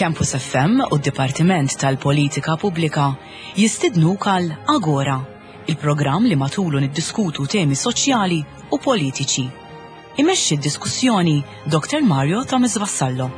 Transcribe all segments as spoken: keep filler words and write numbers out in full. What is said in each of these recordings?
Campus F M u d-Dipartiment tal-Politika Pubblika jistidnuk għal Agora, il-programm li matulu niddiskutu temi soċjali u politiċi. Imexxi d-diskussjoni Doktor Mario Thomas Vassallo.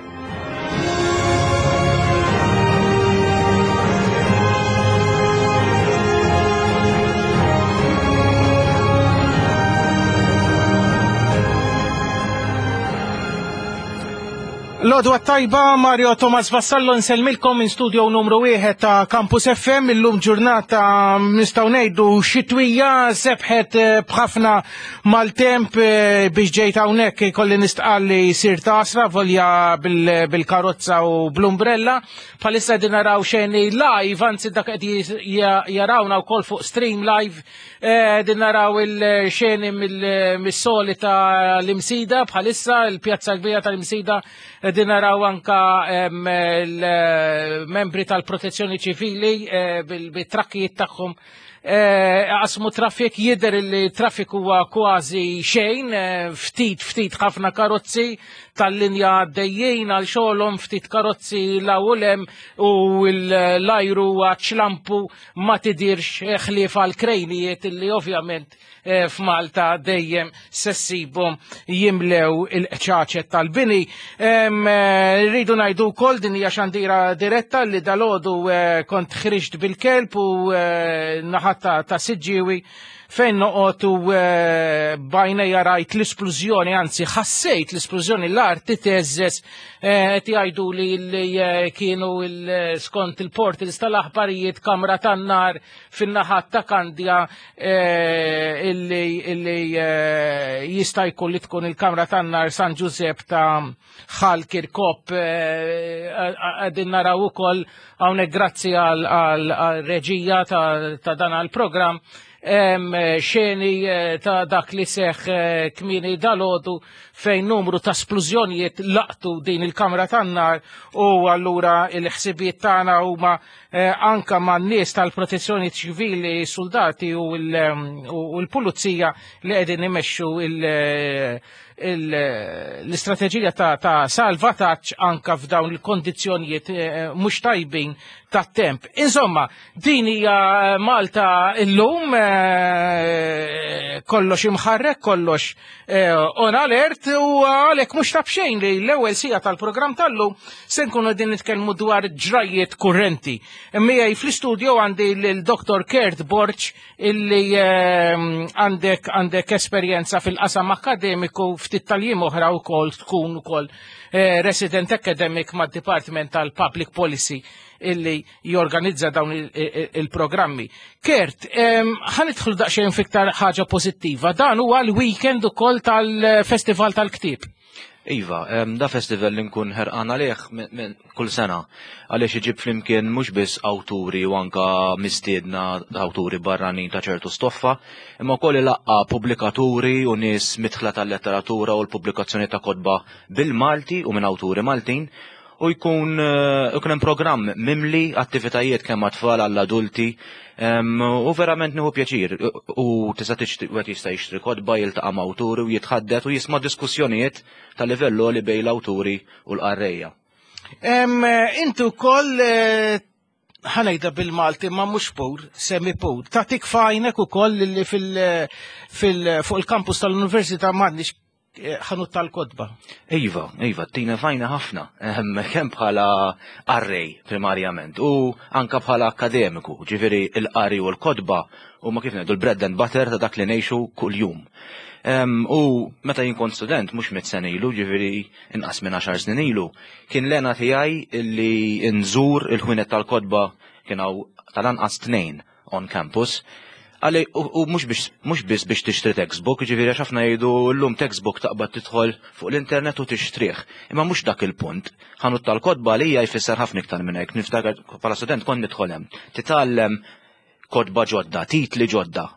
L-għodwa t-tajba, Mario Thomas Vassallo nsellmilkom minn studio numru wieħed ta' Campus F M. Illum ġurnata nistgħu ngħidu xitwija, sebħet eh, b'ħafna maltemp. eh, biex ġejt hawnhekk kolli nistqalli sir tasra volja bil-karozza u bl-umbrella. Bħalissa din naraw xeni live, anzi dak qed jarawna wkoll fuq stream live, eh, din naraw il-xeni mill-soli ta' l-Imsida bħalissa, il-pjazza kbira tal-Imsida. Din naraw anka l-membri tal-protezzjoni ċivili eh, bil-trakkijiet tagħhom eh, qasmu traffic. Jidher li traffic huwa kważi xejn, eh, ftit ftit ħafna karozzi tal-linja għaddejjin għal xogħolhom, ftit karozzi l u l-ajru ċlampu, ma tidirx ħlief għal krejnijiet illi ovvjament f'Malta dejjem se ssibhom jimlew il-qċaċet tal-bini. Rridu ngħidu wkoll, din hija xandira diretta, li dalgħodu kont ħriġt bil-kelb u naħat ta' Siġġiewi fejn noqgħod u b'għajnejja rajt l-isplużjoni, anzi ħassejt l-isplużjoni, l-art titeżżeż. Qed jgħidu li li kienu skont il-portals tal-aħbarijiet kamra tan-nar fin-naħat ta' Kandja, illi illi jista' jkun li tkun il-kamra tan-nar San Giuseppe ta' Ħal Kirkop. Qegħdin naraw ukoll hawnhekk, grazzi għal reġija ta' dan għal-programm, xeni eh, ta' dak li seħ eh, kmieni dalgħodu fejn numru ta' splużjonijiet laqtu din il-kamra tan-nar. U allura il-ħsibiet tagħna huma eh, anka man nies tal-protezzjoni ċivili, soldati u l-pulizija li qegħdin imexxu l-istrateġija ta', ta salvataġġ anka f'dawn il-kondizzjonijiet mhux tajbin tat-temp. Insomma, din hija Malta illum, kollox imħarrek, kollox on alert, u għalhekk mhux ta' b'xejn li l-ewwel siegħa tal-programm tal-lum se nkunu qegħdin nitkellmu dwar ġrajiet kurrenti. Miegħi fl-istudio għandi l-Doktor Kurt Borg, illi għandek għandek esperjenza fil-qasam akademiku, ftit tal-jiem oħra wkoll tkun ukoll resident academic mad-Department tal-Public Policy illi jorganizza dawn il-programmi. Kurt, ħa nidħlu daqsxejn f'iktar ħaġa pożittiva. Dan huwa l-weekend ukoll tal-Festival tal-Ktieb. Iva, da festival li nkun ħerqan għalih kull sena, għaliex iġib flimkien mhux biss awturi u anka mistiedna awturi barranin ta' ċertu stoffa, imma wkoll ilaqqa pubblikaturi u nies midħla tal-letteratura u l-pubblikazzjoni ta' kotba bil-Malti u minn awturi Maltin, u jkun ikun hemm programm mimli attivitajiet kemm għat-tfal, għall-adulti, u verament nieħu pjaċir u tista' wieħed jista' jixtri kotba, jiltaqa' ma' awturi u jitħaddet u jisma' diskussjonijiet ta' livell li bejn l-awturi u l-qarrejja. Intu wkoll, ħa ngħidha bil-Malti ma mhux pur, semi pur, tagħtik f'għajnek ukoll li fil, fuq il-kampus tal-Università m'għandniex ħanut tal-kotba. Iva, iva, tina fajna ħafna, kemm bħala qarrej primarjament u anka bħala akademiku, ġifieri il-qari u l-kotba u ma kif ngħidu l-bread and butter ta' dak li ngħixu kuljum. U meta jien kont student, mhux mitt sena ilu, ġifieri inqas minn għaxar snin ilu, kien l-hena tiegħi illi nżur il-ħwienet tal-kotba, kien hawn tal-anqas tnejn on campus. Għalli, u mhux biss biex tixtri textbook, ġifieri għax ħafna jgħidu llum textbook taqbad tidħol fuq l-internet u tixtrih. Imma mhux dak il-punt. Ħanut tal-kotba li hija jfisser ħafna iktar minn hekk. Niftakar bħala student kont nidħol hemm. Titgħallem kotba ġodda, titli ġodda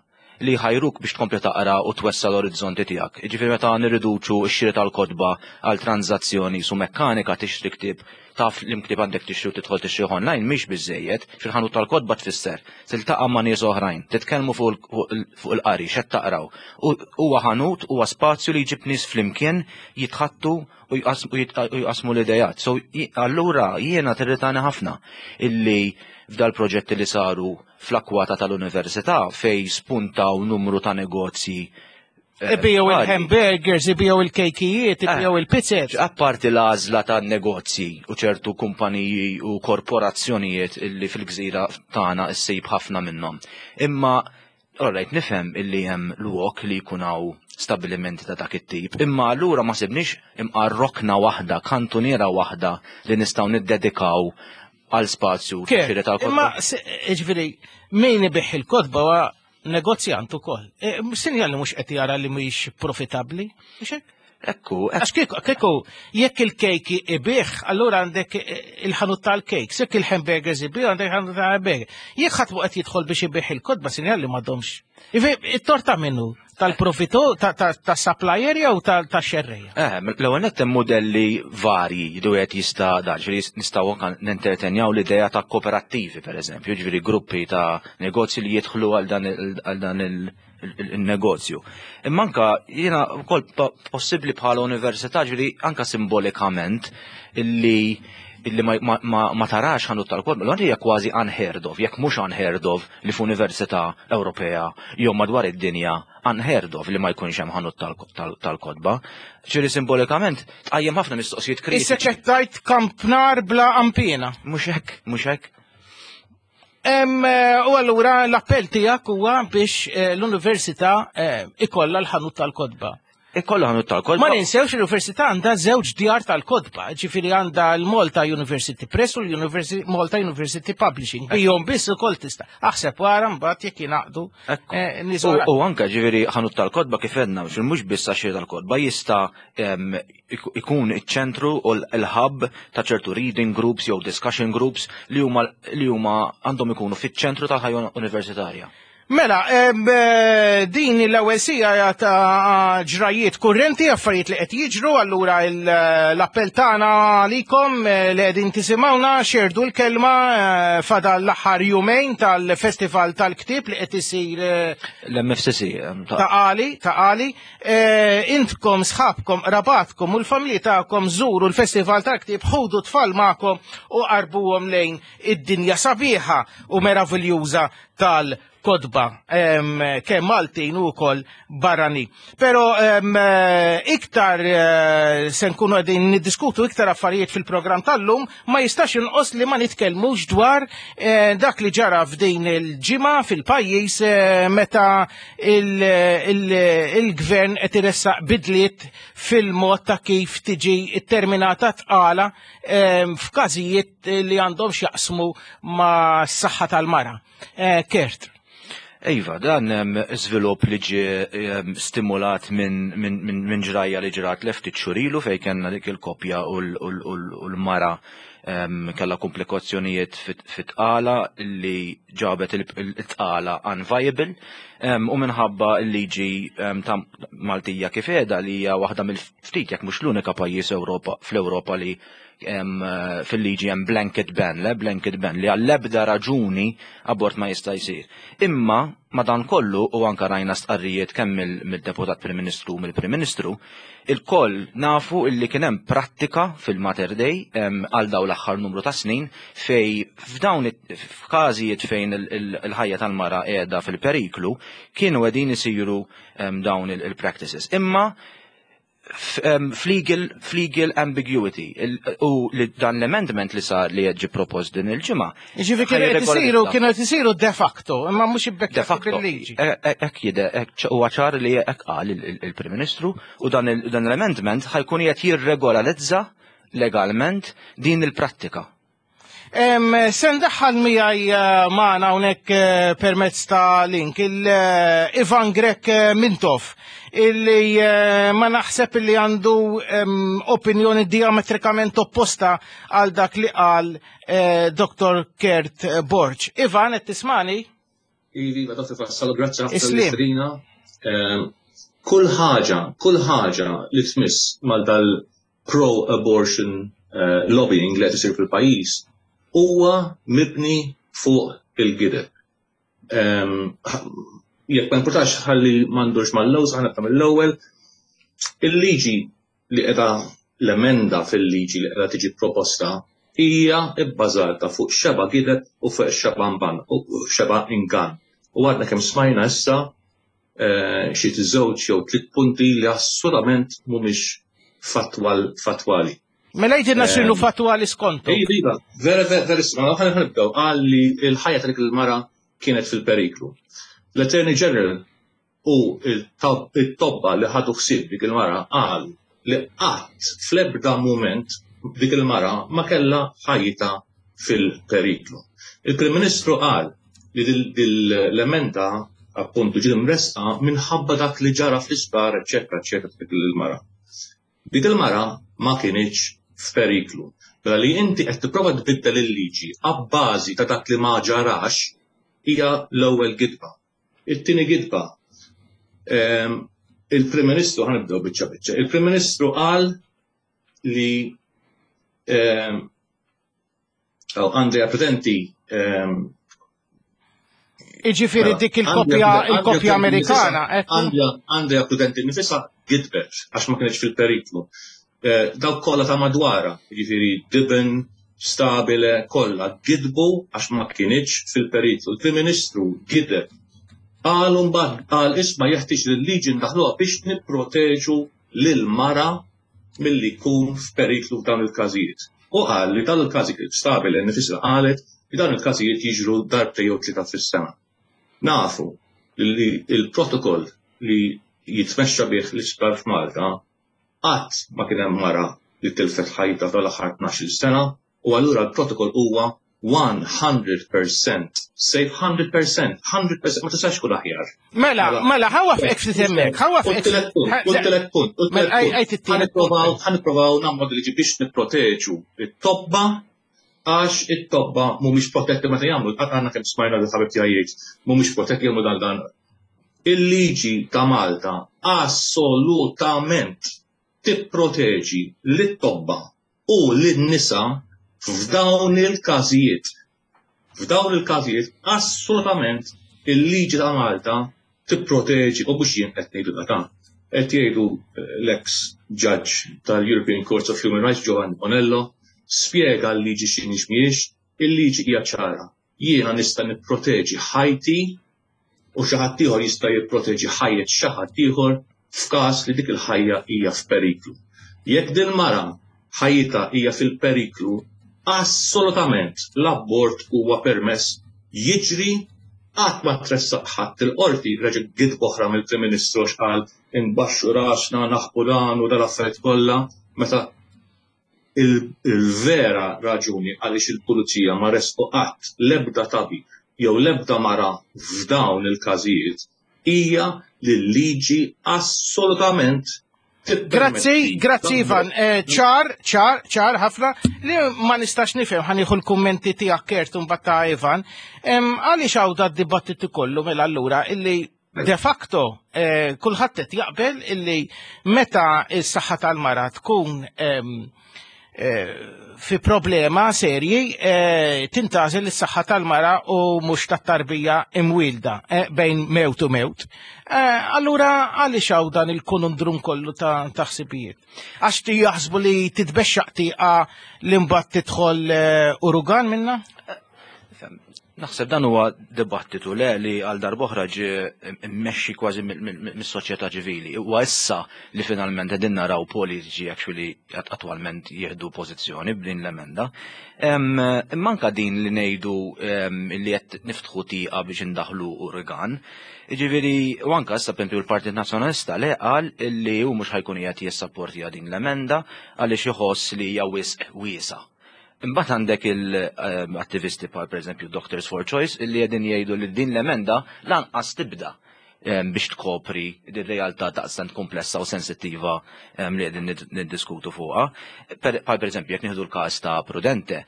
li ħajruk biex tkompli taqra u twessa l-orizzonti tiegħek. Jiġifieri meta nirriduċu x-xiri tal-kotba għal tranzazzjoni su mekkanika, tixtri ktieb, taf li ktieb għandek tixtri u tidħol tixtri online, mhix biżejjed. Fil-ħanut tal-kotba tfisser tiltaqa' ma' nies oħrajn, titkellmu fuq il-qari, x'qed taqraw. Huwa ħanut, huwa spazju li jġib nies flimkien jitħattu u jqasmu l-idejat. So allura jiena tirritani ħafna illi f'dal proġetti li saru fl-akwata tal-università fej spuntaw numru ta' negozji. Ibijaw il-hamburgers, ibijaw il-kejkijiet, ibijaw il-pizzet. Apparti l-għażla ta' negozji u ċertu kumpaniji u korporazzjonijiet illi fil-gżira tagħna issib ħafna minnhom. Imma alright, nifhem illi hemm lok li jkun hawn stabilimenti ta' dak it-tip, imma allura ma sibniex imqar rokna waħda, kantuniera waħda li nistgħu niddedikaw għal spazju xiri tal-kotba. Imma ġifieri min ibigħ il-kotba huwa negozjant ukoll. E, sinjal li mhux qed jara li mhix profitabbli, mhux hekk? Ekku, Għax kieku, kieku, jekk il-kejk ibigħ, allura għandek il-ħanut tal-kejk, jekk il-hamburgers ibigħ, għandek il-ħanut tal-hamburger. Jekk ħadd qed jidħol biex ibigħ il-kotba, sinjal li m'għadhomx. It-torta minnu tal-profitu, ta' supplier jew ta' xerreja? Eh, l-ewwel nett hemm modelli varji li wieħed jista' dan, ġifieri nistgħu anke nentertenjaw l-idea ta' kooperattivi pereżempju, ġifieri gruppi ta' negozji li jidħlu għal dan il-negozju. Imma anka jiena wkoll possibbli bħala università, ġifieri anka simbolikament illi illi ma, ma, ma, ma tarax ħanut tal-kotba, l hija kważi unheard of, jekk mhux unheard of li f'università Ewropea jew madwar id-dinja unheard of li ma jkunx hemm ħanut tal-kotba. Ġifieri simbolikament tqajjem ħafna mistoqsijiet kritiċi. Issa ċettajt kampnar bla ampina. Mhux hekk, mhux hekk. U allura l-appell tiegħek huwa biex eh, l-università eh, ikollha l-ħanut tal-kotba. Ikollha ħanut tal-kotba. Ma ninsewx, l-università għandha żewġ djar tal-kotba, ġifieri għandha l-Malta University Press u l-Malta University Publishing. Bijom biss ukoll tista'. Aħseb wara mbagħad jekk jingħaqdu. Eh, u anke ġifieri ħanut tal-kotba kif għedna, mhux biss għax tal-kotba, jista' ikun iċ-ċentru u l-hub ta' ċertu reading groups jew discussion groups li huma li huma għandhom ikunu fiċ-ċentru tal-ħajja universitarja. Mela, eh, din l-ewwel sija ta' ġrajiet kurrenti, affarijiet li qed jiġru, allura l-appell tagħna għalikom eh, li qegħdin tisimgħuna, xerdu l-kelma, eh, fadal l-aħħar jumejn tal-Festival tal-Ktieb li qed isir l-M F C C. Ta' Qali, ta' Qali. Intkom, sħabkom, qrabatkom u l-familji tagħkom żuru l-Festival tal-Ktieb, ħudu tfal magħkom u qarbuhom lejn id-dinja sabiħa u meraviljuża tal kotba kemm Maltin u wkoll barrani. Però iktar eh, se nkunu qegħdin niddiskutu iktar affarijiet fil-programm tal-lum, ma jistax inqos li ma nitkellmux dwar eh, dak li ġara f'din il-ġimgħa fil-pajjiż eh, meta il-gvern qed iressaq bidliet fil-mod ta' kif tiġi terminata tqala f'każijiet li għandhom x'jaqsmu ma' s-saħħa tal-mara. Kurt. Iva, dan żvilupp li ġie stimulat minn min, min, min ġrajja li ġrat ftit xhur ilu fej kellna dik il-koppja u l-mara kellha komplikazzjonijiet fit-tqala li ġabet il-tqala unviable, u minħabba l-liġi ta' Maltija kif qiegħda, li hija waħda mill-ftit, jekk mhux l-unika pajjiż Ewropa fl-Ewropa li fil-liġi hemm blanket ban, le blanket ban li għall-ebda raġuni abort ma jista' jsir. Imma madan kollu, u anka rajna stqarrijiet kemm mill-deputat Prim Ministru u mill-Prim Ministru, il-koll nafu illi kien hemm prattika fil-Mater Dei għal daw l-aħħar numru ta' snin fej f'dawn f'każijiet fejn il-ħajja tal-mara qiegħda fil-periklu kienu qegħdin isiru dawn il-practices. Imma f'legal f'legal ambiguity u li dan l-amendment li sar li ġi propost din il-ġimgħa. Ġifieri kienu qed isiru kienu qed isiru de facto, imma mhux de facto bil-liġi. Hekk jide huwa ċar li hekk qal il-Prim Ministru u dan l-amendment ħa jkun qed jirregolarizza legalment din il-prattika. Se ndaħħal miegħi eh, magħna hawnhekk eh, permezz ta' link il-Ivan Grech Mintoff, illi ma naħseb illi għandu opinjoni diametrikament opposta għal dak li qal Doktor Kurt Borg. Ivan, qed tismani? Iva, Doktor Vassallo, grazzi ħafna. Kull ħaġa, kull ħaġa li tmiss mal dal pro-abortion uh, lobbying li qed isir fil-pajjiż huwa mibni fuq il-gideb. Um, jekk ma importax ħalli m'għandux mal-lewż, ħa nibda mill-ewwel. Il-liġi li qiegħda, l-emenda fil-liġi li qiegħda tiġi proposta hija bbażata fuq xeba gideb u fuq xeba mban u xeba ingan. U għadna kemm smajna issa xi żewġ jew tliet punti li assolutament mhumiex fatwal fatwali. Mela jgħidilna x'inhu fatwali skontu. Iva, vera vera vera, ħa nibdew qal li l-ħajja ta' dik il-mara kienet fil-periklu. L-Attorney General u it-tobba li ħadu ħsieb dik il-mara qal li qatt fl-ebda mument dik il-mara ma kellha ħajjitha fil-periklu. Il-Prim Ministru qal li l-emenda appuntu ġiet imresqa minħabba dak li ġara fl-isptar, eċetera, eċetera, dik il-mara. Dik il-mara ma kienx f'periklu. Mela li inti qed tipprova tbiddel il-liġi abbażi ta' dak li ma ġarax hija l-ewwel gidba. It-tieni gidba, il-Prim Ministru, ħa nibdew biċċa biċċa, il-Prim Ministru qal li Andrea Prudenti Iġifieri dik il-kopja il-kopja Amerikana. Andrea Prudenti nifisha gidbet għax ma kienx fil-periklu. Dawk kollha ta' madwara, jiġifieri Dibben, Stabile, kollha gidbu għax ma kienx fil-periklu. Il-Prim Ministru gideb. Qal mbagħad qal isma' jeħtieġ li l-liġi ndaħluha biex nipproteġu lil mara milli jkun f'periklu f'dawn il-każijiet. U qal li dawn il-każijiet Stabile nifisha qalet li dawn il-każijiet jiġru darbtejn jew tlieta fis-sena. Nafu li il-protokoll li jitmexxa bih l-isptar f'Malta qatt ma kien hemm mara li tilfet ħajta tal-aħħar tnax-il sena u allura l-protokoll huwa one hundred percent safe, hundred percent, hundred percent, ma tistax tkun aħjar. Mela, mela, ħawa f'ek ftit hemmhekk, ħawa f'ek. U t-tielet punt, u t-tielet punt, u t-tielet punt. Ħa nipprovaw, ħa nipprovaw nagħmlu liġi biex nipproteġu it-tobba għax it-tobba mhumiex protetti meta jagħmlu, għandna kemm smajna li ħabib tiegħi jgħid, mhumiex protetti jagħmlu dan dan. Il-liġi ta' Malta assolutament tipproteġi lit-tobba u lin-nisa f'dawn il-każijiet. F'dawn il-każijiet assolutament il-liġi ta' Malta tipproteġi, u mhux jien qed ngħidu dan. Qed jgħidu l-ex judge tal-European Court of Human Rights Giovanni Bonello, spjega l-liġi x'inhi x'mhijiex, il-liġi hija ċara. Jiena nista' nipproteġi ħajti u xi ħadd ieħor jista' jipproteġi ħajjet xi ħadd ieħor f'każ li dik il-ħajja hija f'periklu. Jekk din mara ħajjitha hija fil-periklu, assolutament l-abort huwa permess jiġri, qatt ma tressaq ħadd il-qorti, reġa' gidba oħra mill-Prim Ministru għax qal inbaxxu rasna, naħbu dan u dal-affarijiet kollha, meta il-vera raġuni għaliex il-pulizija ma resqu qatt l-ebda tabib jew l-ebda mara f'dawn il-każijiet hija li l-liġi assolutament. Grazzi, grazzi Ivan. Ċar, ċar, ċar ħafna li ma nistax nifhem, ħa nieħu l-kummenti tiegħek Kurt u mbagħad ta' Ivan. Għaliex hawn da d-dibattitu kollu mela allura illi de facto kulħadd qed jaqbel illi meta s-saħħa tal-mara tkun fi problema serji tintażel is-saħħa tal-mara u mhux tat-tarbija imwielda bejn mewt u mewt. Allura għaliex hawn dan il-konundrum kollu ta' ħsibijiet? Għax ti jaħsbu li titbexxaq tieqa li mbagħad tidħol urugan minna? Naħseb dan huwa dibattitu le li għal darb'oħra ġie mmexxi kważi mis-soċjetà ċivili. Huwa issa li finalment qegħdin naraw politiċi actually attwalment jieħdu pożizzjoni b'din l-emenda. Imma anke din li ngħidu li qed niftħu tieqa biex indaħlu urigan. Jiġifieri, u anke issa pereżempju l-Partit Nazzjonalista le qal li hu mhux ħajkun qiegħed jissapportja din l-emenda għaliex iħoss li hija wisq wiesa'. Imbagħad għandek il-attivisti bħal pereżempju Doctors for Choice illi qegħdin jgħidu li din l-emenda lanqas tibda biex tkopri din realtà daqstant komplessa u sensittiva li qegħdin niddiskutu fuqha. Bħal pereżempju jekk nieħdu l-każ ta' Prudente,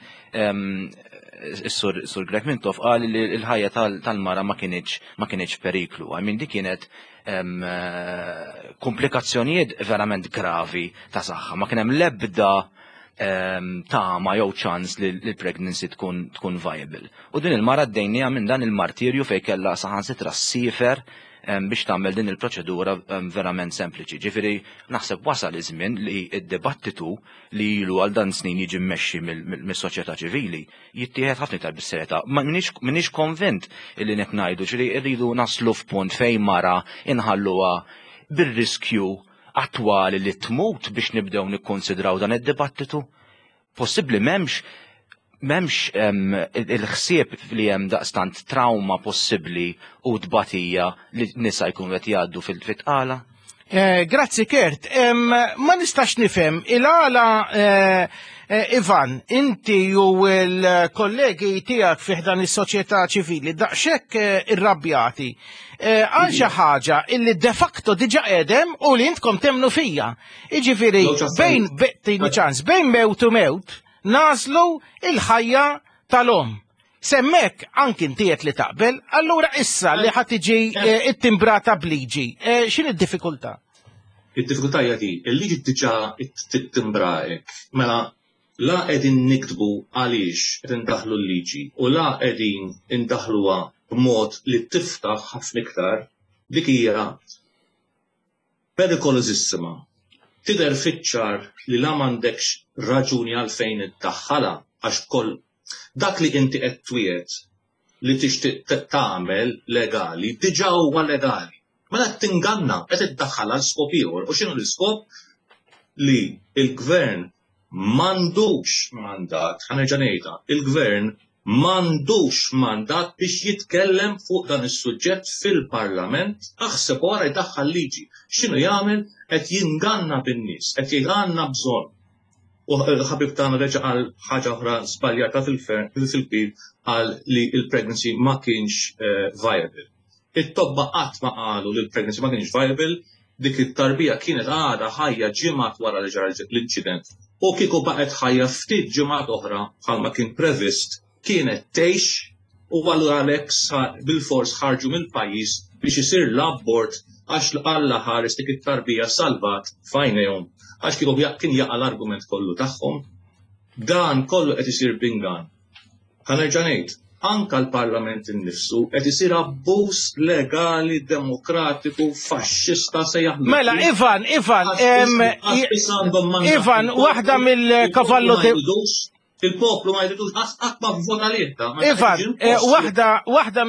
is-sur Sur Grech Mintoff qal li l-ħajja tal-mara ma kienx ma kienx periklu. I mean, di kienet komplikazzjonijiet verament gravi ta' saħħa. Ma kien hemm l-ebda tama jew ċans li l-pregnancy tkun tkun viable. U din il-mara għaddejnieha minn dan il-martirju fejn kellha saħansitra ssiefer biex tagħmel din il-proċedura verament sempliċi. Ġifieri naħseb wasal iż-żmien li d-dibattitu li ilu għal dan snin jiġi mmexxi mis-soċjetà ċivili jittieħed ħafna iktar bis-serjetà. Ma minix konvint illi qed ngħidu ġifieri rridu naslu f'punt fejn mara inħalluha bir-riskju attwali li tmut biex nibdew nikkonsidraw dan id-dibattitu. Possibbli m'hemmx m'hemmx il-ħsieb li hemm daqstant trauma possibbli u tbatija li nisa jkunu qed jgħaddu fil-tqala? Eh, grazzi Kurt. Ma nistax nifhem il-għala eh, eh, Ivan, inti u l-kollegi tiegħek fi dan is-soċjetà ċivili daqshekk irrabjati għal xi ħaġa illi de facto diġà qegħdem u li intkom temnu fija. Jiġifieri bejn ċans bejn mewt u mewt nagħżlu il-ħajja tal-omm. S'hemmhekk anki inti li taqbel, allura issa li ħa tiġi eh, ittimbrata b'liġi, eh, x'inhi d-diffikultà? Id-diffikultà hija di, il-liġi diġà tittimbra hekk. Mela la qegħdin niktbu għaliex qed indaħlu l-liġi u la qegħdin indaħluha b'mod li tiftaħ ħafna iktar, dik hija perikolożissima. Tidher fiċ-ċar li la m'għandekx raġuni għalfejn iddaħħalha għax koll dak li inti qed twiet li tixtieq tagħmel legali diġà huwa legali. Mela qed tinganna, qed iddaħħal għal skop ieħor. U x'inhu l-iskop? Li il-gvern m'għandux mandat, ħa nerġa' ngħidha, il-gvern m'għandux mandat biex jitkellem fuq dan is-suġġett fil-Parlament, aħseb wara jdaħħal liġi. X'inhu jagħmel? Qed jinganna bin-nies, qed jgħid għandna bżonn. U ħabib tagħna reġa' qal ħaġa oħra żbaljata fil-kbir qal li il-pregnancy ma kienx eh, viable. It-tobba qatt ma qalu li l-pregnancy ma kienx viable, dik it-tarbija kienet għadha ħajja ġimgħat wara li ġara l-inċident. U kieku baqgħet ħajja ftit ġimgħat oħra bħalma kien previst, kienet tgħix u allura għalhekk bil-fors ħarġu mill-pajjiż biex isir l-abort għax Alla ħares dik it-tarbija salvat f'għajnejhom għax kieku kien jaqa' l-argument kollu tagħhom. Dan kollu qed isir b'ingann. Ħa nerġa' ngħid, anka l-Parlament innifsu qed isir abbuż legali, demokratiku, faxxista se jaħdmu. Mela, Ivan, Ivan, Ivan, waħda mill-kavallo Il-poplu ma jridux qatt ma vvota lieta. Ivan, eh, waħda waħda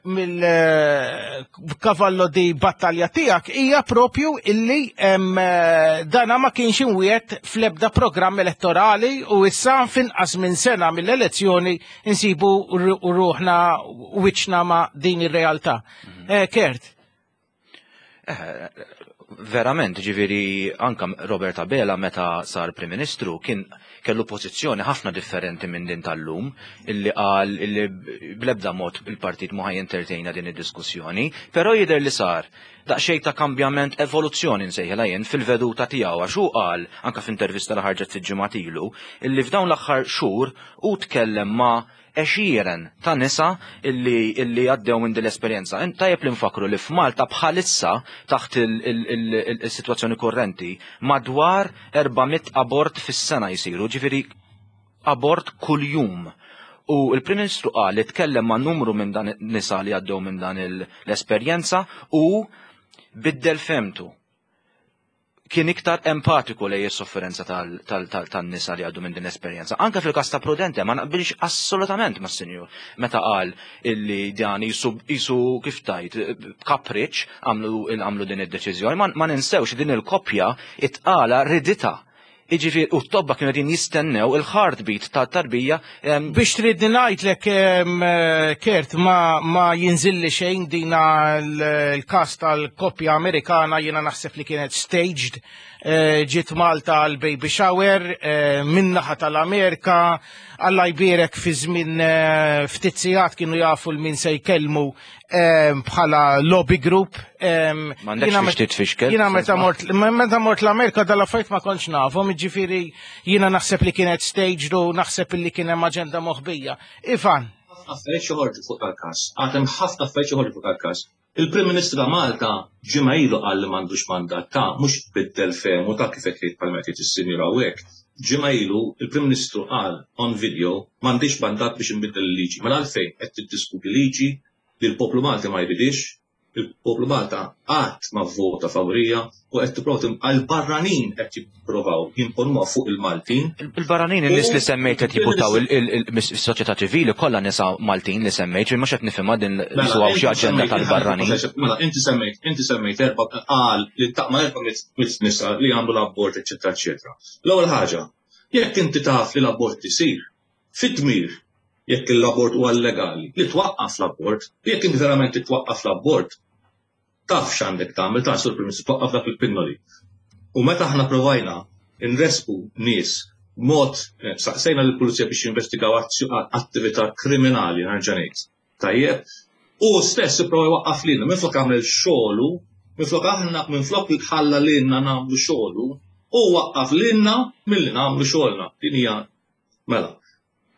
mill-kavallo di battalja tiegħek hija propju illi dana ma kienx imwiegħed fl-ebda programm elettorali u issa f'inqas minn sena mill-elezzjoni insibu ruħna wiċċna ma' din ir-realtà. Mhm. Eh, Kurt. Eh, verament, ġifieri, anka Robert Abela meta sar Prim Ministru kien kellu pożizzjoni ħafna differenti minn din tal-lum, illi qal illi bl-ebda mod il-partit mhu ħa jentertejna din id-diskussjoni, però jidher li sar daqsxejn ta' kambjament, evoluzzjoni nsejħilha jien fil-veduta tiegħu għax hu qal anka f'intervista li ħarġet fil-ġimgħat ilu illi f'dawn l-aħħar xhur hu tkellem ma' għexieren ta' nisa illi, illi għaddew minn din l-esperjenza. Tajjeb li nfakru li f'Malta bħalissa taħt il-sitwazzjoni korrenti madwar erba' mitt abort fis-sena jisiru, ġifieri abort kull-jum. U il-Prim Ministru qal li tkellem ma' numru minn dan nisa li għaddew minn dan l-esperjenza u biddel fehmtu. Kien iktar empatiku lejn is-sofferenza tan-nisa li għaddu minn din l-esperjenza. Anka fil-każ ta' Prudente ma naqbilx assolutament ma' sinjur meta qal illi dan jisu kif tajt kapriċ għamlu għamlu din id-deċiżjoni. Ma ninsewx din il-koppja it-tqala riditha. Iġifieri, u t-tobba kienu qegħdin jistennew il-heartbeat ta' tarbija. Biex tridni ngħidlek, Kurt, ma, ma jinżilli xejn dina l-kas tal-koppja Amerikana jiena naħseb li kienet staged. eh, ġiet Malta għal baby shower eh, min-naħa tal-Amerika, Alla jbierek fi żmien eh, ftit sigħat kienu jafu 'l min se jkellmu eh, bħala lobby group. eh, M'għandekx jiena biex met- titfixkel. Jiena meta mort meta mort l-Amerika dal-affarijiet ma kontx nafhom, jiġifieri jiena naħseb li kienet staged u naħseb li kien hemm aġenda moħbija. Ivan, Ħafna affarijiet joħorġu fuq tal-każ. Għad hemm ħafna affarijiet joħorġu fuq tal-każ. Il-Prim Ministru ta' Malta ġimgħa ilu qal li m'għandux mandat ta' mhux biddel fehmu ta' kif qed jgħid bħalma qed jgħid is-sinjura hawnhekk. Ġimgħa ilu il-Prim Ministru qal on video m'għandix mandat biex inbiddel il-liġi. Mela għalfejn qed tiddiskuti liġi li l-poplu Malti ma jridix, il-poplu Malta qatt ma vvota favorija u qed tipprova għal-barranin qed jippruvaw jimponuha fuq il-Maltin. Il-barranin, in-nies li semmejt qed jibuttaw il-soċjetà ċivili kollha nisa Maltin li semmejt, mhux qed nifhimha din li Mela, xi inti aġenda semmejt- tal-barranin. Mela, inti semmejt, inti semmejt erba' qal li taqma erba' mit nisa li għamlu l-abort, eċetera, eċetera. L-ewwel ħaġa, jekk inti taf li l-abort isir, fit-tmir, jekk l-abort huwa legali, li twaqqaf l-abort, jekk inti verament twaqqaf l-abort, taf x'għandek tagħmel, taf sur Prim Ministru twaqqaf dak il-pinnoli. U meta aħna provajna nresqu nies mod eh, saqsejna lill-pulizija biex jinvestigaw azzju- attività kriminali nerġa' ngħid. Tajjeb, u stess ipprova jwaqqaf lilna, minflok għamel xogħlu, minflok aħna minflok ħalla lilna nagħmlu xogħlu, u waqqaf lilna milli nagħmlu xogħolna. Din hija mela.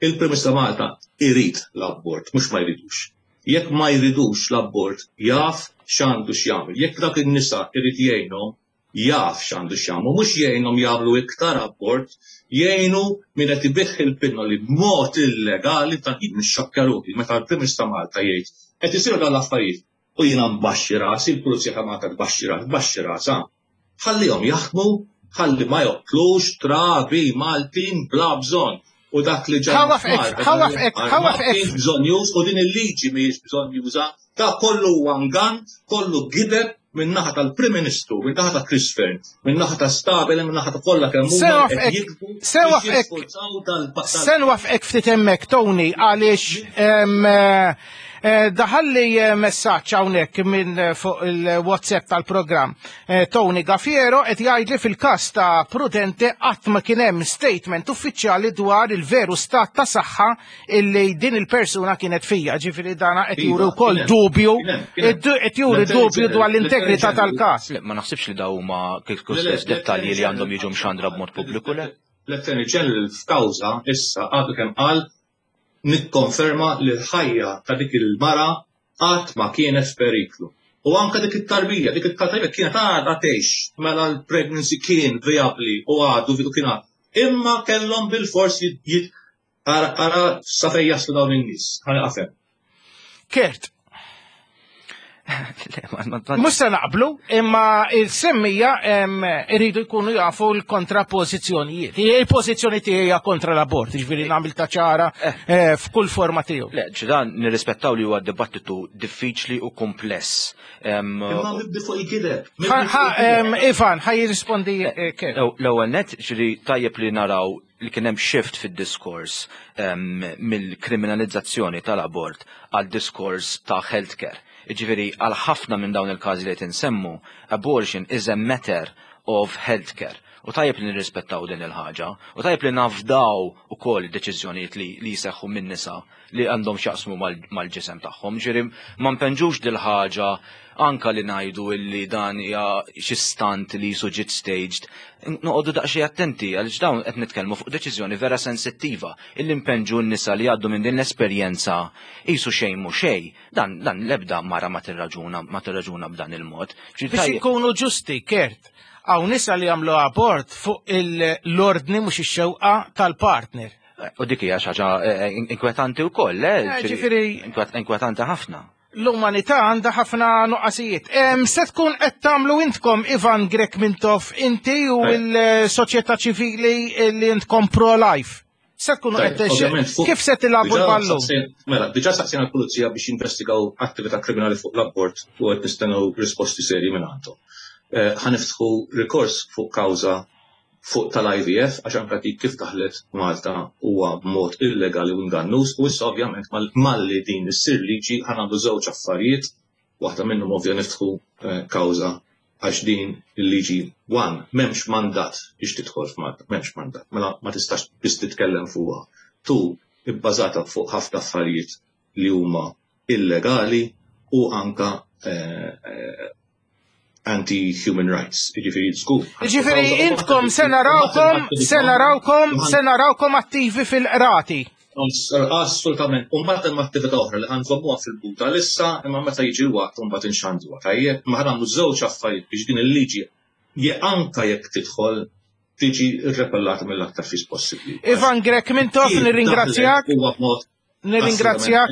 Il-Prim Ministru ta' Malta irid l-abort, mhux ma jridux. Jekk ma jridux l-abort, jaf x'għandu x'jagħmel. Jekk dak in-nisa irid jgħinhom, jaf x'għandu x'jagħmlu, mhux jgħinhom jagħmlu iktar abort, jgħinu min qed ibigħ il-pinnoli b'mod illegali ta' nixxokkja ruħi meta l-Prim Ministru ta' Malta jgħid qed isiru dan l-affarijiet u jiena nbaxxi rasi, il-Pulizija ta' Malta tbaxxi rasi, tbaxxi rasha. Ħallihom jaħdmu, ħalli ma joqtlux trabi Maltin bla bżonn. U dak li ġara Ħa nwaffqek, ħa nwaffqek, ħa nwaffqek. Bżonn u din il-liġi mhijiex bżonn juża, ta' kollu huwa ngan, kollu gideb minn naħa tal-Prim Ministru, minn naħa ta' Chris Fearne, minn naħa ta' Stabile, minn naħa ta' kollha kemm Se huma qed nwaffqek, jikbu se biex nwaffqek. jisforzaw dal- dal- Se nwaffqek ftit hemmhekk Tony għaliex em, eh, eh, daħalli eh, messaġġ hawnhekk minn eh, fuq il-WhatsApp tal-programm. Eh, Tony Gaffiero qed jgħidli fil-każ ta' Prudente qatt ma kien hemm statement uffiċjali dwar il-veru stat ta' saħħa illi din il-persuna kienet fija. Ġifieri dana qed juri Iva, wkoll kien hemm, dubju kien hemm, kien hemm. qed juri dubju dwar l-integrità tal-każ. Le, ma naħsibx li daw huma kif Le, le, stess dettalji li għandhom jiġu mxandra b'mod pubbliku, le? L-Attorney General f'kawża issa għadu kemm qal nikkonferma li l-ħajja ta' dik il-mara qatt ma kienet f'periklu. U anka dik it-tarbija, dik it-tarbija kienet għadha tgħix mela l-pregnancy kien viabli u għadu u kien għad. Imma kellhom bil-fors jit jit- ara ara sa fejn jaslu dawn in-nies. Ħa nieqaf hemm. Kurt, Le, ma- ma- ma- Mhux se naqblu, imma il-semmija em, iridu jkunu jafu l-kontrapożizzjonijiet. Il-pożizzjoni tiegħi hija kontra l-abort, ġifieri nagħmel ta' ċara eh, f'kull forma tiegħu. Le, ġidan nirrispettaw li huwa dibattitu diffiċli u kumpless. Em, Imma mibdi fuq il-gideb. Ħa- ħa, em, Ivan, ħa jirrispondi eh, Kurt. L-ewwel net ġiri tajjeb li naraw li kien hemm shift fid-diskors em, mill-kriminalizzazzjoni tal-abort għal diskors ta' healthcare. Ġifieri għal ħafna minn dawn il-każi li qed insemmu, abortion is a matter of healthcare. U tajjeb li nirrispettaw din il-ħaġa, u tajjeb li nafdaw ukoll deċiżjonijiet li, li jseħħu minn nisa li għandhom x'jaqsmu mal- mal-ġisem tagħhom. Ġifieri ma npenġux dil-ħaġa anka li ngħidu illi dan hija xi stunt li jisu ġiet staged. Noqogħdu daqsxejn attenti għaliex dawn qed nitkellmu fuq deċiżjoni vera sensittiva illi npenġu n-nisa li għaddu minn din l-esperjenza qisu xejn mhu xejn. Dan dan l-ebda mara ma tirraġuna ma tirraġuna b'dan il-mod. Ġifieri Biex tajjeb- ikunu ġusti, Kurt, hawn nisa li jagħmlu abort fuq l-ordni mhux ix-xewqa tal-partner. U dik hija xi ħaġa eh, inkwetanti wkoll, eh? Eh, ġifieri- Inkwet- Inkwetanti ħafna. L-umanità għandha ħafna nuqqasijiet. Em, Se tkun qed tagħmlu intkom Ivan Grech Mintoff inti u Eh. l-soċjetà ċivili li intkom pro-life. Se tkunu Tajjeb, qed ovvjament, fuq- kif se tilagħbu Diġà l-ballun? saqsejn- Mela, diġà saqsejna l-pulizija biex jinvestigaw attività kriminali fuq l-abort u qed nistennew risposti serji minn għandhom. Eh, Ħa niftħu rikors fuq kawża fuq tal-I V F għax anka dik kif daħlet Malta huwa b'mod illegali u ingannuż u issa ovvjament mal- malli din issir liġi ħa nagħmlu żewġ affarijiet, waħda minnhom ovvja niftħu eh, kawża Għax din il-liġi one, m'hemmx mandat biex tidħol f'Malta, m'hemmx mandat, mela ma tistax biss titkellem fuqha. Two, ibbażata fuq ħafna affarijiet li huma illegali u anka eh, eh, anti-human rights. Jiġifieri żgur. Jiġifieri intkom se narawkom, se narawkom, se narawkom attivi fil-qrati. Assolutament. U mbagħad hemm attività oħra li ħa nżommuha fil-buta issa, imma meta jiġi l-waqt mbagħad inxandruha. Tajjeb, ma ħa nagħmlu żewġ affarijiet biex din il-liġi anka jekk tidħol tiġi rrepellata mill-aktar fis possibbli. Ivan Grech Mintoff, nirringrazzjak. Nirringrazzjak,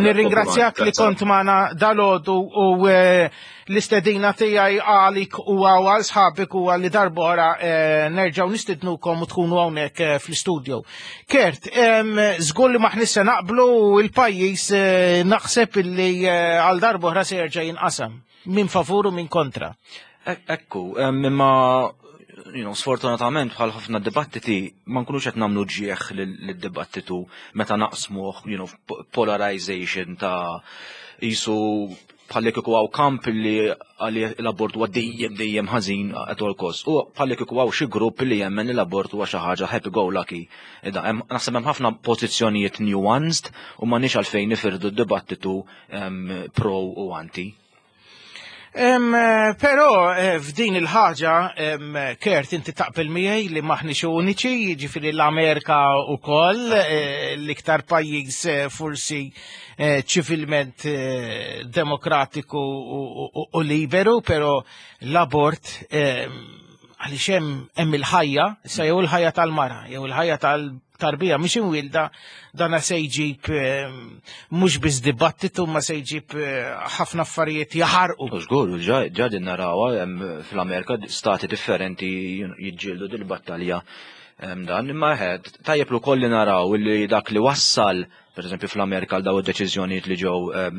nirringrazzjak li kont magħna dalgħodu u eh, l-istedina tiegħi għalik u għal sħabik u għalli darbora eh, nerġgħu nistidnukom u tkunu hawnhekk eh, fl-studio. Kurt, żgur li m'aħniex se naqblu il-pajjiż naħseb illi għal darbora se jerġa' jinqasam min favur u min kontra. Ekku, imma you know, sfortunatament bħal ħafna dibattiti ma nkunux qed nagħmlu ġieħ lid-dibattitu meta naqsmuh, you know, polarization ta' jisu bħalli kieku hawn kamp li għalli l-abort huwa dejjem dejjem ħażin at all cost. U bħalli kieku hawn xi grupp li jemmen li l-abort huwa xi ħaġa happy go lucky. Ida, naħseb hemm ħafna pożizzjonijiet nuanced u m'għandniex għalfejn nifirdu d-dibattitu pro u anti. Eh, però eh, f'din il-ħaġa, Kurt, inti taqbel miegħi li m'aħniex uniċi, jiġifieri l-Amerika wkoll, eh, l-iktar pajjiż forsi ċivilment demokratiku u liberu, però l-abort għaliex hemm il-ħajja, sa jew il-ħajja tal-mara, jew il-ħajja tal-tarbija mhix imwielda dana se jġib mhux biss dibattitu ma se jġib ħafna affarijiet jaħarqu. Żgur, ġa din narawha fl-Amerika stati differenti jiġġieldu dil-battalja dan, imma tajjeb ukoll li naraw li dak li wassal per eżempju fl-Amerika għal daw id-deċiżjonijiet li ġew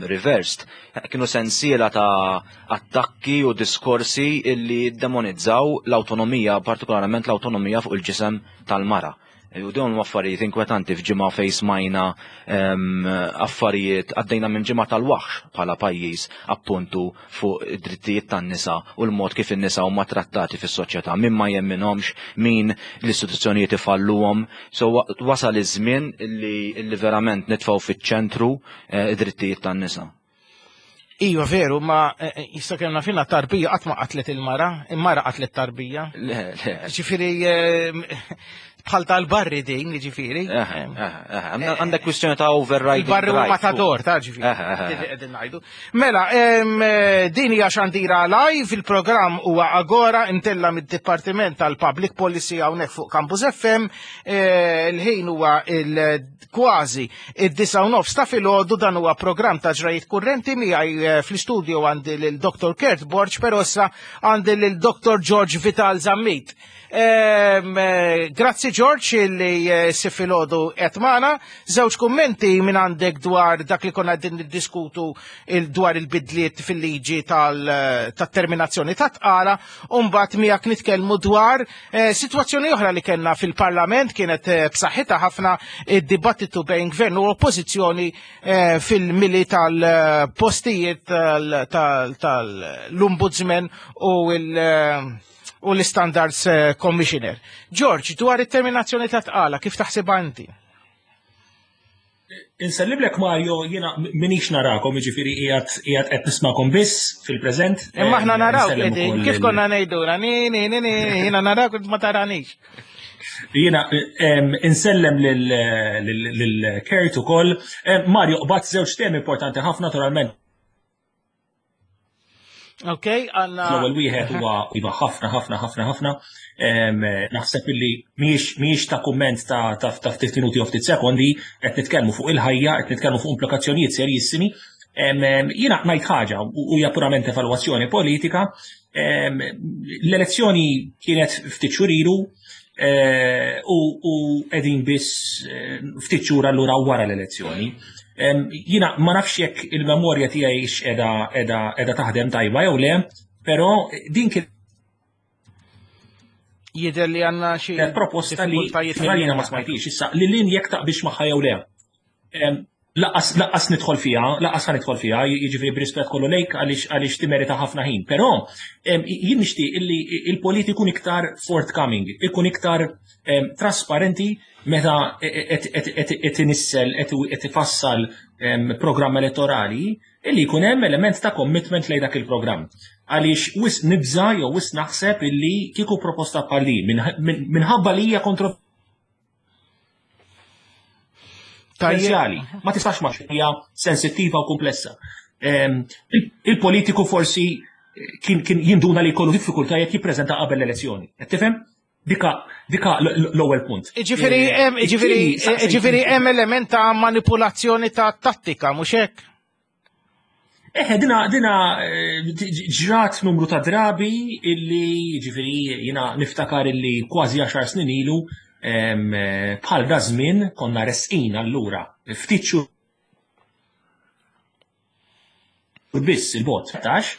reversed, kienu sensiela ta' attakki u diskorsi illi demonizzaw l-autonomija, partikolarment l-autonomija fuq il-ġisem tal-mara. U dawn affarijiet inkwetanti f'ġimgħa fejn smajna affarijiet għaddejna minn ġimgħa tal-waħx bħala pajjiż appuntu fuq id-drittijiet tan-nisa u l-mod kif in-nisa huma trattati fis-soċjetà, min ma jemminhomx, min l-istituzzjonijiet ifalluhom. So wasal iż-żmien li verament nitfgħu fiċ-ċentru eh, id-drittijiet tan-nisa. Iva veru, ma eh, eh, jista' kellna fina tarbija qatt ma qatlet il-mara, il-mara qatlet tarbija. Le, le. Ġifieri bħal tal-barri din, ġifieri. Għandek kwistjoni ta' overriding. Il-barri u matador, ta' ġifieri. Ngħidu. Mela, din hija xandira live, il-programm huwa Agora intella mid-Dipartiment tal-Public Policy hawnhekk fuq Campus F M. Il-ħin huwa il-kważi id-disgħa u nofs ta' filgħodu, dan huwa programm ta' ġrajiet kurrenti. Miegħi fl-istudio għandi lil Doktor Kurt Borg, però issa għandi lil Doktor George Vital Zammit. Grazzi George li si filgħodu qed magħna. Żewġ kummenti minn għandek dwar dak li konna din niddiskutu dwar il-bidliet fil-liġi tal-terminazzjoni ta' tqala, u mbagħad miegħek nitkellmu dwar sitwazzjoni oħra li kellna fil-Parlament kienet b'saħħitha ħafna id-dibattitu bejn gvern u oppożizzjoni fil-mili tal-postijiet tal-Ombudsman u il- u l-Standards Commissioner. George, dwar it-terminazzjoni ta' tqala, kif taħseb inti? Insellimlek Mario, jiena minix narakom, jiġifieri qiegħed qiegħed qed nismakom biss fil-preżent. Imma aħna naraw qegħdin, kif konna ngħiduna, ni ni ni ni, jiena narak ma taranix. Jiena insellem lil Kurt ukoll. Mario, qbadt żewġ temi importanti ħafna naturalment. Ok, għanna. L-ewwel wieħed huwa iva ħafna ħafna ħafna ħafna. Naħseb illi mhijiex ta' kumment ta' ta' ftit minuti u ftit sekondi, qed nitkellmu fuq il-ħajja, qed nitkellmu fuq implikazzjonijiet serjissimi. Jiena ngħid ħaġa u hija purament evalwazzjoni politika. L-elezzjoni kienet ftit xhur ilu u qegħdin biss ftit xhur allura wara l-elezzjoni. Jiena ma nafx jekk il-memorja tiegħi qiegħda qiegħda qiegħda taħdem tajba jew le, però din kien Jidher li għandna xi proposta li jiena ma smajtix issa li lin jekk taqbilx magħha jew le. Lanqas lanqas nidħol fiha, lanqas ħa nidħol fiha, jiġifieri b'rispett kollu lejk għaliex għaliex timerita ħafna ħin. Però jien nixtieq illi il-politiku ikun iktar forthcoming, ikun iktar trasparenti meta qed inissel qed ifassal programm elettorali illi jkun hemm element ta' commitment lejn dak il-programm. Għaliex wisq nibża jew wisq naħseb illi kieku proposta bħal din minħabba li hija kontro Tajjali, ma tistax ma hija sensittiva u komplessa. Il-politiku forsi kien kien jinduna li jkollu diffikultajiet jippreżenta qabel l-elezzjoni. Qed tifhem? Dika dika l-ewwel punt. Ġifieri hemm ġifieri ġifieri hemm element ta' manipulazzjoni ta' tattika, mhux hekk? Eħe, dina, dina ġrat numru ta' drabi illi, ġifieri, jina niftakar illi kważi għaxar snin ilu bħal da żmien konna resqin allura ftit xhur biss il-bot tax,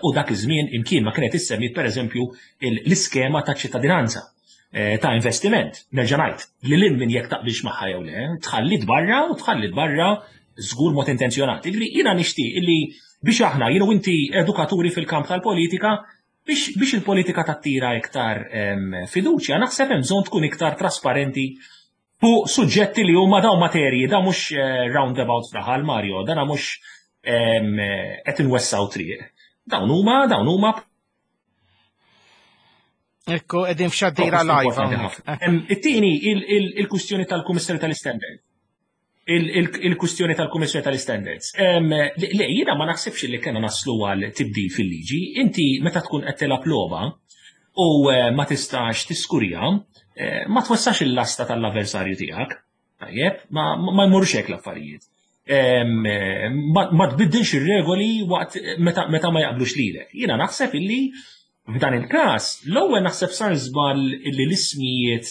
u dak iż-żmien imkien ma kienet issemmiet pereżempju l-iskema ta' ċittadinanza ta' investiment. Nerġa' ngħid li lil min jekk taqbilx magħha jew le, tħallit barra u tħallit barra żgur mod intenzjonat. Jiġifieri jiena nixtieq illi biex aħna jien u inti edukaturi fil-kamp tal-politika biex, biex il-politika tattira iktar fiduċja, naħseb hemm bżonn tkun iktar trasparenti fuq suġġetti li huma dawn materji, da mhux roundabout fraħal Mario, dana mhux qed inwessaw triq. Dawn huma, dawn huma Ekku, qegħdin f'xaddira live hawnhekk. It-tieni il-kwistjoni tal-Kummissarju tal-Standard. Il-kwistjoni tal-Kummissjoni tal-Standards. Le, jiena ma naħsibx li kena naslu għal tibdil fil-liġi. Inti meta tkun qed tilgħab logħba u ma tistax tiskurja, ma twessax il-lasta tal-avversarju tiegħek. Tajjeb, ma jmurux hekk l-affarijiet. Ma tbiddilx ir-regoli waqt meta ma jaqblux lilek. Jiena naħseb illi f'dan il-każ l-ewwel naħseb sar żball illi l-ismijiet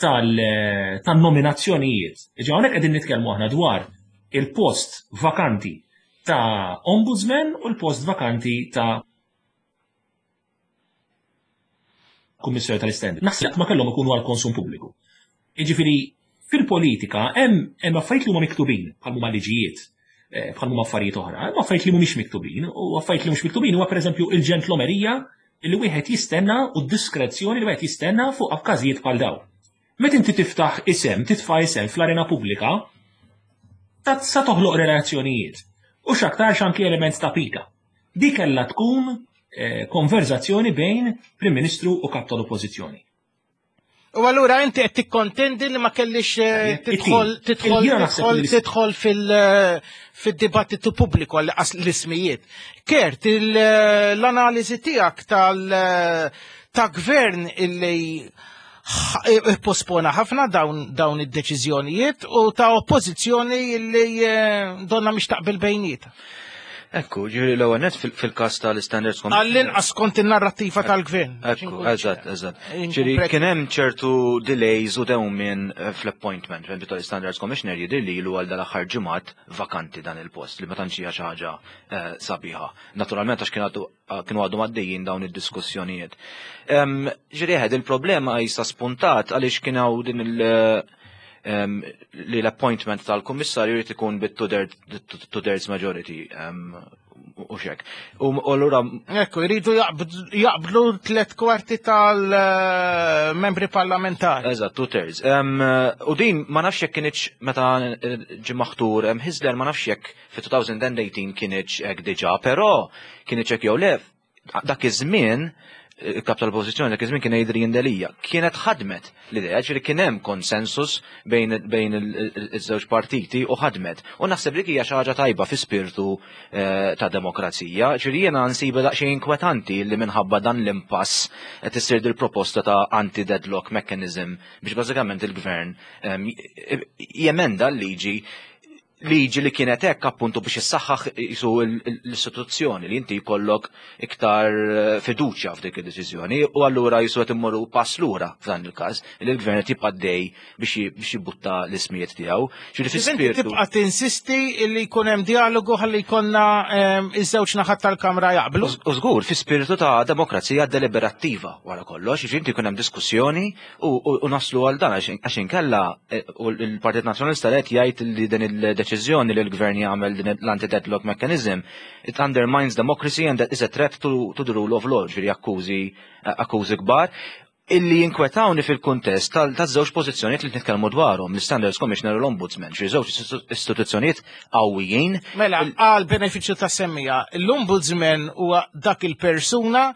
tal-nominazzjonijiet. Ġa hawnhekk qegħdin nitkellmu aħna dwar il-post vakanti ta' ombudsman u l-post vakanti ta' kummissarju tal-istandard. Naħseb ma kellhom ikunu għal konsum pubbliku. Jiġifieri fil-politika hemm affarijiet li huma miktubin bħal huma liġijiet, bħal huma affarijiet oħra, hemm affarijiet li mhumiex miktubin u affarijiet li mhux miktubin huwa pereżempju il-ġentlomerija li wieħed jistenna u d-diskrezzjoni li wieħed jistenna fuq każijiet bħal dawn. Meta inti tiftaħ isem, titfa' isem fl-arena pubblika, sa toħloq relazzjonijiet. U x'aktarx anki element ta' pika. Di kellha tkun konverzazzjoni bejn Prim Ministru u Kap tal-Oppożizzjoni. U allura inti qed tikkontendi li ma kellix tidħol tidħol tidħol fil-dibattitu pubbliku għal l-ismijiet. Kert, l-analiżi tiegħek tal ta' gvern illi pospona ħafna dawn dawn id-deċiżjonijiet u ta' oppożizzjoni li donna mhix taqbel bejnietha. Ekku, ġifieri l-ewwel nett fil-każ tal-Standards Commission. Għall-inqas kont in-narrattiva tal-gvern. Ekku, eżatt, eżatt. Ġifieri kien hemm ċertu delays u dewmien fl-appointment, per tal-Standards Commissioner jidher li ilu għal dal-aħħar ġimgħat vakanti dan il-post li ma tantx hija xi ħaġa sabiħa. Naturalment għax kienu għadhom għaddejjin dawn id-diskussjonijiet. Ġifieri eħed il-problema jista' spuntat għaliex kien hawn din il- li l-appointment tal-kummissarju jrid ikun bit-two-thirds majority u xek. U allura Ekku, jridu jaqblu tliet kwarti tal-membri parlamentari. Eżatt, two-thirds. U din ma nafx jekk kienx meta ġie maħtur Hyzler ma nafx jekk fi twenty eighteen kienx hekk diġà, però kienx hekk jew le dak iż-żmien il-kap tal-oppożizzjoni dak iż-żmien kien Adrian Delia. Kienet ħadmet l-idea, ġifieri kien hemm konsensus bejn bejn iż-żewġ partiti u ħadmet. U naħseb li hija xi ħaġa tajba fi spirtu ta' demokrazija, ġifieri jiena nsibha daqsxejn inkwetanti li minħabba dan l-impass qed issir dil-proposta ta' anti-deadlock mechanism biex bażikament il-gvern jemenda l-liġi liġi li kienet hekk appuntu biex issaħħaħ jisu l-istituzzjoni li inti jkollok iktar fiduċja f'dik id-deċiżjoni u allura jisu qed immorru pass lura f'dan il-każ li l-gvern qed jibqa' dej biex jibbutta l-ismijiet tiegħu. Ġifieri fi spirtu tibqa' tinsisti li jkun hemm dialogu ħalli jkollna iż-żewġ naħat tal-Kamra jaqblu. U żgur fi spirtu ta' demokrazija deliberattiva wara kollox, jiġifieri inti jkun hemm diskussjoni u naslu għal dan għax inkella l-Partit Nazzjonalista qed jgħid li din il id-deċiżjoni li l-gvern jagħmel din l-anti-deadlock mechanism, it undermines democracy and that is a threat to, to the rule of law, ġifieri akkużi akkużi kbar illi jinkwetawni fil-kuntest tal-żewġ pożizzjonijiet li nitkellmu dwarhom, l-Standards Commissioner u l-Ombudsman, xi żewġ istituzzjonijiet qawwijin. Mela, għal benefiċċju ta' semmija, l-Ombudsman huwa dak il-persuna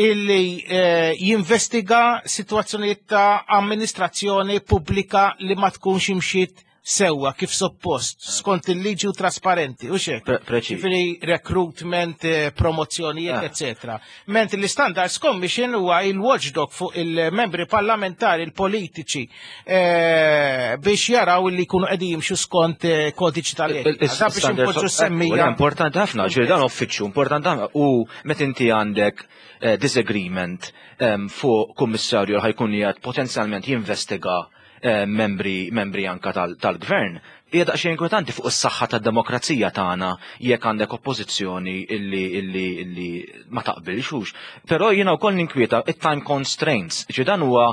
illi eh, jinvestiga situazzjonijiet ta' amministrazzjoni pubblika li ma tkunx imxiet sewwa kif suppost, skont il-liġi u trasparenti, u xek. Preċiż. Ġifieri recruitment, eh, promozzjonijiet, Ah. eccetera. Mentri l-Standards Commission huwa il-watchdog fuq il-membri parlamentari, il-politiċi, eh, biex jaraw li jkunu qegħdin jimxu skont eh, kodiċi tal-etika. Da biex impoġġu semmija. Importanti ħafna, ġifieri dan uffiċċju importanti ħafna u meta inti għandek eh, disagreement em, fuq kummissarju li ħa jkun qiegħed potenzjalment jinvestiga eh, membri membri anka tal- tal-gvern, hija daqsxejn inkwetanti fuq is-saħħa tad-demokrazija tagħna jekk għandek oppożizzjoni illi illi illi ma taqbilx hux. Però jiena wkoll ninkwieta it-time constraints, ġi dan huwa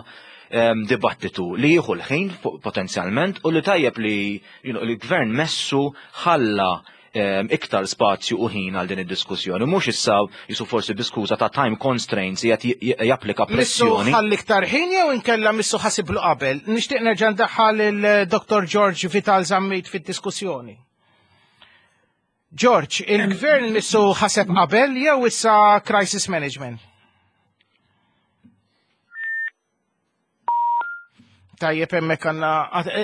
em, dibattitu li jieħu l-ħin po- potenzjalment u li tajjeb li you know, l-gvern messu ħalla em, iktar spazju u ħin għal din id-diskussjoni. Mhux issa jisu forsi bi skuża ta' time constraints qiegħed j- j- japplika Missu pressjoni. ħalli iktar ħin jew inkella missu ħasiblu qabel. Nixtieq nerġa' ndaħħal il-Dottor George Vital Zammit fid-diskussjoni. George, il-gvern missu ħaseb qabel jew issa crisis management? Tajjeb, hemmhekk għandna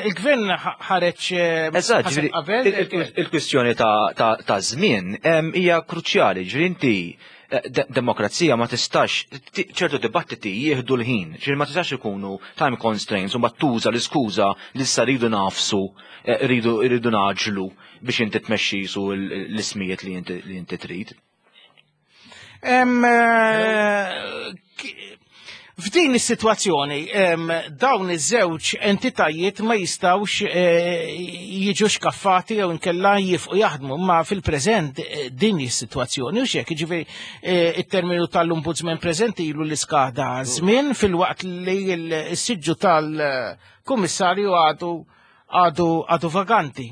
il-gvern ħareġ eh, Eżatt, ħaseb ġifieri, qabel. il- il- il-kwistjoni ta' ta' ta' żmien em, hija kruċjali, ġifieri inti eh, de- demokrazija ma tistax, ti- ċertu dibattiti jieħdu l-ħin, ġifieri ma tistax ikunu time constraints u ma tuża l-iskuża li issa rridu nafsu, eh, rridu rridu naġlu biex inti tmexxi su l- l-ismijiet li inti li inti trid. Em, eh, ki- F'din is-sitwazzjoni em, dawn iż-żewġ entitajiet ma jistgħux eh, jiġu xkaffati jew inkella jifqu jaħdmu, ma fil-preżent eh, din is-sitwazzjoni u xek, jiġifieri eh, it-terminu tal-Ombudsman preżenti ilu li skada żmien filwaqt li l-siġġu tal-Kummissarju għadu għadu għadu vaganti.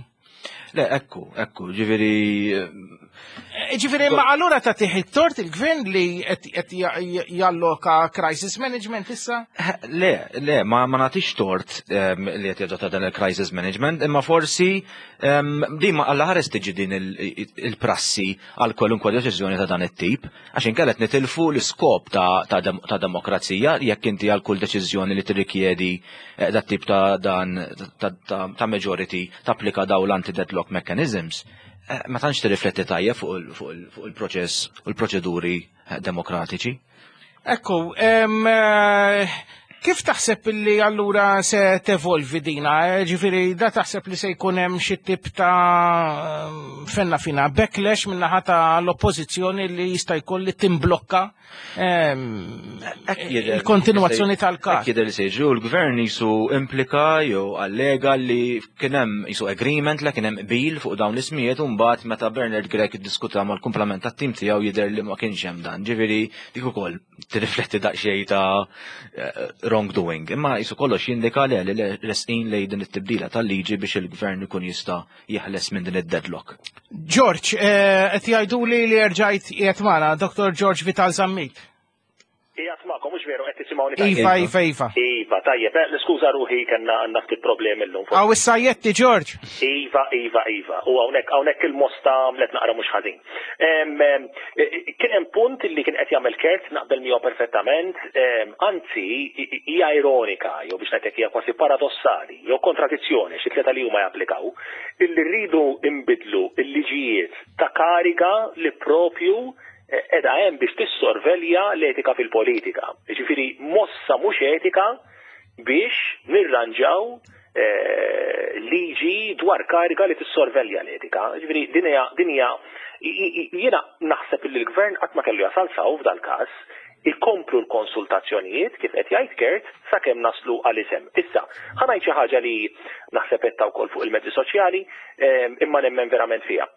Le, ekku, ekku, ġifieri eh, Ġifieri, ma allura ta' tiħi tort il-gvern li qed qed ja- jalloka crisis management issa? Le, le, ma, ma nagħtix tort um, li qed jadotta dan il-crisis management, imma forsi um, din ma għalla ħares tiġi din il- il-prassi għal kwalunkwe deċiżjoni ta' dan it-tip, għax inkella qed nitilfu l-iskop ta', ta, dem ta' demokrazija jekk inti għal kull deċiżjoni li tirrikjedi eh, dat tip ta' dan ta', ta, ta majority tapplika daw l-anti-deadlock mechanisms. Eh, Ma tantx tirrifletti tajjeb fuq il- fuq il- fuq il-proċess u l-proċeduri eh, demokratiċi. Ekku, em, eh, kif taħseb li allura se tevolvi dina? Eh, Ġifieri, da taħseb li se jkun hemm xi tip ta' fenna fina backlash minnaħa ta' l-oppożizzjoni li jista' jkun li timblokka em, il-kontinuazzjoni tal-każ. Hekk jidher li se jiġri u l-gvern jisu implika jew allega li kien hemm jisu agreement li kien hemm qbil fuq dawn l-ismijiet u mbagħad meta Bernard Grech iddiskuta mal-kumplament tat-tim tiegħu jidher li ma kienx hemm dan. Ġifieri dik ukoll tirrifletti daqsxejn ta' eh, wrongdoing. Imma jisu kollox jindika li li resqin lejn din it-tibdila tal-liġi biex il-gvern ikun jista' jeħles minn din id-deadlock. George, eh, qed jgħiduli li rġajt qiegħed magħna, Dottor George Vital Zammit. Qiegħed magħkom, mhux veru, qed tisimgħuni tajjeb? Iva, iva, iva. Iva, tajjeb, eh, niskuża ruħi kellna għandna ftit problemi llum. Għaw issa jetti, George. Iva, iva, iva. U hawnhekk hawnhekk il-mosta għamlet naqra mhux ħażin. Em, em, eh, Kien hemm punt li kien qed jagħmel Kurt naqbel miegħu perfettament, em, anzi i- hija ironika, jew biex ngħidlek hija kważi paradossali, jew kontradizzjoni xi tlieta li huma japplikaw, illi rridu imbidlu il-liġijiet ta' kariga li propju edha hemm biex tissorvelja l-etika fil-politika. Ġifieri mossa mhux etika biex nirranġaw eh, liġi dwar kariga li tissorvelja l-etika. Ġifieri din hija din hija i- i- jiena naħseb li l-gvern qatt ma kellu jasal saw f'dal-każ ikomplu l-konsultazzjonijiet kif qed jgħid Kurt sakemm naslu għal isem. Issa, ħa ngħid xi ħaġa li naħseb qed wkoll fuq il-mezzi soċjali, eh, imma nemmen verament fiha.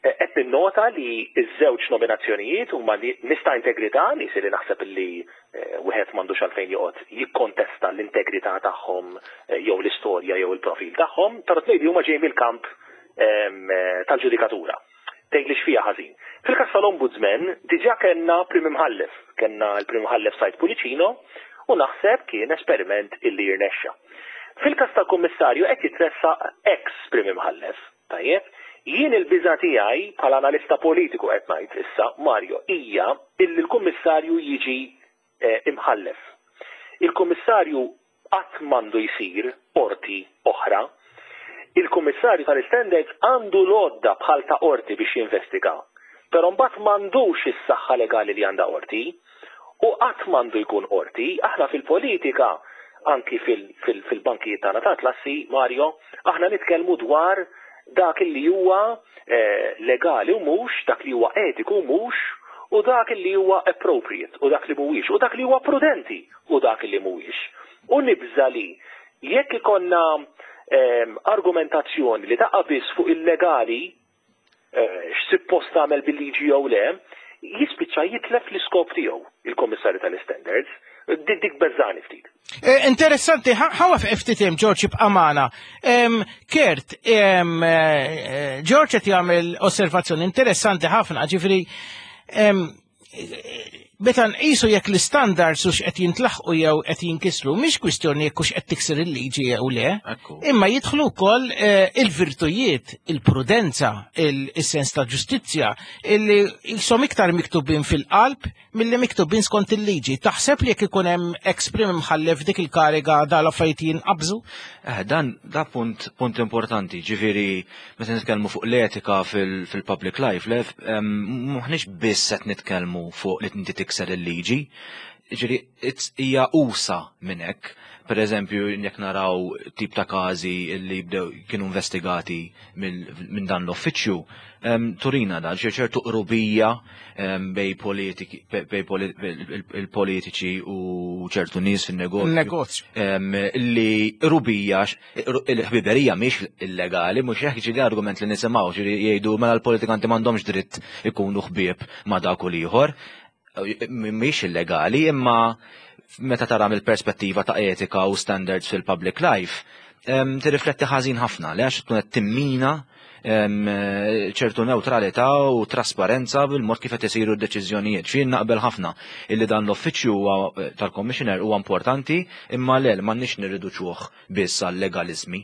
Eh, Qed ninnota li ż-żewġ nominazzjonijiet huma li nies ta' integrità, nies li naħseb li eh, wieħed m'għandux għalfejn joqgħod jikkontesta l-integrità tagħhom eh, jew l-istorja jew il-profil tagħhom, però tnejn li huma ġejjin mill-kamp tal-ġudikatura. Tgħid li x'fiha ħażin. Fil-każ tal-Ombudsman diġà kellna prim imħallef, kellna l-prim imħallef Said Pullicino u naħseb kien esperiment illi jirnexxa. Fil-każ tal-Kummissarju qed jitressaq ex prim imħallef, tajjeb? Jien il-biża tiegħi bħala analista politiku qed ngħid issa, Mario, hija illi l-Kummissarju jiġi eh, imħallef. Il-Kummissarju qatt m'għandu jsir qorti oħra. Il-Kummissarju tal-Standards għandu l-għodda bħal ta' qorti biex jinvestiga. Però mbagħad m'għandux is-saħħa legali li għandha qorti u qatt m'għandu jkun qorti. Aħna fil-politika, anki fil-bankijiet tagħna ta' klassi, Mario, aħna nitkellmu dwar dak li huwa eh, legali u mhux, dak li huwa etiku u mhux, u dak li huwa appropriate u dak li mhuwiex, u dak li huwa prudenti u dak li mhuwiex. U nibża li jekk ikonna eh, argumentazzjoni li taqa' biss fuq il-legali, eh, x'sippost tagħmel bil-liġi jew le, jispiċċa jitlef l-iskop tiegħu il-Kommissarju tal-Standards. Dik dik beżani ftit. Eh, interessanti, ħawa ftit hemm George b'amana. Kurt, eh, George qed jagħmel osservazzjoni interessanti ħafna, ġifieri meta nqisu jekk l-standards hux qed jintlaħqu jew qed jinkisru, mhix kwistjoni jekk hux qed tikser il-liġi jew le, imma jidħlu wkoll eh, il-virtujiet, il-prudenza, il-sens ta' ġustizzja, illi jisom iktar miktubin fil-qalb milli miktubin skont il-liġi. Taħseb li jekk ikun hemm ex prim imħallef dik il-kariga dal-affarijiet jinqabżu? Eh, dan da punt punt importanti, ġifieri meta nitkellmu fuq l-etika fil-public life, le m'aħniex biss qed nitkellmu fuq li inti tikser il-liġi, ġifieri hija usa minn hekk. Per eżempju, jekk naraw tip ta' każi li bdew kienu investigati minn dan l-uffiċċju, turina dan ċertu qrubija bej politiki bej il-politiċi u ċertu nies fin-negozju. Negozju. Li qrubija il-ħbiberija mhix illegali, mhux hekk ġieli argument li nisimgħu ġieli jgħidu mela l-politikanti m'għandhomx dritt ikunu ħbieb ma' dak u l-ieħor. Mhix illegali, imma meta tara mill-perspettiva ta' etika u standards fil-public life, tirrifletti ħażin ħafna, li għax tkun qed timmina ċertu neutralità u trasparenza bil-mod kif qed isiru d-deċiżjonijiet. Xi naqbel ħafna illi dan l-uffiċċju tal-Commissioner huwa importanti, imma le m'għandniex nirriduċuh biss għal legalizmi.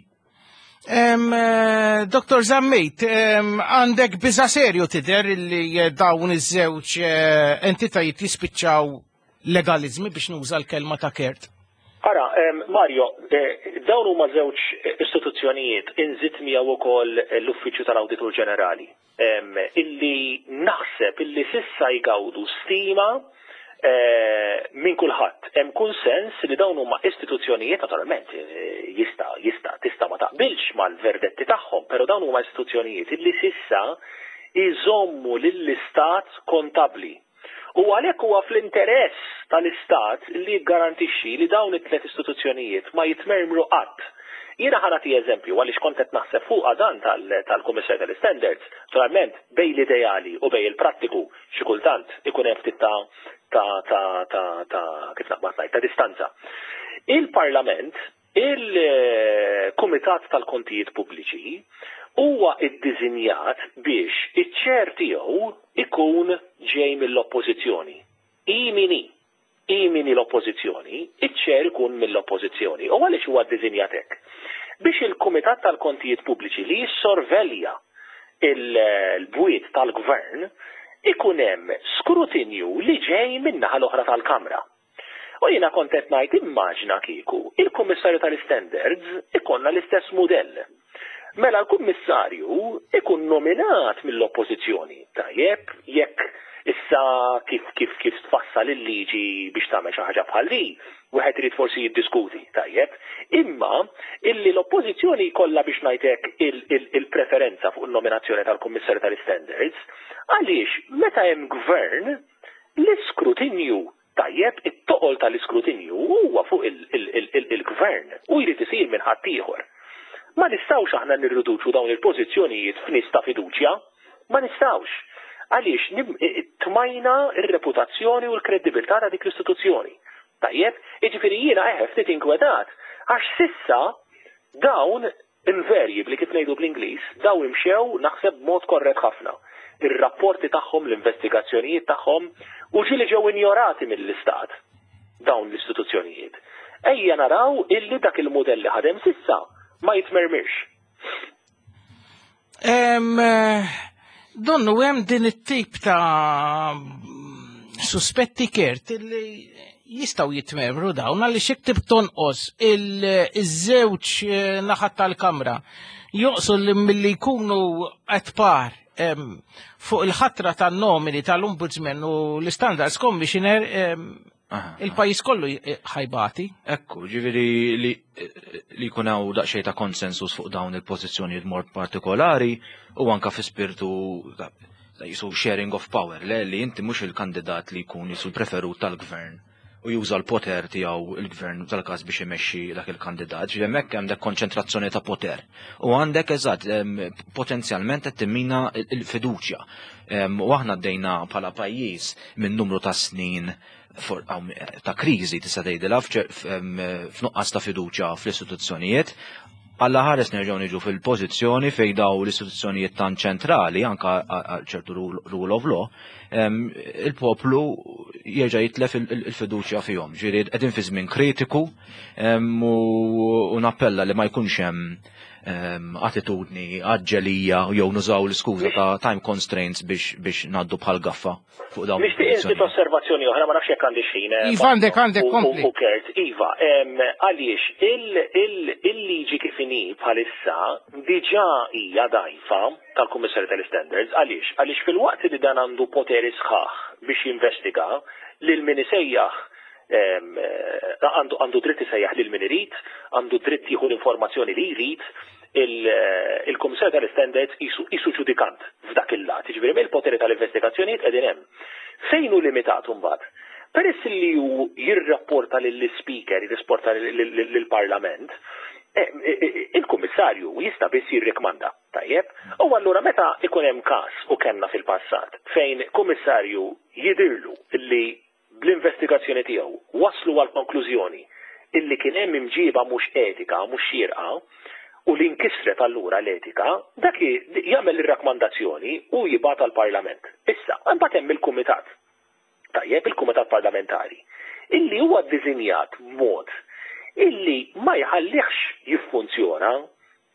Doktor Zammit, għandek biża serju tidher li dawn iż-żewġ eh, entitajiet jispiċċaw legalizmi biex nuża l-kelma ta' Kurt? Ara, Mario, eh, dawn huma żewġ istituzzjonijiet inżid miegħu wkoll l-Uffiċċju tal-Awditur Ġenerali illi naħseb illi sissa jgawdu stima eh, minn kulħadd. Hemm kunsens li dawn huma istituzzjonijiet naturalment eh, jista' jista' tista' ma taqbilx mal-verdetti tagħhom, però dawn huma istituzzjonijiet illi sissa iżommu lill-istat kontabli. U għalhekk huwa fl-interess tal-istat li jiggarantixxi li dawn it-tliet istituzzjonijiet ma jitmermru qatt. Jiena ħa nagħti eżempju għaliex kont qed naħseb fuq dan tal-Kummissarju tal-Standards, naturalment bej l-ideali u bej il-prattiku xi kultant ikun hemm ftit ta' ta' ta' ta' ta' kif naqbad ngħid ta' distanza. Il-Parlament, il-Kumitat tal-Kontijiet Pubbliċi huwa iddiżinjat biex iċ-chair tiegħu ikun ġej mill-oppożizzjoni. Hi min hi, hi min hi l-oppożizzjoni, iċ-chair ikun mill-oppożizzjoni. U għaliex huwa ddiżinjat hekk? Biex il-Kumitat tal-Kontijiet Pubbliċi li jissorvelja il-bwiet tal-gvern ikun hemm skrutinju li ġej min-naħa l-oħra tal-Kamra. U jiena kont qed ngħid immaġna kieku il-Kummissarju tal-Standards ikollna l-istess mudell. Mela l-Kummissarju ikun nominat mill-Oppożizzjoni. Tajjeb, jekk issa kif kif kif tfassal il-liġi biex tagħmel xi ħaġa bħal di, wieħed irid forsi jiddiskuti, tajjeb. Imma illi l-Oppożizzjoni jkollha biex ngħidlek il-preferenza fuq il-nominazzjoni tal-Kummissarju tal-Standards, għaliex meta hemm gvern l-iskrutinju tajjeb, it-toqol tal-iskrutinju huwa fuq il-gvern u jrid isir minn ħaddieħor. Ma nistgħux aħna nirriduċu dawn il-pożizzjonijiet f'nies ta' fiduċja, ma nistgħux. Għaliex tmajna r-reputazzjoni u l-kredibilità ta' dik l-istituzzjoni. Tajjeb, jiġifieri jiena eħe ftit inkwetat, għax sissa dawn Invariably, kif ngħidu bl-Ingliż, daw imxew naħseb b'mod korrett ħafna. Ir-rapporti tagħhom, l-investigazzjonijiet tagħhom, u ġieli ġew injorati mill-istat dawn l-istituzzjonijiet. Ejja naraw illi dak il-modell li ħadem s'issa ma jitmermirx. Em, eh, Donnu hemm din it-tip ta' suspetti, Kurt, illi jistgħu jitmermru dawn għaliex jekk tib tonqos il-żewġ eh, naħat tal-kamra joqsu li milli jkunu at par em, fuq il-ħatra tan-nomini tal-Ombudsman u l-Standards Commissioner, em, Aha. il-pajjiż kollu ħa jbati. Ekku, ġifieri li li jkun hawn daqsxejn ta' konsensus fuq dawn il-pożizzjonijiet mod partikolari u anka fi spirtu ta' ta' jisu sharing of power, le li inti mhux il-kandidat li jkun jisu l-preferut tal-gvern u juża l-poter tiegħu il-gvern tal-każ biex imexxi dak il-kandidat. Ġifieri hemmhekk hemm dak konċentrazzjoni ta' poter. U għandek eżatt em, potenzjalment qed timmina il-fiduċja. Em, U aħna għaddejna bħala pajjiż minn numru ta' snin for- għaw, ta' kriżi tista' tgħidilha f'ċer- f'em, f'nuqqas ta' fiduċja fl-istituzzjonijiet. Alla ħares nerġgħu niġu fil-pożizzjoni fejn daw l-istituzzjonijiet tan ċentrali anka għal ċertu rule rule of law, em, il-poplu jerġa' jitlef il- il- il-fiduċja fihom. Ġifieri qegħdin fi żmien kritiku em, u u nappella li ma jkunx hemm em, attitudni għaġġelija jew nużaw l-iskuża ta' time constraints biex biex ngħaddu bħal gaffa fuq dawn Nixtieq inżid il-pożizzjonijiet. osservazzjoni oħra, ma nafx jekk għandi x'ħin. eh, Iva, għandek, għandek, u- u- kompli. U Kurt, Iva, em, għaliex il- il- il-liġi kif inhi bħalissa diġà hija dajfa tal-Kummissarju tal-Standards, għaliex? Għaliex fil-waqt li dan għandu poteri sħaħ biex jinvestiga lil min isejjaħ em, eh, għandu għandu dritt isejjaħ lil min irid, għandu dritt jieħu l-informazzjoni li jrid, il- il-Kummissarju tal-Standards isu isu ġudikant f'dak il-lat, jiġifieri mill-poteri tal-investigazzjonijiet qegħdin hemm. Fejn hu limitat imbagħad? Peress li hu jirrapporta lill-speaker, jirrapporta lill-Parlament, eh, eh, il-kummissarju jista' biss jirrikmanda, tajjeb? U allura meta ikun hemm każ, u kellna fil-passat fejn kummissarju jidirlu li bl-investigazzjoni tiegħu waslu għal konklużjoni illi kien hemm imġiba mhux etika, mhux xierqa, u li nkisret allura l-etika, dak jagħmel ir-rakkomandazzjoni u jibgħat għall-Parlament. Issa, imbagħad hemm il-kumitat. Tajjeb, il-kumitat parlamentari, illi huwa ddisinjat mod illi ma jħallihx jiffunzjona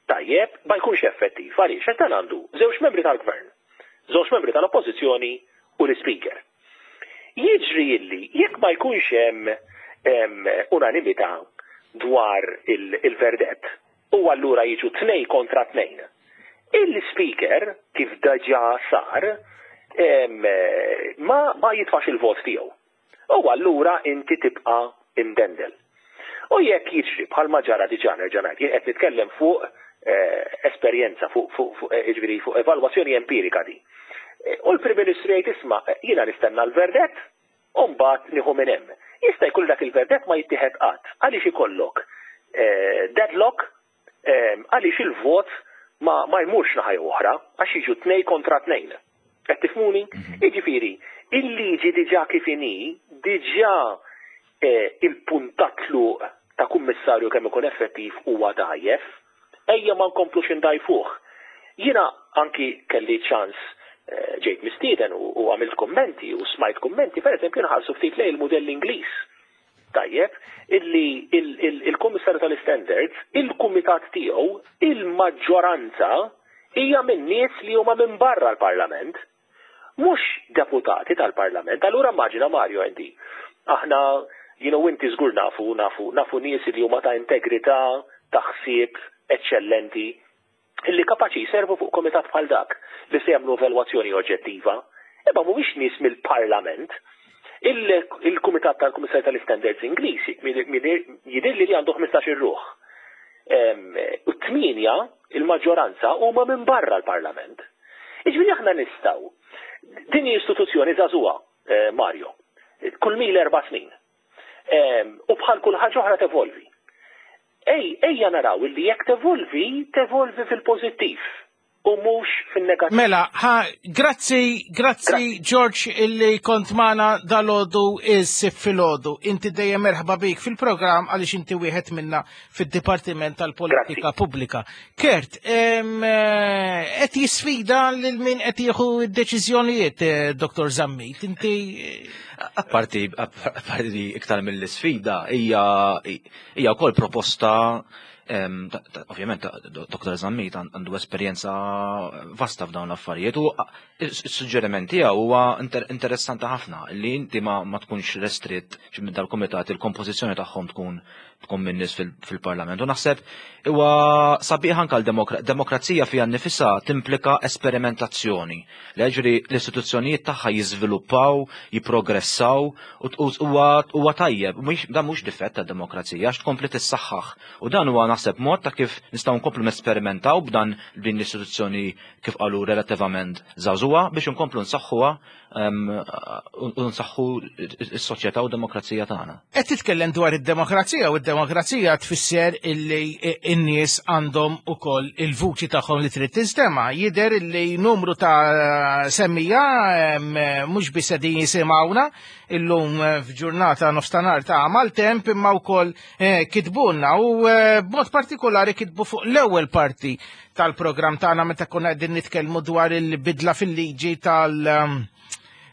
tajjeb, ma jkunx effettiv. Għaliex? Għax dan għandu żewġ membri tal-gvern, żewġ membri tal-oppożizzjoni u l-speaker. Jiġri illi jekk ma jkunx hemm em, unanimità dwar il-verdett, u allura jiġu tnej kontra tnejn. Il-speaker, kif diġà sar, em, ma, ma jitfax il-vot tiegħu. U allura inti tibqa' imdendel. U jekk jiġri bħalma ġara diġà, nerġa' ngħid, jien qed nitkellem fuq eh, esperjenza, fuq fuq fuq eh, jiġifieri fuq evalwazzjoni empirika di. Eh, U l-Prim Ministru jgħid, "Isma', eh, jiena nistenna l-verdett u mbagħad nieħu minn hemm." Jista' jkun dak il-verdett ma jittieħed qatt għaliex ikollok eh, deadlock eh, għaliex il-vot ma, ma jmurx naħa jew oħra għax jiġu tnej kontra tnejn. Qed tifhmuni? Jiġifieri, il-liġi diġà kif inhi, diġà eh, il-punt ta' tluq ta' kummissarju kemm ikun effettiv huwa dajjef, ejja ma nkomplux indajfuh. Jiena anki kelli ċans eh, ġejt mistieden u, u għamilt kommenti u smajt kommenti, per eżempju nħarsu ftit lejn il-modell Ingliż. Tajjeb, illi il-Kummissarju tal-Standards, il-kumitat tiegħu, il-maġġoranza hija minn nies li huma minn barra l-Parlament, mhux deputati tal-Parlament. Allura immaġina, Mario, inti. Aħna, you know, inti żgur nafu, nafu, nafu nies li huma ta' integrità, ta' ħsieb eċċellenti, illi kapaċi jservu fuq komitat bħal dak li se jagħmlu evalwazzjoni oġġettiva. Imma mhumiex nies mill-Parlament. Il-Kumitat tal-Kummissarju tal-Standards Ingliż jidher li li għandu ħmistax-il ruħ. U tmienja, il-maġġoranza, huma minn barra l-Parlament. Iġifieri aħna nistgħu. Din istituzzjoni żagħżugħa, eh, Mario, kull mil erba' snin. U bħal kull ħaġa oħra tevolvi. Ej, ejja naraw illi jekk tevolvi, tevolvi fil-pożittiv. u mhux fin-negattiv. Mela, ha, grazzi, grazzi George illi kont magħna dalgħodu is-Sibt filgħodu. Inti dejjem merħba bik fil-programm għaliex inti wieħed minna fid-Dipartiment tal-Politika Pubblika. Kurt, qed jisfida lil min qed jieħu d-deċiżjonijiet, eh, Dottor Zammit. Inti Apparti, apparti iktar mill-sfida, hija hija wkoll proposta. Ovvjament, Dottor Zammit għandu esperjenza vasta f'dawn l-affarijiet u s-suġġeriment tiegħu huwa interessanti ħafna li inti ma, ma tkunx restritt minn dal-kumitat, il-kompożizzjoni tagħhom tkun tkun minn nies fil-parlament. U naħseb huwa sabiħ anke l-demokrazija fiha nnifisha timplika esperimentazzjoni. Ġifieri l-istituzzjonijiet tagħha jiżviluppaw, jipprogressaw u huwa tajjeb. Dan mhux difett tad-demokrazija għax tkompli tissaħħaħ. U dan huwa naħseb mod ta' kif nistgħu nkomplu nesperimentaw b'dan din l-istituzzjoni, kif qalu, relattivament żagħżugħa, biex nkomplu nsaħħuha u nsaħħu s-soċjetà u demokrazija tagħna. Qed titkellem dwar id-demokrazija, u d-demokrazija tfisser illi n-nies għandhom ukoll il-vuċi tagħhom li trid tinstema'. Jidher illi numru ta' semmiegħa mhux biss qegħdin jisimgħuna illum f'ġurnata nofstanhar ta' maltemp, imma wkoll eh, kitbulna u eh, b'mod partikolari kitbu fuq l-ewwel parti tal-programm tagħna meta konna qegħdin nitkellmu dwar il-bidla fil-liġi tal-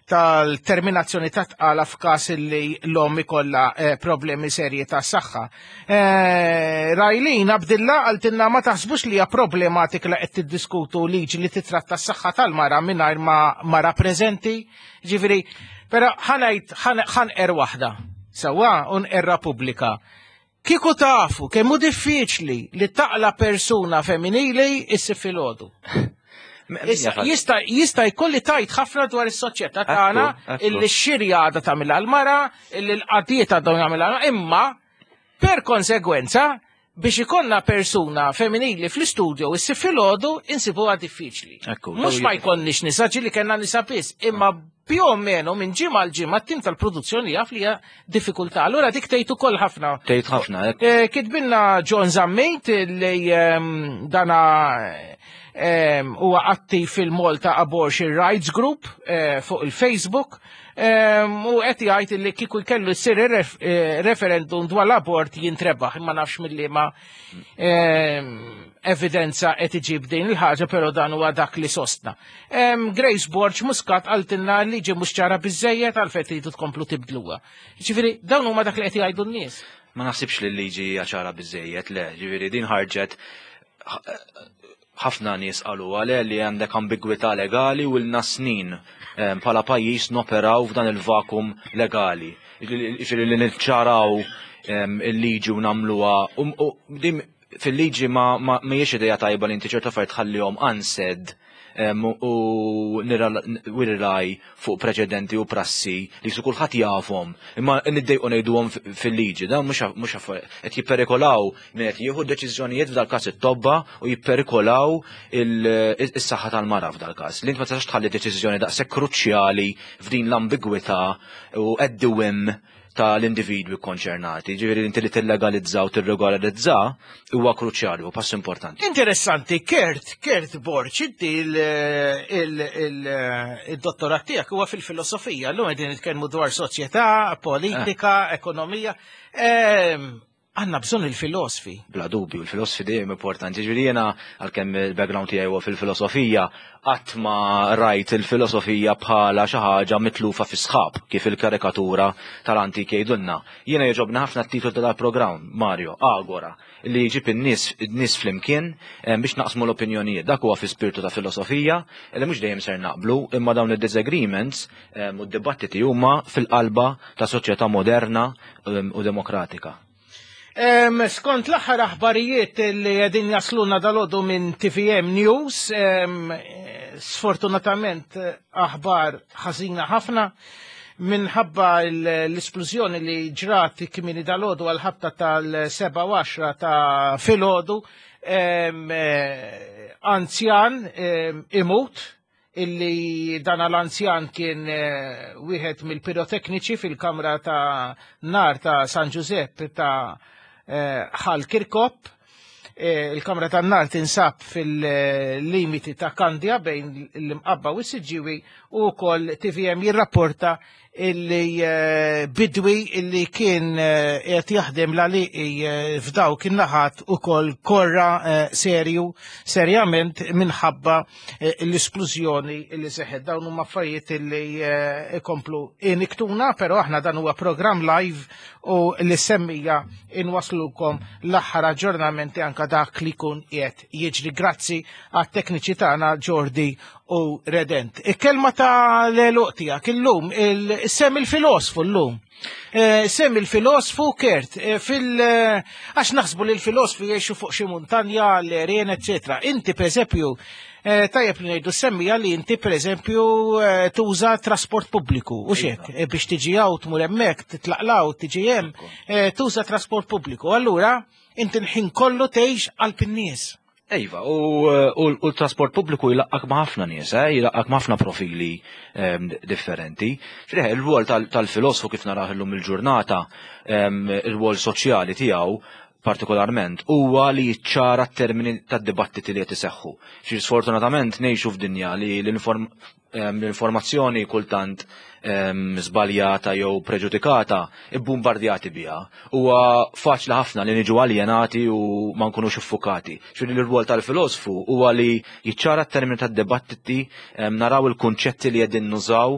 tal-terminazzjoni ta' tqala f'każ li l-omm ikollha eh, problemi serji ta' saħħa. Eh, Rajlin Abdilla qaltilna: "Ma taħsbux li hija problematika li qed tiddiskutu liġi li titratta s-saħħa tal-mara mingħajr ma mara preżenti?" Ġifieri, però ħa ngħid ħa nqerr waħda. Sewwa u nqerrha pubblika. Kieku tafu kemm hu diffiċli li taqla persuna femminili is-Sibt filgħodu. Jista' jista' jkolli tgħid ħafna dwar is-soċjetà tagħna illi x-xirja għadha tagħmilha l-mara, illi l-qadijiet għadhom jagħmilha, imma per konsegwenza biex ikollna persuna femminili fl-istudio is-Sibt filgħodu insibuha diffiċli. Mhux ma jkollniex nisa, ġieli kellna nisa biss, imma più o meno minn ġimgħa l ġimgħa t-tim tal-produzzjoni jaf li hija diffikultà. Allura dik tgħid ukoll ħafna. Tgħid ħafna. Eh, kitbilna John Zammit li ehm, dana ehm, huwa attiv fil-Malta Abortion Rights Group eh, fuq il-Facebook ehm, u qed jgħid li kieku jkellu jsir eh, referendum dwar l-abort jintrebaħ, imma nafx mill-liema evidenza qed iġib din il-ħaġa, però dan huwa dak li sostna. Grace Borg Muscat qaltilna: "Liġi mhux ċara biżejjed, għalfejn tridu tkomplu tibdluha?" Ġifieri dawn huma dak li qed jgħidu n-nies. Ma naħsibx li l-liġi hija ċara biżejjed, le, ġifieri din ħarġet, ħafna nies qalu għale li għandek ambigwità legali u ilna snin bħala pajjiż noperaw f'dan il-vakum legali. Ġifieri li niċċaraw il-liġi u nagħmluha fil-liġi ma mhijiex idea tajba li inti ċerta affarijiet tħallihom unsaid u nirrely fuq preċedenti u prassi li su kulħadd jafhom. Imma niddejqu ngħiduhom fil-liġi, dan mhux qed jipperikolaw min qed jieħu deċiżjonijiet, f'dal-każ it-tobba, u jipperikolaw is-saħħa tal-mara f'dal-każ. Li int ma tistax tħalli deċiżjoni daqshekk kruċjali f'din l-ambigwità u at the whim tal-individwi konċernati. Ġifieri inti li tillegalizza u tirregolarizza huwa kruċjali u pass importanti. Interessanti, Kurt, Kurt Borg, inti il-dottorat tiegħek huwa fil-filosofija, llum qegħdin nitkellmu dwar soċjetà, politika, ekonomija. Għandna bżonn il-filosofi. Bla dubju, il-filosofi dejjem importanti. Ġifieri jiena, għalkemm il-background tiegħi huwa fil-filosofija, qatt ma rajt il-filosofija bħala xi ħaġa mitlufa fi sħab kif il-karikatura tal-antik jgħidulna. Jiena jogħġobni ħafna t-titlu tal-programm, Mario, Agora, li jġib in-nies nies flimkien biex naqsmu l-opinjonijiet. Dak huwa fi spiritu ta' filosofija li mhux dejjem ser naqblu, imma dawn id-disagreements u d-dibattiti huma fil-qalba ta' soċjetà moderna u demokratika. Skont l-aħħar aħbarijiet li qegħdin jasluna dalgħodu minn T V M News, sfortunatament aħbar ħażina ħafna minħabba l-esplużjoni li ġrat kmieni dalgħodu għal-ħabta tal-sebgħa ta' filgħodu, anzjan imut, illi dan l-anzjan kien eh, wieħed mill-pirotekniċi fil-kamra ta' nar ta' San Giuseppe ta' eh, Ħal Kirkop. Il-kamra tan-nar tinsab fil-limiti ta' Kandja bejn l-Imqabba u s-Siġġiewi, u wkoll T V M jirrapporta illi bidwi illi kien qed jaħdem l-għaliqi f'dawk in-naħat ukoll korra serju serjament minħabba l-isplużjoni illi seħħet. Dawn huma affarijiet illi ikomplu iniktuna, però aħna dan huwa programm live u li semmija inwaslukom l-aħħar aġġornamenti anka dak li jkun qiegħed jiġri. Grazzi għat-tekniċi tagħna Jordi u Redent. Il-kelma ta' l-eluq tiegħek illum, sem il-filosfu llum. Sem il-filosfu Kurt, fil għax naħsbu li l-filosfu jgħixu fuq xi muntanja, l-għerien, eċċetera. Inti pereżempju, tajjeb li ngħidu semmija li inti pereżempju tuża trasport pubbliku, u xek, biex tiġi hawn tmur hemmhekk, titlaqlaw, tiġi hemm, tuża trasport pubbliku. Allura inti l-ħin kollu tgħix qalb in-nies. Ejva, u l-trasport pubbliku jilaqqak ma' ħafna nies, jilaqqak ma' ħafna profili differenti. Xriħ, il-rwol tal-filosfu kif naraħ illum il-ġurnata, il-rwol soċjali tiegħu partikolarment, huwa li jiċċara t-termini tad-dibattiti li qed iseħħu. Xi sfortunatament ngħixu f'dinja li l-informazzjoni kultant żbaljata jew preġudikata ibbumbardjati biha. Huwa faċli ħafna li niġu aljenati u ma nkunux iffukati. Xi l-rwol tal-filosfu huwa li jiċċara t-termini tad-dibattiti, naraw il-kunċetti li qegħdin nużaw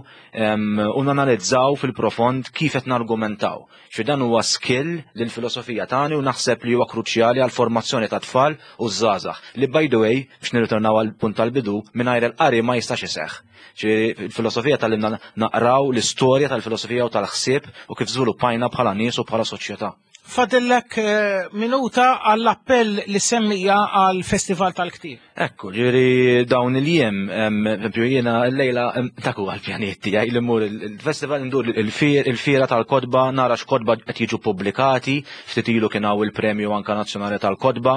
u nanalizzaw fil-profond kif qed nargumentaw. Xi dan huwa skill li l-filosofija tagħni u naħseb li huwa kruċjali għall formazzjoni ta' tfal u żgħażagħ. Li by the way, biex nirritornaw għall punt tal-bidu, mingħajr il-qari ma jistax iseħħ. Il-filosofija tal-imna naqraw l-istorja tal-filosofija u tal-ħsieb u kif żviluppajna bħala nies u bħala soċjetà. Fadillek minuta għall-appell li semmija għall-Festival tal-Ktieb. Ekku, ġifieri dawn il-jiem, eżempju jiena llejla taku għall-pjaniet tiegħi li mmur il-festival ndur il-fiera tal-kotba, nara x'kotba qed jiġu pubblikati, ftit ilu kien hawn il-premju anka nazzjonali tal-kotba,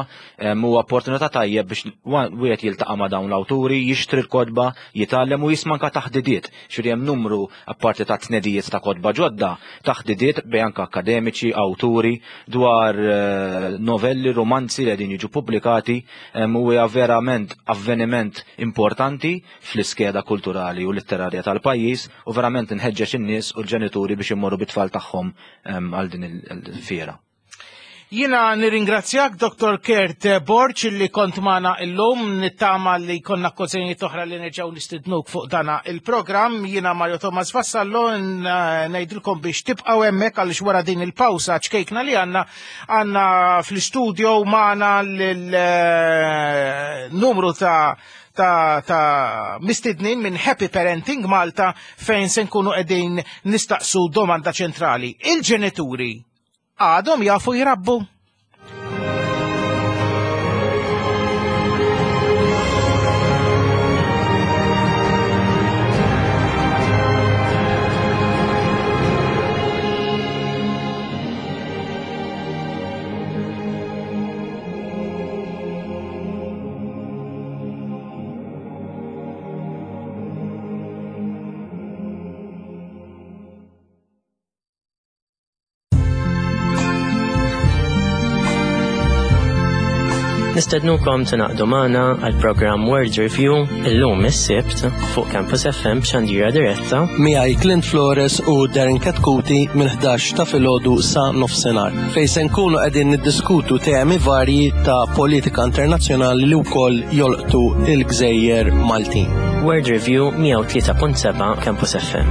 huwa opportunità tajjeb biex wieħed jiltaqa' ma' dawn l-awturi, jixtri l-kotba, jitgħallem u jisma' anka taħdidiet. Ġifieri hemm numru apparti ta' tnedijiet ta' kotba ġodda, taħdidiet bejn anke akademiċi, awturi, dwar novelli, romanzi li qegħdin jiġu pubblikati, u hija verament avveniment importanti fl-iskeda kulturali u letterarja tal-pajjiż u verament inħeġġeġ in-nies u l-ġenituri biex immorru bit-tfal tagħhom għal din il-fiera. Jiena nirringrazzjak Doktor Kurt Borg li kont magħna illum, nittama li konna okkażjonijiet oħra li nerġgħu nistidnuk fuq dana il-programm. Jiena Mario Thomas Vassallo ngħidilkom biex tibqgħu hemmhekk għaliex wara din il-pawsa ċkejkna li għandna għandna fl-istudio magħna l-numru ta' ta' ta' mistednin minn Happy Parenting Malta fejn se nkunu qegħdin nistaqsu domanda ċentrali. Il-ġenituri għadhom jafu jrabbu? Nistednukom tingħaqdu magħna għall-programm World Review illum is-Sibt fuq Campus F M b'xandira diretta miegħi Clint Flores u Darren Katkuti minn ħdax ta' filgħodu sa nofsinhar, fejn se nkunu qegħdin niddiskutu temi varji ta' politika internazzjonali li wkoll jolqtu il-gżejjer Maltin. World Review mija u tlieta punt seba' Campus F M.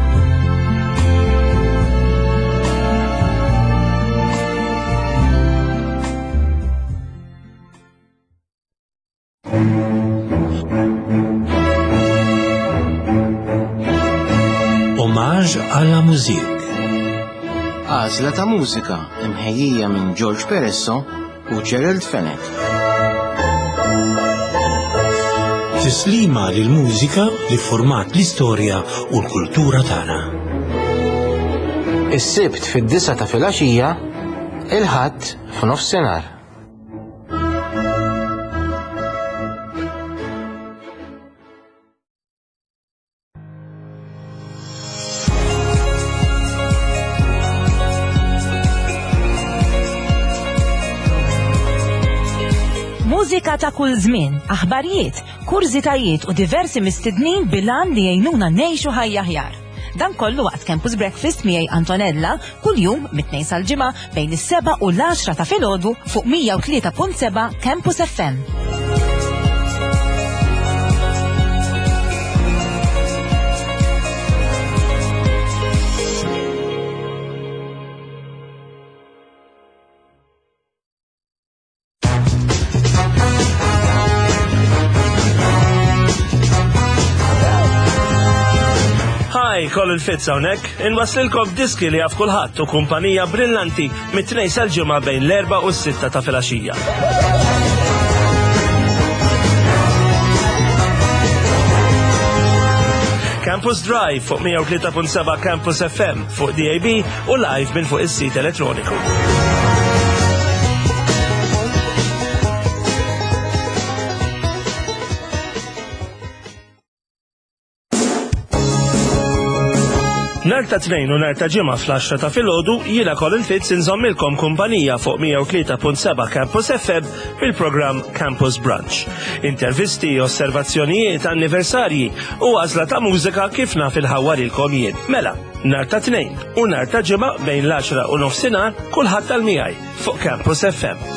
Hommage à la musique. Għażla ta' mużika imħejjija minn George Peresso u Gerald Fenech. Tislima lil mużika li format l-istorja u l-kultura tagħna. Is-Sibt fid-disa ta' filgħaxija, il-Ħadd f'nofsinhar. Mużika ta' kull żmien, aħbarijiet, kurżitajiet u diversi mistednin bil-għan li jgħinuna ngħixu ħajja aħjar. Dan kollu waqt Campus Breakfast miegħi Antonella kuljum mit-tnejn sal-ġimgħa bejn is-seba' u l-għaxra ta' filgħodu fuq mija u tlieta punt seba' Campus F M. Hi, Colin Fitz hawnhekk, inwaslilkom diski li jaf kulħadd u kumpanija brillanti mit-tnejn sal-ġimgħa bejn l-erba' u s-sitta ta' filgħaxija. Campus Drive fuq mija u tlieta punt seba' Campus F M fuq D A B u live minn fuq is-sit elettroniku. Nhar ta' Tnejn u nhar ta' Ġimgħa fl-għaxra ta' filgħodu jiena Colin Fitz inżommilkom kumpanija fuq mija u tlieta punt seba' Campus F M bil-programm Campus Brunch. Intervisti, osservazzjonijiet, anniversarji u għażla ta' mużika kif naf il-ħawwa lilkom jien. Mela, nhar ta' Tnejn u nhar ta' Ġimgħa bejn l-għaxra u nofsinhar kulħadd tal-miegħi fuq Campus F M.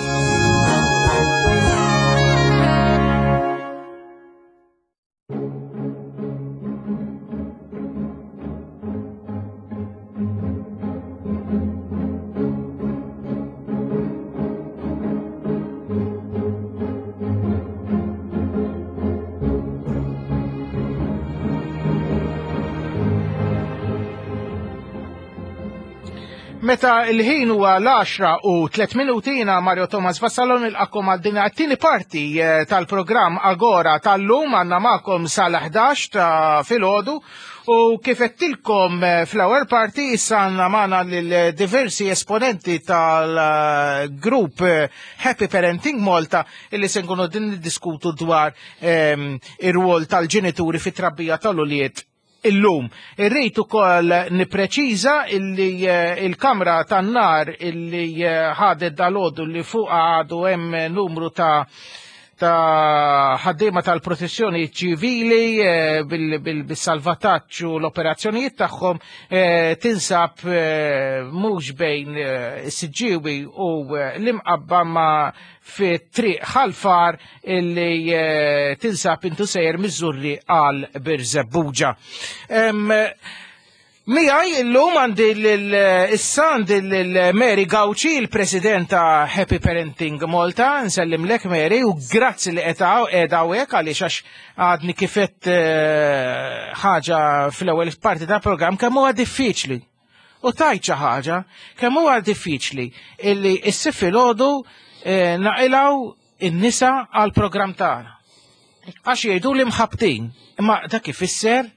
Meta il-ħin huwa l-għaxra u tliet minuti jiena Mario Thomas Vassallo nilqakom għal din it-tieni parti, eh, tal-programm Agora tal-lum għandna magħkom sal-ħdax ta' filgħodu u kif qedtilkom, eh, fl-ewwel parti issa għandna magħna lil diversi esponenti tal-grupp, eh, Happy Parenting Malta illi se nkunu din niddiskutu dwar, ehm, ir-rwol tal-ġenituri fit-trabbija tal-ulied illum. Irrid ukoll nippreċiża illi, eh, il-kamra tan-nar illi, eh, ħadet dalodu li fuqha għadu hemm numru ta' ta' ħaddiema tal-protezzjoni ċivili, eh, bil-, bil-, bis-salvataġġ u l-operazzjonijiet tagħhom, eh, tinsab, eh, mhux bejn, eh, is-Siġġiewi u, eh, l-Imqabba ma fi triq Ħalfar illi, eh, tinsab intu sejjer miż-Żurri għal Birżebbuġa. Em, Miegħi illum għandi lil-, issa għandi lil Mary Gauci, il-President ta' Happy Parenting Malta. Nsellimlek Mary u grazzi li qed hawn, qiegħda hawnhekk għaliex għax għadni kifet, eh, ħaġa fl-ewwel parti ta' programm kemm huwa diffiċli. U tajt xi ħaġa kemm huwa diffiċli illi issir filgħodu, eh, naqilgħu in-nisa għall-programm tagħna. Għax jgħidu li mħabtin, imma dak ifisser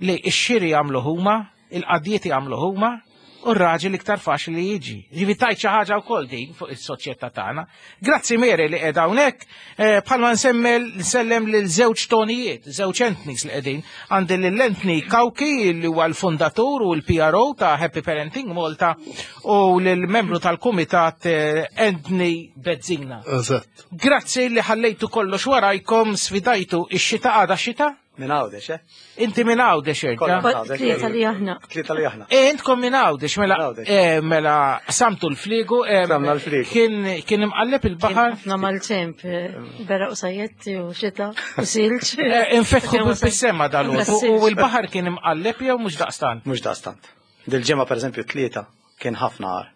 li x-xiri jagħmlu huma, il-qadjiet jagħmlu huma, u r-raġel iktar faċli li jiġi. Ġifi tajt xi ħaġa wkoll din fuq is-soċjetà tagħna. Grazzi Mary li qiegħda hawnhekk, eh, bħalma nsemmel nsellem lil żewġ tonijiet, żewġ Anthony's li qegħdin. Għandi lil Anthony Cauchi li huwa l-fundatur u l-P R O ta' Happy Parenting Malta u lil membru tal-kumitat, eh, Anthony Bezzina. Eżatt. Grazzi li ħallejtu kollox warajkom, sfidajtu ix-xita għada xita? Minn Għawdex, eh? Inti minn Għawdex, erġa'? Kollha minn Għawdex. Tlieta li aħna. Tlieta li aħna. E, intkom minn Għawdex, mela, Minn Għawdex. e, mela, samtu l-fliegu, e, Samna l-fliegu. Kien, kien imqalleb il-baħar? Kien ħafna mal-temp, e, beraq u sajjetti u xita u silġ. E, infetħu Kien wasal- bis-sema dal-għodu. Bis-silġ. U l-baħar kien imqalleb jew mhux daqstant? Mhux daqstant. Dil-ġimgħa pereżempju tlieta kien ħafna għar.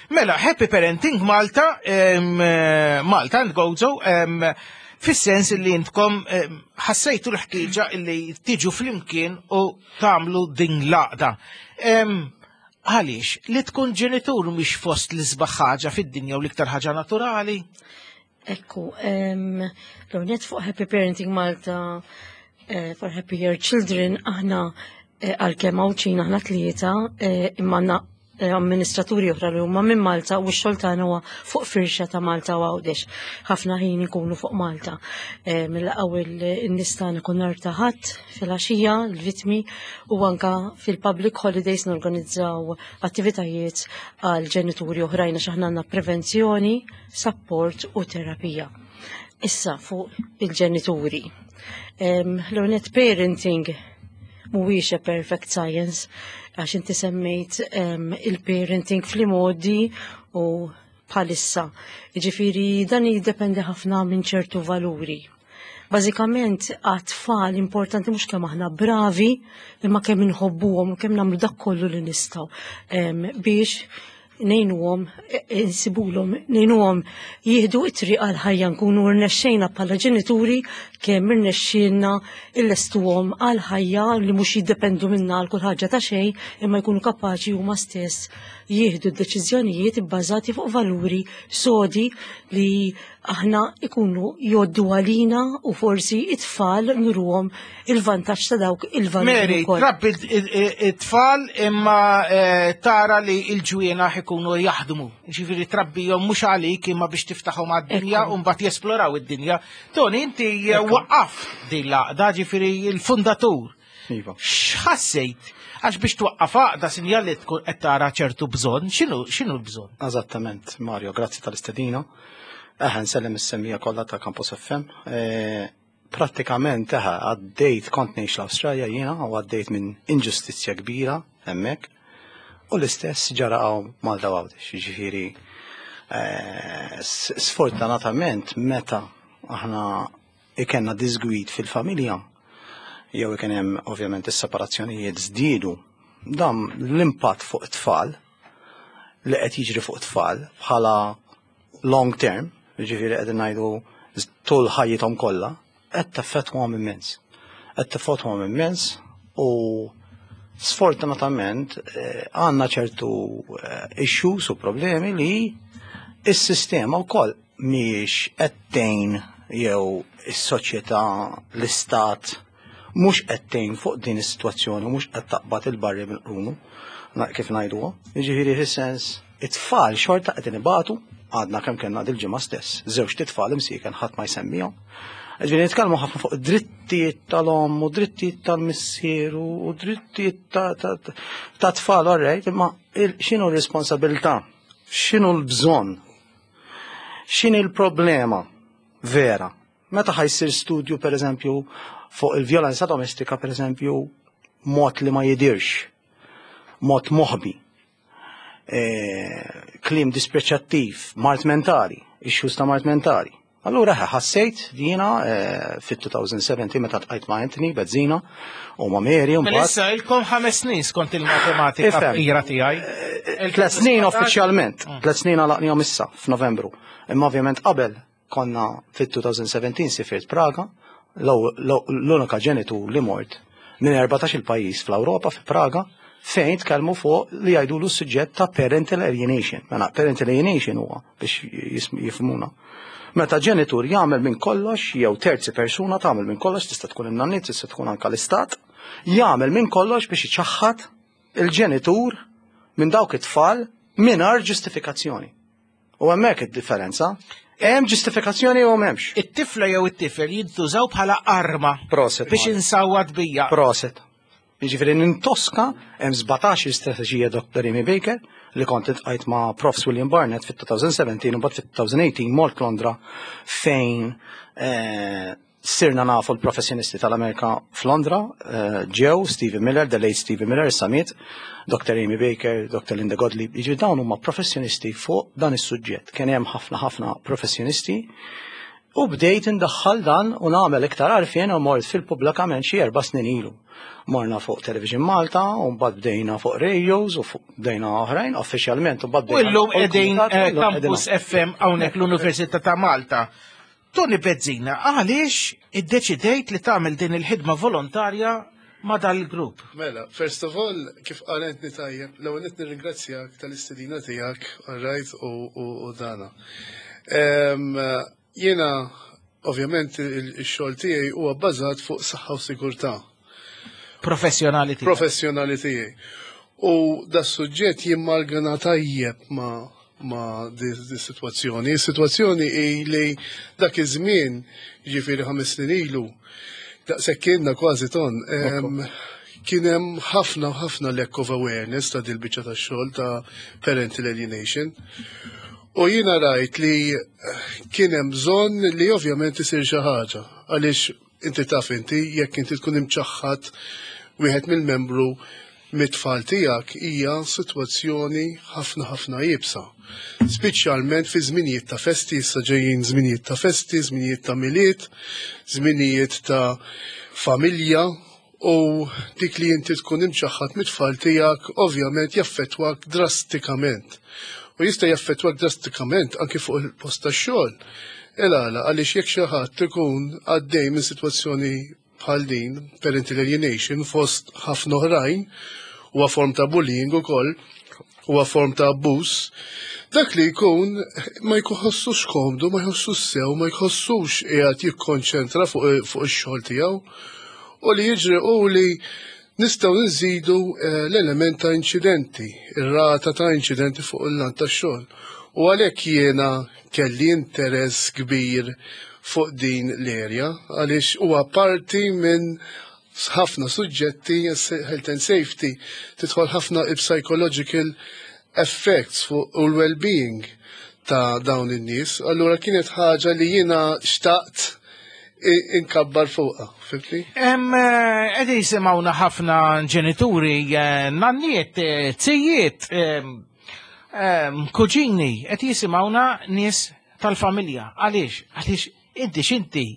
Mela, Happy Parenting Malta, em, eh, Malta and Gozo, em, fis-sens li intkom, em, ħassejtu l-ħtieġa li tiġu flimkien u tagħmlu din l-għaqda. Em, għaliex, li tkun ġenitur mhix fost l-isbaħ ħaġa fid-dinja u l-iktar ħaġa naturali? Ekku, em, l-għonet fuq Happy Parenting Malta, eh, for Happier Children, aħna, eh, għalkemm Għawdxin aħna tlieta, eh, imma għandna, eh, amministraturi oħra li huma minn Malta u x-xogħol tagħna huwa fuq firxa ta' Malta u Għawdex. Ħafna ħin ikunu fuq Malta. Eh, Nilqgħu il-nies tagħna kull nhar ta' Ħadd filgħaxija, l-vittmi, u anka fil-public holidays norganizzaw attivitajiet għal ġenituri oħrajn għax aħna għandna prevenzjoni, support u terapija. Issa fuq il-ġenituri. L-ewwel, parenting mhuwiex a perfect science, għax inti semmejt il-parenting fl-modi u bħalissa. Ġifieri dan jiddependi ħafna minn ċertu valuri. Bażikament għat-tfal importanti mhux kemm aħna bravi, imma kemm inħobbuhom u kemm nagħmlu dak kollu li nistgħu biex ngħinuhom insibulhom, ngħinuhom jieħdu it-triq għal-ħajja, nkunu rnexxejna bħala ġenituri kemm irnexxielna illestuhom għal-ħajja li mhux jiddependu minna għal kull ħaġa ta' xejn, imma jkunu kapaċi huma stess jieħdu d-deċiżjonijiet ibbażati fuq valuri sodi li aħna ikunu jgħoddu għalina u forsi it-tfal nuruhom il-vantaġġ ta' dawk il-valuri. Mary, trabbi it-tfal imma eh, tara li il-ġwienaħ ikunu jaħdmu. Ġifieri trabbihom mhux għalik imma biex tiftaħhom għad-dinja u mbagħad jesploraw id-dinja. Tony, inti waqqaf din l-għaqda, ġifieri il-fundatur. Iva. X'ħassejt? Għax biex twaqqaf għaqda sinjal li tkun qed tara ċertu bżonn, x'inhu x'inhu l-bżonn? Eżattament, Mario, grazzi tal-istedina. Eħe, nsellem is-semmiegħa kollha ta' Campus F M. Eh, Prattikament eħe, għaddejt, kont ngħix l-Awstralja jiena u għaddejt minn inġustizzja kbira hemmhekk. U l-istess ġara hawn Malta Għawdex, jiġifieri eh, sfortunatament meta aħna ikenna disgwid fil-familja, jew ikun hemm ovvjament is-separazzjonijiet żdiedu, dan l-impatt fuq it-tfal li qed jiġri fuq it-tfal bħala long term, jiġifieri qegħdin ngħidu tul ħajjithom kollha, qed teffettwahom immens. Qed teffettwahom immens u sfortunatament eh, għandna ċertu eh, issues u problemi li is-sistema wkoll mhijiex qed tgħin, jew is-soċjetà, l-istat mhux qed tgħin fuq din is-sitwazzjoni, mhux qed taqbad il-barri mill-qrunu, kif ngħiduha. Jiġifieri fis-sens it-tfal xorta qed inibatu, għadna kemm kellna dil-ġimgħa stess, żewġ tfal imsieken ħadd ma jsemmihom. Ġifieri nitkellmu ħafna fuq drittijiet tal-omm u drittijiet tal-missier u drittijiet ta' tfal, alright, imma x'inhu r-responsabilità? X'inhu l-bżonn? X'inhi l-problema vera? Meta ħa jsir studju, per eżempju, fuq il-vjolenza domestika, per eżempju, mod li ma jidirx, mod moħbi, e, kliem dispreċattiv, mard mentali, issues ta' mard mentali. Allura ħassejt jiena e, fit-elfejn u sbatax meta ltqajt ma' Anthony Bezzina u ma' Mary u Mela issa ilkom ħames snin skont il-matematika fqira tiegħi. E, tlet snin uffiċjalment, mm. tlet snin għalaqnihom issa f'Novembru. Imma ovvjament qabel konna fit-elfejn u sbatax sifirt Praga, l-unika ġenitur li mort minn erbatax il-pajjiż fl-Ewropa fi Praga fejn tkellmu fuq li jgħidulu s-suġġett ta' parental alienation. Mela parental alienation huwa biex jifhmuna. Meta ġenitur jagħmel minn kollox, jew terzi persuna tagħmel minn kollox, tista' tkun in-nanniet, tista' tkun anka l-istat, jagħmel minn kollox biex iċaħħad il-ġenitur minn dawk it-tfal mingħajr ġustifikazzjoni. U hemmhekk id-differenza. Hemm ġustifikazzjoni u m'hemmx. It-tifla jew it-tifel jintużaw bħala arma Proset. Biex insawwat bija. Proset. Jiġifieri nintoska hemm sbatax strateġija Doctor Amy Baker li kont iltqajt ma' Profs William Barnett fit-elfejn u sbatax u mbagħad fit-elfejn u tmintax mort Londra fejn eh, sirna nafu l-professjonisti tal-Amerika f'Londra, eh, ġew Stephen Miller, the late Stephen Miller, Summit, Doctor Amy Baker, Doctor Linda Godley, jiġifieri dawn huma professjonisti fuq dan is-suġġett. Kien hemm ħafna ħafna professjonisti u bdejt indaħħal dan u nagħmel iktar għarfien u mort fil-pubblikament xi erba' snin ilu. Morna fuq Television Malta u mbagħad bdejna fuq radios u fuq bdejna oħrajn uffiċjalment u mbagħad U llum bdejna qegħdin fuq il-kumitat, eh, u llum qegħdin Campus F M hawnhekk l-Università ta' Malta. Tony Bezzina, għaliex iddeċidejt li tagħmel din il-ħidma volontarja ma' dal-grupp? Mela, first of all, kif qalentni tajjeb, l-ewwel nett nirringrazzjak tal-istedina tiegħek, all right, u, u, u dana. Em, Jiena, ovvjament, il-xogħol tiegħi huwa bbażat fuq saħħa u sigurtà. Professjonali tiegħek. Professjonali tiegħi. U da suġġett jimmalgana tajjeb ma' ma' di, di situazzjoni. Is-situazzjoni hi li dak iż-żmien, ġifieri ħames snin ilu, daqshekk kienna kważi ton, em, kien hemm ħafna ħafna lack of awareness ta' dil-biċċa tax-xogħol ta' parental alienation. U jiena rajt li kien hemm bżonn li ovvjament isir xi ħaġa, għaliex inti taf inti jekk inti tkun imċaħħad wieħed mill-membru mit-tfal tiegħek hija sitwazzjoni ħafna ħafna iebsa. Speċjalment fi żminijiet ta' festi, issa ġejjin żminijiet ta' festi, żminijiet ta' Milied, żminijiet ta' familja, u dik li inti tkun imċaħħad mit-tfal tiegħek ovvjament jaffettwak drastikament. U jista' jaffettwak drastikament anki fuq il-post tax-xogħol. Il-għala, għaliex jekk xi ħadd ikun għaddej minn sitwazzjoni bħal din, parental alienation, fost ħafna oħrajn, huwa form ta' bullying ukoll, huwa form ta' abbuż, dak li jkun ma jħossux komdu, ma jħossux sew, ma jħossux qiegħed jikkonċentra fuq fuq ix-xogħol tiegħu. U li jiġri u li nistgħu nżidu eh, l-element ta' inċidenti, ir-rata ta' inċidenti fuq il-lant tax-xogħol. U għalhekk jiena kelli interess kbir fuq din l-area, għaliex huwa parti minn ħafna suġġetti, health and safety, tidħol ħafna psychological effects fuq u l-well-being ta' dawn in-nies. Allura kienet ħaġa li jiena xtaqt inkabbar fuqha, fhimtni? Em, eh, Qegħdin jisimgħuna ħafna ġenituri, eh, nanniet, eh, zijiet, em, em, kuġini, qed jisimgħuna nies tal-familja. Għaliex? Għaliex inti x'inti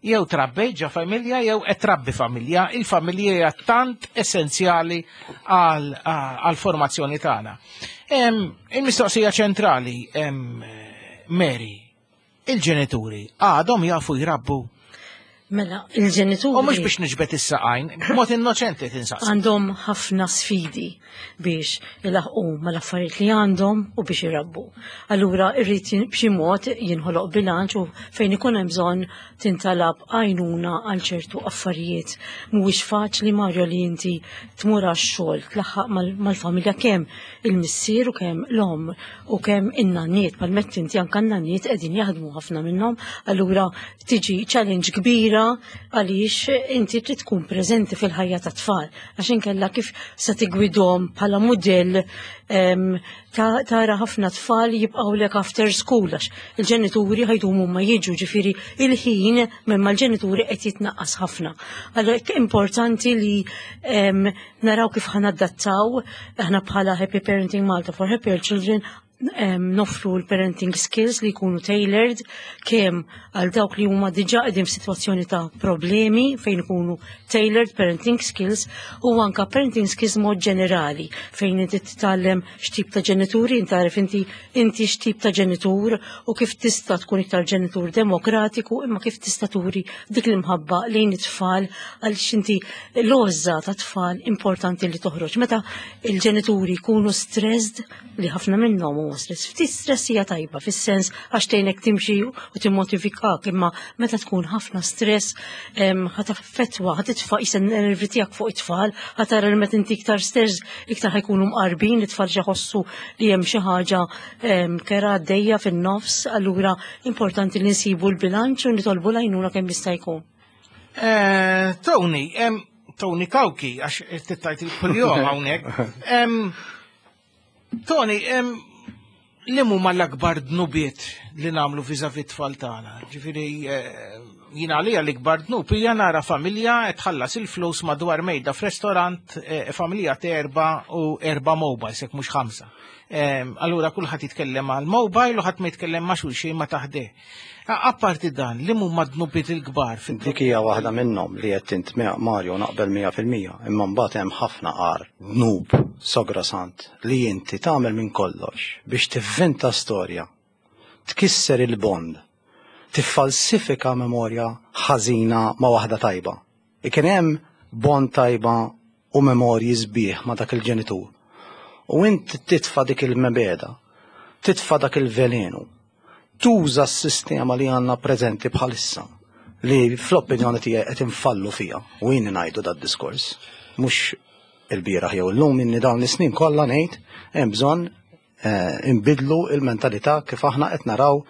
jew trabbejt ġo familja jew qed trabbi familja. Il-familja hija tant essenzjali għal għal formazzjoni tagħna. Em, Il-mistoqsija ċentrali, em, Mary, il-ġenituri għadhom jafu jrabbu? Mela, il-ġenituri. U mhux biex niġbed is-saqajn, b'mod innoċenti tinsaqs. Għandhom ħafna sfidi biex ilaħqu mal-affarijiet li għandhom u biex irabbu. Allura irrid jin- b'xi mod jinħoloq bilanċ u fejn ikun hemm bżonn tintalab għajnuna għal ċertu affarijiet. Mhuwiex faċli, Mario, li inti tmur għax-xogħol, tlaħħaq mal- mal-familja, kemm il-missier u kemm l-omm u kemm in-nanniet, palmet inti anke n-nanniet qegħdin jaħdmu ħafna minnhom, allura tiġi challenge kbira għaliex inti trid tkun preżenti fil-ħajja ta' tfal, għax inkella kif se tigwidhom bħala mudell? em, ta- tara ħafna tfal jibqgħu lek after school għax il-ġenituri ħa jdumu ma jiġu, ġifieri il-ħin minn mal-ġenituri qed jitnaqqas ħafna. Allura importanti li em, naraw kif ħa nadattaw. Aħna bħala Happy Parenting Malta for Happier Children em, noffru l-parenting skills li jkunu tailored kemm għal dawk li huma diġà qegħdin f'sitwazzjoni ta' problemi, fejn ikunu tailored parenting skills, u anka parenting skills mod ġenerali, fejn inti titgħallem x'tip ta' ġenituri, inti inti inti x'tip ta' ġenitur u kif tista' tkun iktar ġenitur demokratiku, imma kif tista' turi dik l-imħabba lejn it-tfal, għaliex inti l-għożża ta' tfal importanti li toħroġ. Meta il-ġenituri jkunu stressed, li ħafna minnhom huma stress. Ftit stress hija tajba fis-sens għax tgħinek timxi u timmotivikak, imma meta tkun ħafna stress em, ħa taffettwa, ħa titfa' qisha nervi tiegħek fuq it-tfal, ħa tara li meta inti iktar stress iktar ħa jkunu mqarbin it-tfal, jħossu li hemm xi ħaġa em, kerha għaddejja fin-nofs, allura importanti li nsibu l-bilanċ u nitolbu l-għajnuna kemm jista' jkun. Eh, Tony, em, Tony Cauchi, għax tittajt il-kuljom hawnhekk. Em, Tony, em, li huma l-akbar dnubiet li nagħmlu vis-à-vis tfal tagħna? Ġifieri eh, jiena għalija l-ikbar dnub hija nara familja qed tħallas il-flus madwar mejda f'restorant, eh, familja ta' erba' u erba' mobiles, jekk mhux ħamsa. Em, Allura kulħadd jitkellem għal mobile u ħadd ma jitkellem ma' xulxin ma taħdeh. Apparti dan, li huma dnubiet il-kbar fil Dik hija waħda minnhom li qed int, Mario, naqbel mija fil-mija, imma mbagħad hemm ħafna qar dnub sograsant li inti tagħmel minn kollox biex tivvinta storja, tkisser il-bond, tiffalsifika memorja ħażina ma' waħda tajba. Ikun hemm bond tajba u memorji sbieħ ma' dak il-ġenitur. U inti titfa' dik il-mibegħda, titfa' dak il-velenu, tuża s-sistema li għandna preżenti bħalissa, li fl-opinjoni tiegħi qed infallu fija, u jien ngħidu dat diskors mhux il-bieraħ jew illum, inni dawn l-snin kollha ngħid hemm bżonn eh, imbidlu il-mentalità kif aħna qed naraw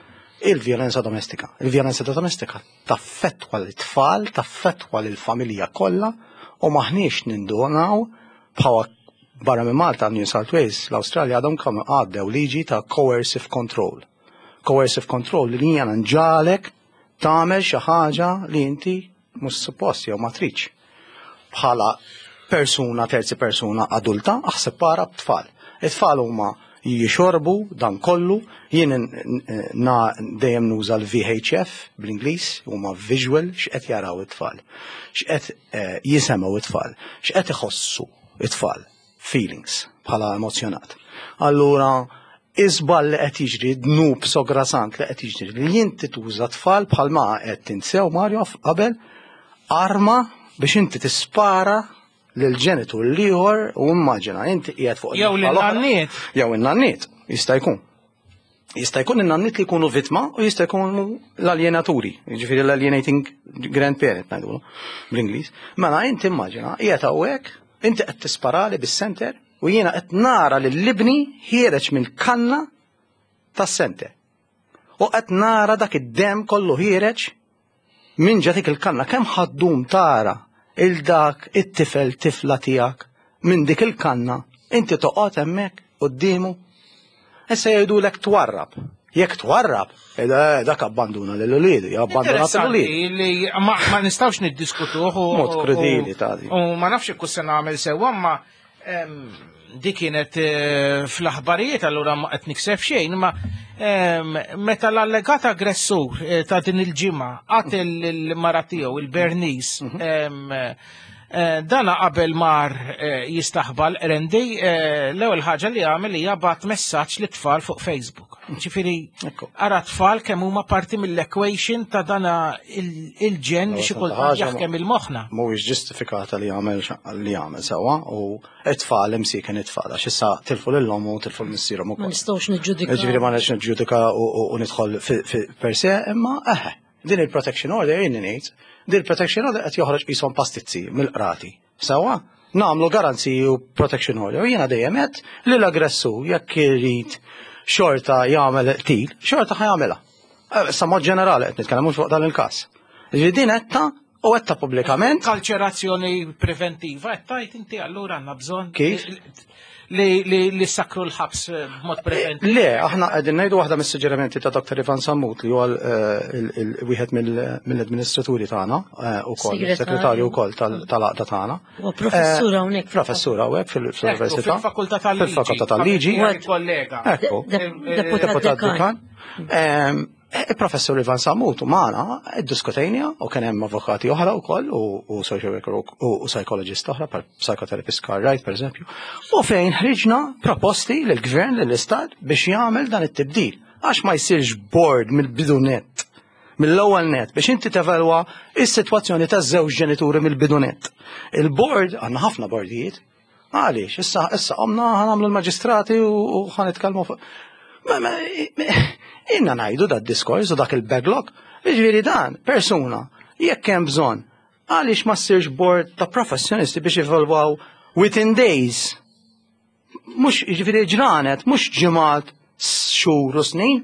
il-vjolenza domestika. Il-vjolenza domestika taffettwa l-tfal, taffettwa l-familja kollha u maħniex nindunaw. Bħala barra minn Malta, New South Wales, l-Australia għadhom kemm għaddew liġi ta' coercive control. Coercive control li jiena nġagħlek tagħmel xi ħaġa li inti mhux suppost jew ma tridx. Bħala persuna, terzi persuna adulta, aħseb para b'tfal. It-tfal huma jixorbu dan kollu, jien na dejjem nuża l-V H F bl-Ingliż, huma visual, x'qed jaraw it-tfal, x'qed eh, jisemgħu it-tfal, x'qed iħossu it-tfal, feelings bħala emozjonat. Allura, iżball li qed jiġri, dnub sograsant li qed jiġri, li inti tuża tfal bħalma qed tinsew Mario qabel arma biex inti tispara lil-ġenitur l-ieħor u immaġina inti qiegħed fuq Jew in-naħa l-oħra. lin-nanniet. Jew in-nanniet, jista' jkun. Jista' jkun in-nanniet li jkunu vittma u jista' jkunu l-alienaturi, jiġifieri l-alienating grandparent ngħidulu bl-Ingliż. Mela inti immaġina qiegħed hawnhekk, inti qed tisparali bis-senter u jiena qed nara lil ibni ħiereġ mill-kanna tas-senter. U qed nara dak id-dem kollu ħiereġ minn ġa dik il-kanna. Kemm ħa ddum tara il dak it-tifel tifla tiegħek minn dik il-kanna, inti toqgħod hemmhekk quddiemu? Issa jgħidulek twarrab. Jekk twarrab, eh, dak abbanduna lil uliedu, abbanduna lil uliedu. Interessanti li ma, ma nistawx niddiskutuh u Mod krudili u- ta' di. U ma nafx jekk se nagħmel sewwa, ma em, di kienet eh, fl-aħbarijiet, allura ma qed nikseb xejn, ma em, meta l-allegat aggressur eh, ta' din il-ġimgħa qatel il-mara tiegħu il-Bernice, em, eh, dana qabel mar eh, jistaħba l-Qrendi, eh, l-ewwel ħaġa li għamel hija bagħat messaġġ lit-tfal fuq Facebook. Ġifieri ara tfal kemm huma parti mill-equation ta' dana il- il-ġenn li xi kultant jaħkem il-moħħna. Mhuwiex ġustifikata li jagħmel li jagħmel sewwa u it-tfal imsieken it-tfal għax issa tilfu lil u tilfu l-missierhom Ma ukoll. nistgħux niġġudikaw. Ġifieri ma nix niġġudika u u- u nidħol fi- fi- per se, imma eħe, din il-protection order jien ngħid, din il-protection order qed joħroġ qishom pastizzi mill-qrati. Sewwa, nagħmlu garanziji u protection order. U jiena dejjem qed li l-aggressur jekk irid xorta jagħmel qtil, xorta ħa jagħmilha. Eh, Sa mod ġenerali qed nitkellem, mhux fuq dan il-każ. Ġifieri din qedta u qedta pubblikament. Kalċerazzjoni preventiva, qed tajt inti allura għandna bżonn Kif? li li li sakru l-ħabs eh, b'mod preventiv. Le, aħna qegħdin ngħidu waħda mis-suġġerimenti ta' Doktor Ivan Sammut li huwa eh, il- il- wieħed mill- mill-amministraturi tagħna eh, ukoll, Segretarju. segretarju wkoll tal- tal-għaqda tagħna. Huwa professur hawnhekk. Professur hawnhekk fil- fl-Università. Fil-fakultà tal-liġi. Fil-fakultà tal-liġi. Kollega. Ekku. Deputat Deputat dekan. dekan. Ehm, Il-professur Ivan Sammut u magħna iddiskutejna u kien hemm avukati oħra wkoll u u social worker u u psychologist oħra, per psychotherapist Carl Wright per eżempju, u fejn ħriġna proposti lill-gvern, lill-istat biex jagħmel dan it-tibdil. Għax ma jsirx board mill-bidu net, mill-ewwel net biex inti tevalwa is-sitwazzjoni taż-żewġ ġenituri mill-bidu net. Il-board, għandna ħafna bordijiet, għaliex, issa issa qomna ħa nagħmlu l-maġistrati u u ħa nitkellmu fuq. Ma, ma, inna ngħidu dat diskors u dak il-backlog, ġifieri dan, persuna, jekk hemm bżonn, għaliex ma ssirx board ta' professjonisti biex evalwaw within days? Mhux ġifieri ġranet, mhux ġimgħat, xhur u snin.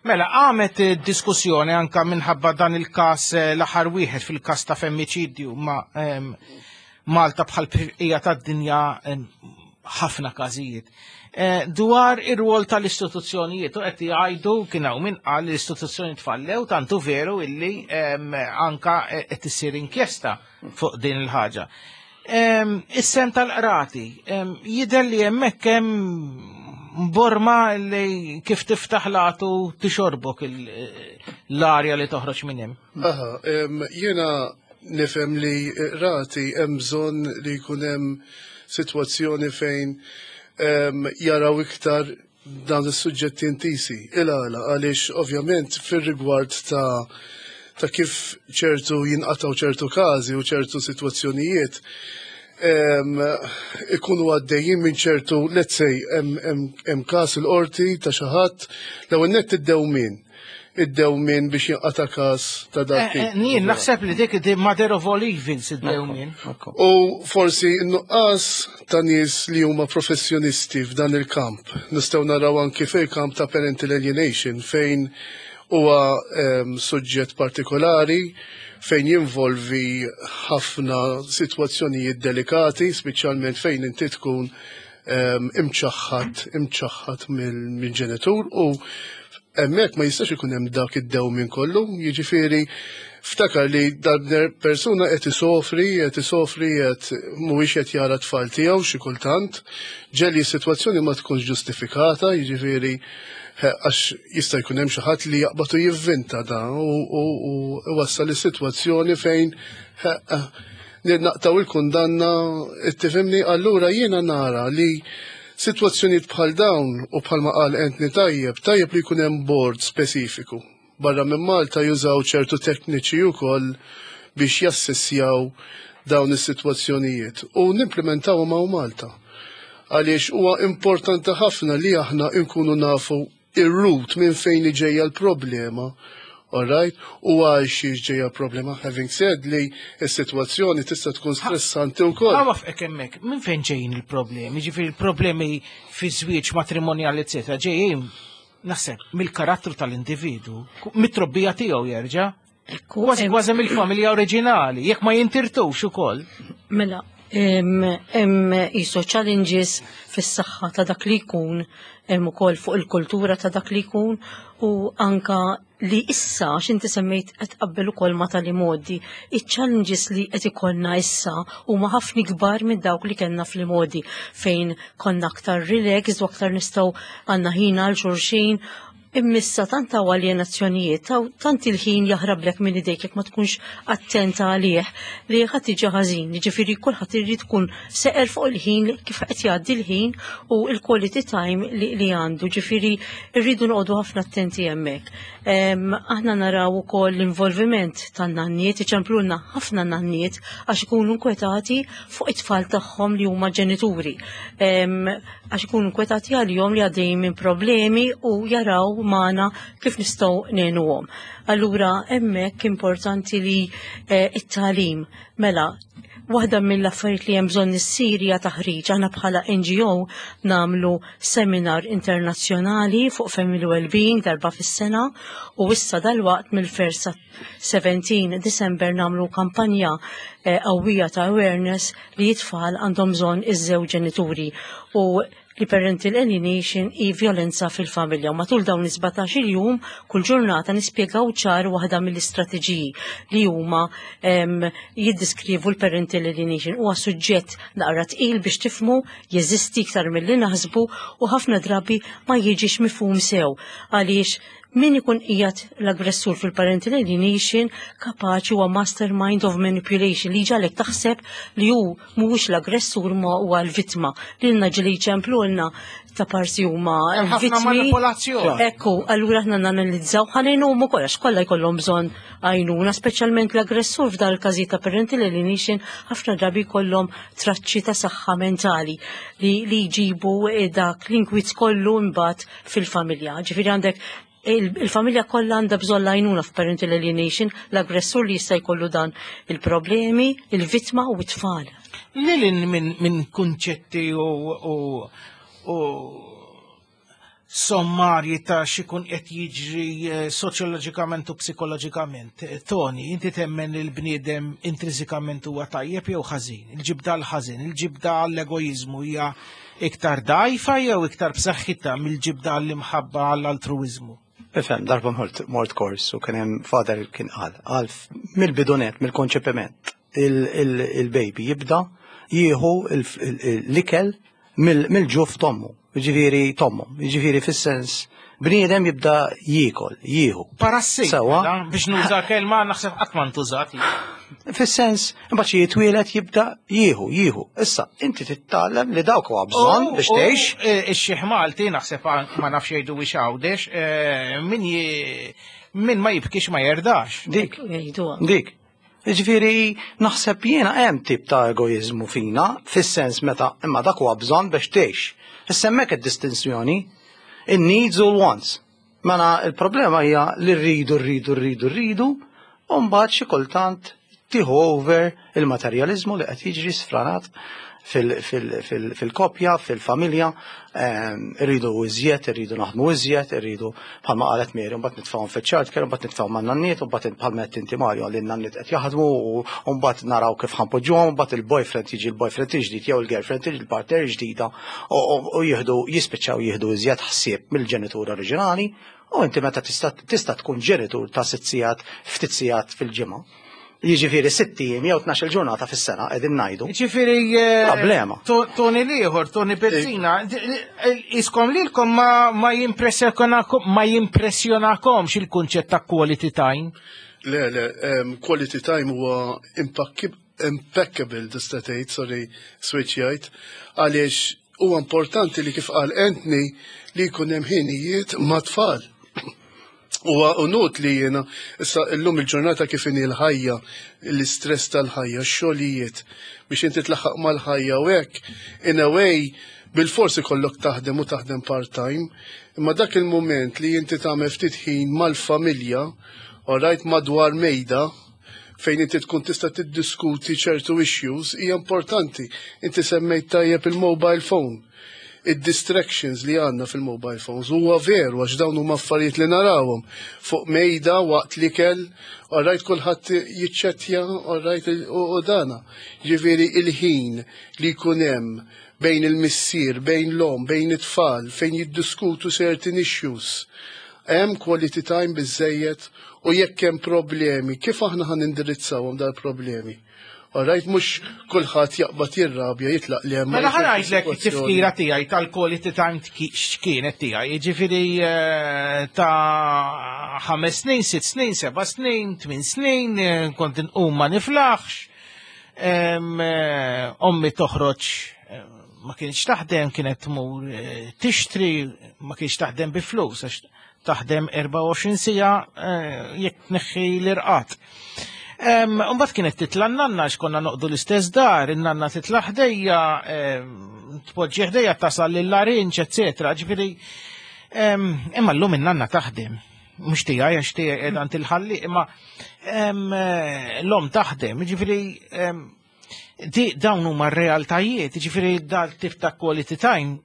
Mela, għamet eh, diskussjoni anka minħabba dan il-kas eh, l-aħħar wieħed fil-kas ta' femmiċidju ma' em, Malta bħal bqija tad-dinja em, ħafna każijiet. Eh, dwar ir-rwol tal-istituzzjonijiet u qed jgħidu kien hawn min qal li l-istituzzjoni tfallew, tantu veru illi em, anka eh, qed issir inkjesta fuq din il-ħaġa. Em, Is-sehem tal-qrati, em, jidher li hemmhekk hemm borma li kif tiftaħ latu tixorbok il- l-arja li toħroġ minn hemm. Aha, em, jiena nifhem li rati hemm bżonn li jkun hemm sitwazzjoni fejn em, jaraw iktar dan is-suġġetti intisi. Il-għala, għaliex ovvjament fir-rigward ta' ta' kif ċertu jinqataw ċertu każi u ċertu sitwazzjonijiet em, ikunu għaddejjin minn ċertu, let's say, hemm- hemm hemm każ il-qorti ta' xi ħadd, l-ewwel nett id-dewmien. Id-dewmien biex jinqata' każ ta' dak Eh, eh, Jien naħseb li dik di mother of all evils id-dewmien. U forsi n-nuqqas ta' nies li huma professjonisti f'dan il-kamp. Nistgħu naraw anki fil-kamp ta' parental alienation fejn huwa em, suġġett partikolari fejn jinvolvi ħafna sitwazzjonijiet delikati, speċjalment fejn inti tkun imċaħħad imċaħħad mill-ġenitur u hemmhekk ma jistax ikun hemm dak id-dewmin kollu, jiġifieri ftakar li dan persuna qed isofri, qed isofri qed mhuwiex qed jara tfal tiegħu xi kultant, ġieli s-sitwazzjoni ma tkunx ġustifikata, jiġifieri għax jista' jkun hemm xi ħadd li jaqbad u jivvinta da u wassal is-sitwazzjoni fejn naqtaw il-kundanna, tifhimni, allura jiena nara li sitwazzjonijiet bħal dawn u bħalma qal Anthony tajjeb, tajjeb li jkun hemm board speċifiku. Barra minn Malta jużaw ċertu tekniċi wkoll biex jassessjaw dawn is-sitwazzjonijiet u nimplementawhom hawn Malta. Għaliex huwa importanti ħafna li aħna nkunu nafu ir-root minn fejn ġejja l-problema. All right? U għal xiex ġejja problema, having said li s-sitwazzjoni tista' tkun stressanti wkoll. Ħa waqfek hemmhekk, minn fejn ġejjin il-problemi? Ġifieri il-problemi fi żwieġ matrimonjali, eccetera, ġejjin naħseb mill-karattru tal-individu, mit-trobbija tiegħu jerġa'. Kważi kważi mill-familja oriġinali, jekk ma jintirtux ukoll. Mela, hemm iso challenges fis-saħħa ta' dak li jkun, hemm ukoll fuq il-kultura ta' dak li jkun u anka li issa x'inti semmejt qed tqabbel ukoll ma tal-imgħoddi. Iċ-challenges li qed ikollna issa huma ħafna kbar minn dawk li kellna fl-imgħoddi fejn konna aktar relaxed u aktar nistgħu għandna ħin għal xulxin. Imma issa tant hawn aljenazzjonijiet, tant il-ħin jaħrablek minn idejk jekk ma tkunx attenta għalih li ħadd tiġi ħażin. Jiġifieri kulħadd irid tkun seqer fuq il-ħin kif qed jgħaddi l-ħin u l-quality time li, li għandu. Ġifieri rridu noqogħdu ħafna attenti hemmhekk. Aħna naraw ukoll l-involviment tan-nanniet, iċemplulna ħafna nanniet għax ikunu nkwetati fuq it-tfal tagħhom li huma ġenituri. Għax ikunu nkwetati għalihom li għaddejjin minn problemi u jaraw magħna kif nistgħu ngħinuhom. Allura hemmhekk importanti li it-tagħlim mela waħda mill-affarijiet li hemm bżonn issir hija taħriġ. Aħna bħala N G O nagħmlu seminar internazzjonali fuq family well-being darba fis-sena u issa dalwaqt mill-first seventeen December nagħmlu kampanja qawwija ta' awareness li t-tfal għandhom bżonn iż-żewġ ġenituri u li parental alienation i violenza fil-familja. U matul dawn is-sbatax-il jum kull ġurnata nispjegaw ċar waħda mill-istrateġiji li huma jiddiskrivu l-parental alienation. Huwa suġġett naqra tqil biex tifmu, jeżisti iktar milli naħsbu u ħafna drabi ma jiġix mifhum sew għaliex min ikun qiegħed l-aggressur fil-parental alienation kapaċi huwa mastermind of manipulation li ġagħlek taħseb li hu mhuwiex l-aggressur ma huwa l-vittma. Lilna ġieli jċemplulna ta' parsi huma Hemm ħafna vittmi. manipolazzjoni. Ekku, allura aħna nanalizzaw ħanejnuhom ukoll għax kollha jkollhom bżonn għajnuna, speċjalment l-aggressur f'dan il-każijiet ta' parental alienation ħafna drabi jkollhom traċċi ta' saħħa mentali li, li jġibu dak l-inkwiet kollu mbagħad fil-familja. Ġifieri għandek il-familja kollha għandha bżonn l-għajnuna f'parental alienation, l-aggressur li jista' jkollu dan il-problemi, il-vittma u t-tfal. Lilin minn min kunċetti u, u, u sommarji ta' xikun qed jiġri eh, soċjoloġikament u psikoloġikament. Eh, Tony, inti temmen il-bniedem intrinsikament huwa tajjeb jew ħażin? Il-ġibda l-ħażin, il-ġibda l-egoizmu hija iktar dajfa jew iktar b'saħħitha mill-ġibda l-imħabba għall-altruizmu? Ifhem, darba mort, mort kors u kien hemm father kien qal, qal mill-bidu net, mill-konċepiment, il-baby jibda jieħu l-ikel mill-ġuf t'ommu, ġifieri t'ommu, ġifieri fis-sens bniedem jibda jiekol, jieħu. Parasit, Sewa. mela, biex nuża kelma naħseb qatt ma ntużat. Fis-sens, imbagħad xi jitwielet jibda jieħu, jieħu. Issa, inti titgħallem li dawk huwa bżonn biex tgħix. Ix-xiħ Malti naħseb ma nafx jgħidu biex Għawdex, eh, min ji- min ma jibkix ma jerdax. Dik. Jgħiduha. Dik. Ġifieri, naħseb jiena hemm tip ta' egoizmu fina, fis-sens meta imma dak huwa bżonn biex tgħix. Issa hemmhekk id-distinzjoni, in-needs u l-wants. Mela il-problema hija li rridu, rridu, rridu, rridu, u mbagħad xi kultant tieħu over il-materjalizmu li qed jiġri sfranat. fil-koppja, fil-familja, irridu iżjed, irridu naħdmu iżjed, irridu bħalma qalet Mary, mbagħad nitfgħuhom fiċ-child care, mbagħad nitfgħuhom man-nanniet, mbagħad bħalma qed inti Mario li n-nanniet qed jaħdmu u mbagħad naraw kif ħa npoġġuhom, mbagħad il-boyfriend jiġi l-boyfriend ġdid jew il-girlfriend tiġi l-partner ġdida u jieħdu jispiċċaw jieħdu iżjed ħsieb mill-ġenitur oriġinali. U inti meta tista' tkun ġenitur ta' sitt sigħat, ftit sigħat fil-ġimgħa. Jiġifieri sitt ijiem jew tnax-il ġurnata fis-sena qegħdin ngħidu. Jiġifieri problema. Tony l-ieħor, Tony Bezzina, iskom lilkom ma jimpressjonakom ma jimpressjonakomx il-kunċett ta' quality time. Le, le, quality time huwa impeccable tista' tgħid, sorry, switch jgħid, għaliex huwa importanti li kif qal Anthony li jkun hemm ħinijiet ma' tfal. Huwa unut li jiena issa llum il-ġurnata kif inhi l-ħajja, l-istress tal-ħajja, x-xogħlijiet biex inti tlaħħaq mal-ħajja u hekk, in a way bil-forsi kollok taħdem u taħdem part-time, imma dak il-moment li inti tagħmel ftit ħin mal-familja, alright, madwar mejda, fejn inti tkun tista' tiddiskuti ċertu issues hija importanti. Inti semmejt tajjeb il-mobile phone, id-distractions li għandna fil-mobile phones. Huwa veru għax dawn huma affarijiet li narawhom fuq mejda waqt l-ikel, alright, kulħadd jiċċettja, alright, u dana. Ġifieri il-ħin li jkun hemm bejn il-missier, bejn l-omm, bejn it-tfal, fejn jiddiskutu certain issues. Hemm quality time biżejjed u jekk hemm problemi, kif aħna ħan indirizzawhom dal-problemi? Alright, mhux kulħadd jaqbad jirrabja jitlaq li hemm. Mela ħa ngħidlek it-tifkira tiegħi tal-quality time x'kienet tiegħi, jiġifieri ta' ħames snin, sitt snin, seba' snin, tmien snin, kont inqum ma niflaħx. Ommi toħroġ ma kienx taħdem, kienet tmur tixtri, ma kienx taħdem bi flus, għax taħdem erbgħa u għoxrin siegħa jekk tneħħi l-irqat. Mbagħad kienet titla' n-nanna għax konna noqdu l-istess dar, in-nanna titla' ħdejja, tpoġġi ħdejja tasal lill-larinġ, eċetera. Ġifieri imma llum in-nanna taħdem. Mhux tiegħi għax tiegħi qiegħda għand il-ħalli, imma l-omm taħdem, ġifieri di dawn huma r-realtajiet, ġifieri dal tip ta' quality time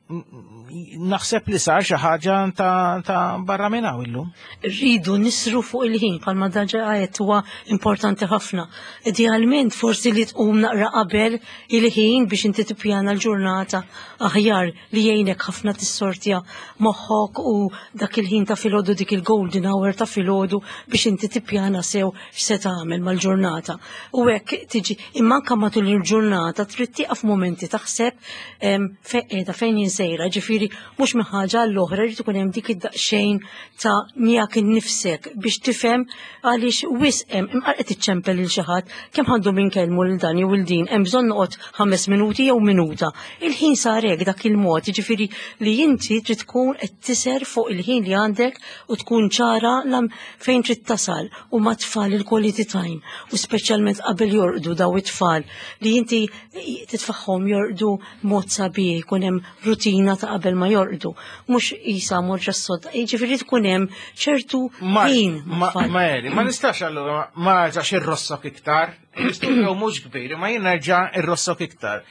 naħseb li sar xi ħaġa ta' barra minn hawn illum. Rridu nisru fuq il-ħin bħalma diġà għedt huwa importanti ħafna. Idealment forsi li tqum naqra qabel il-ħin biex inti tippjana l-ġurnata aħjar li jgħinek ħafna tissortja moħħok u dak il-ħin ta' filgħodu, dik il-golden hour ta' filgħodu biex inti tippjana sew x'se tagħmel mal-ġurnata. U hekk tiġi imma anke matul il-ġurnata trid tieqaf momenti taħseb fejn qiegħda, fejn jien sejra, ġifieri mhux minn ħaġa għall-oħra, jrid ikun hemm dik id-daqsxejn ta' miegħek innifsek biex tifhem għaliex wisq hemm imqar qed iċċempel lil xi ħadd kemm għandu minn kellmu lil dan jew lil din, hemm bżonn noqgħod ħames minuti jew minuta. Il-ħin sar hekk dak il-mod, jiġifieri li inti trid tkun qed tiser fuq il-ħin li għandek u tkun ċara lam fejn trid tasal u ma' tfal il-quality time u speċjalment qabel jorqdu daw it-tfal li inti titfaħħom jorqdu mod sabiħ, jkun hemm rutina ta' qabel ma jorqdu, mhux isa morġa s-sodda, jiġifieri tkun hemm ċertu ħin. Ma ma nistax allura ma nerġax irrossok iktar, l-istudio mhux kbir, ma jien nerġa' irrossok iktar.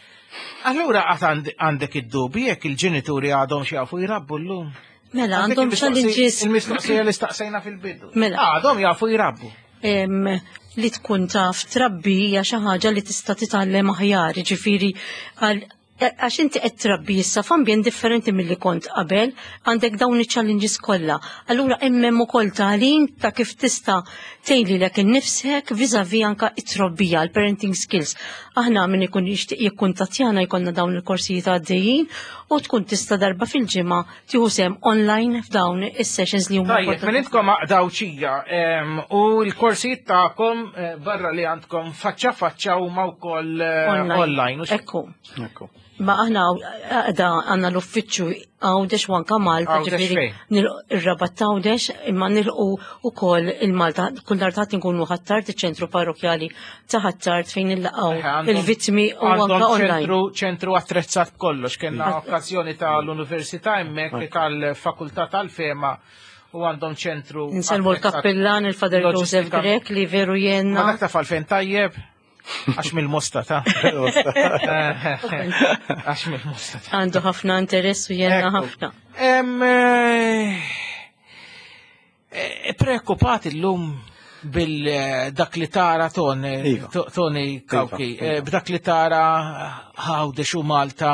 Allura qatt għandek id-dubi jekk il-ġenituri għadhom xi jafu jrabbu llum? Mela, għandhom challenges. Il-mistoqsija li staqsejna fil-bidu. Mela. Għadhom jafu jrabbu. Li tkun taf trabbi hija xi ħaġa li tista' titgħallem aħjar, jiġifieri għax inti qed trabbi issa f'ambjent differenti milli kont qabel, għandek dawn iċ-challenges kollha. Allura hemm hemm ukoll tagħlim ta' kif tista' tgħin lilek innifsek vis-à-vis anka it-trobbija, l-parenting skills. Aħna min ikun jixtieq jikkuntattjana jkollna dawn il-korsijiet għaddejjin u tkun tista' darba fil-ġimgħa tieħu sehem online f'dawn is-sessions li huma. Tajjeb, minn intkom Għawdxija u l-korsijiet tagħkom barra li għandkom faċċa faċċa huma wkoll online. Ekku. Ekku. Ma aħna għada għanna l-uffiċċju Għawdex u anka Malta, ġifieri ir-Rabat Għawdex, imma nilqu ukoll il-Malta, kull nhar ta' nkunu Ħ'Attard, iċ-ċentru parrokjali ta' Ħ'Attard fejn nilqgħu il-vittmi u anka online. Ċentru attrezzat kollox, kellna okkażjoni tal-Università hemmhekk tal-Fakultà tal-Fema u għandhom ċentru. Insellmu l-kappillan, il-Father Joseph Grech li veru jenna. Ma dak taf għalfejn tajjeb? Għax mill-Mosta ta'. Għax mill-Mosta ta'. Għandu ħafna interess u jenna ħafna. Preokkupat illum bil-dak li tara Tony Cauchi, b'dak li tara Għawdex u Malta,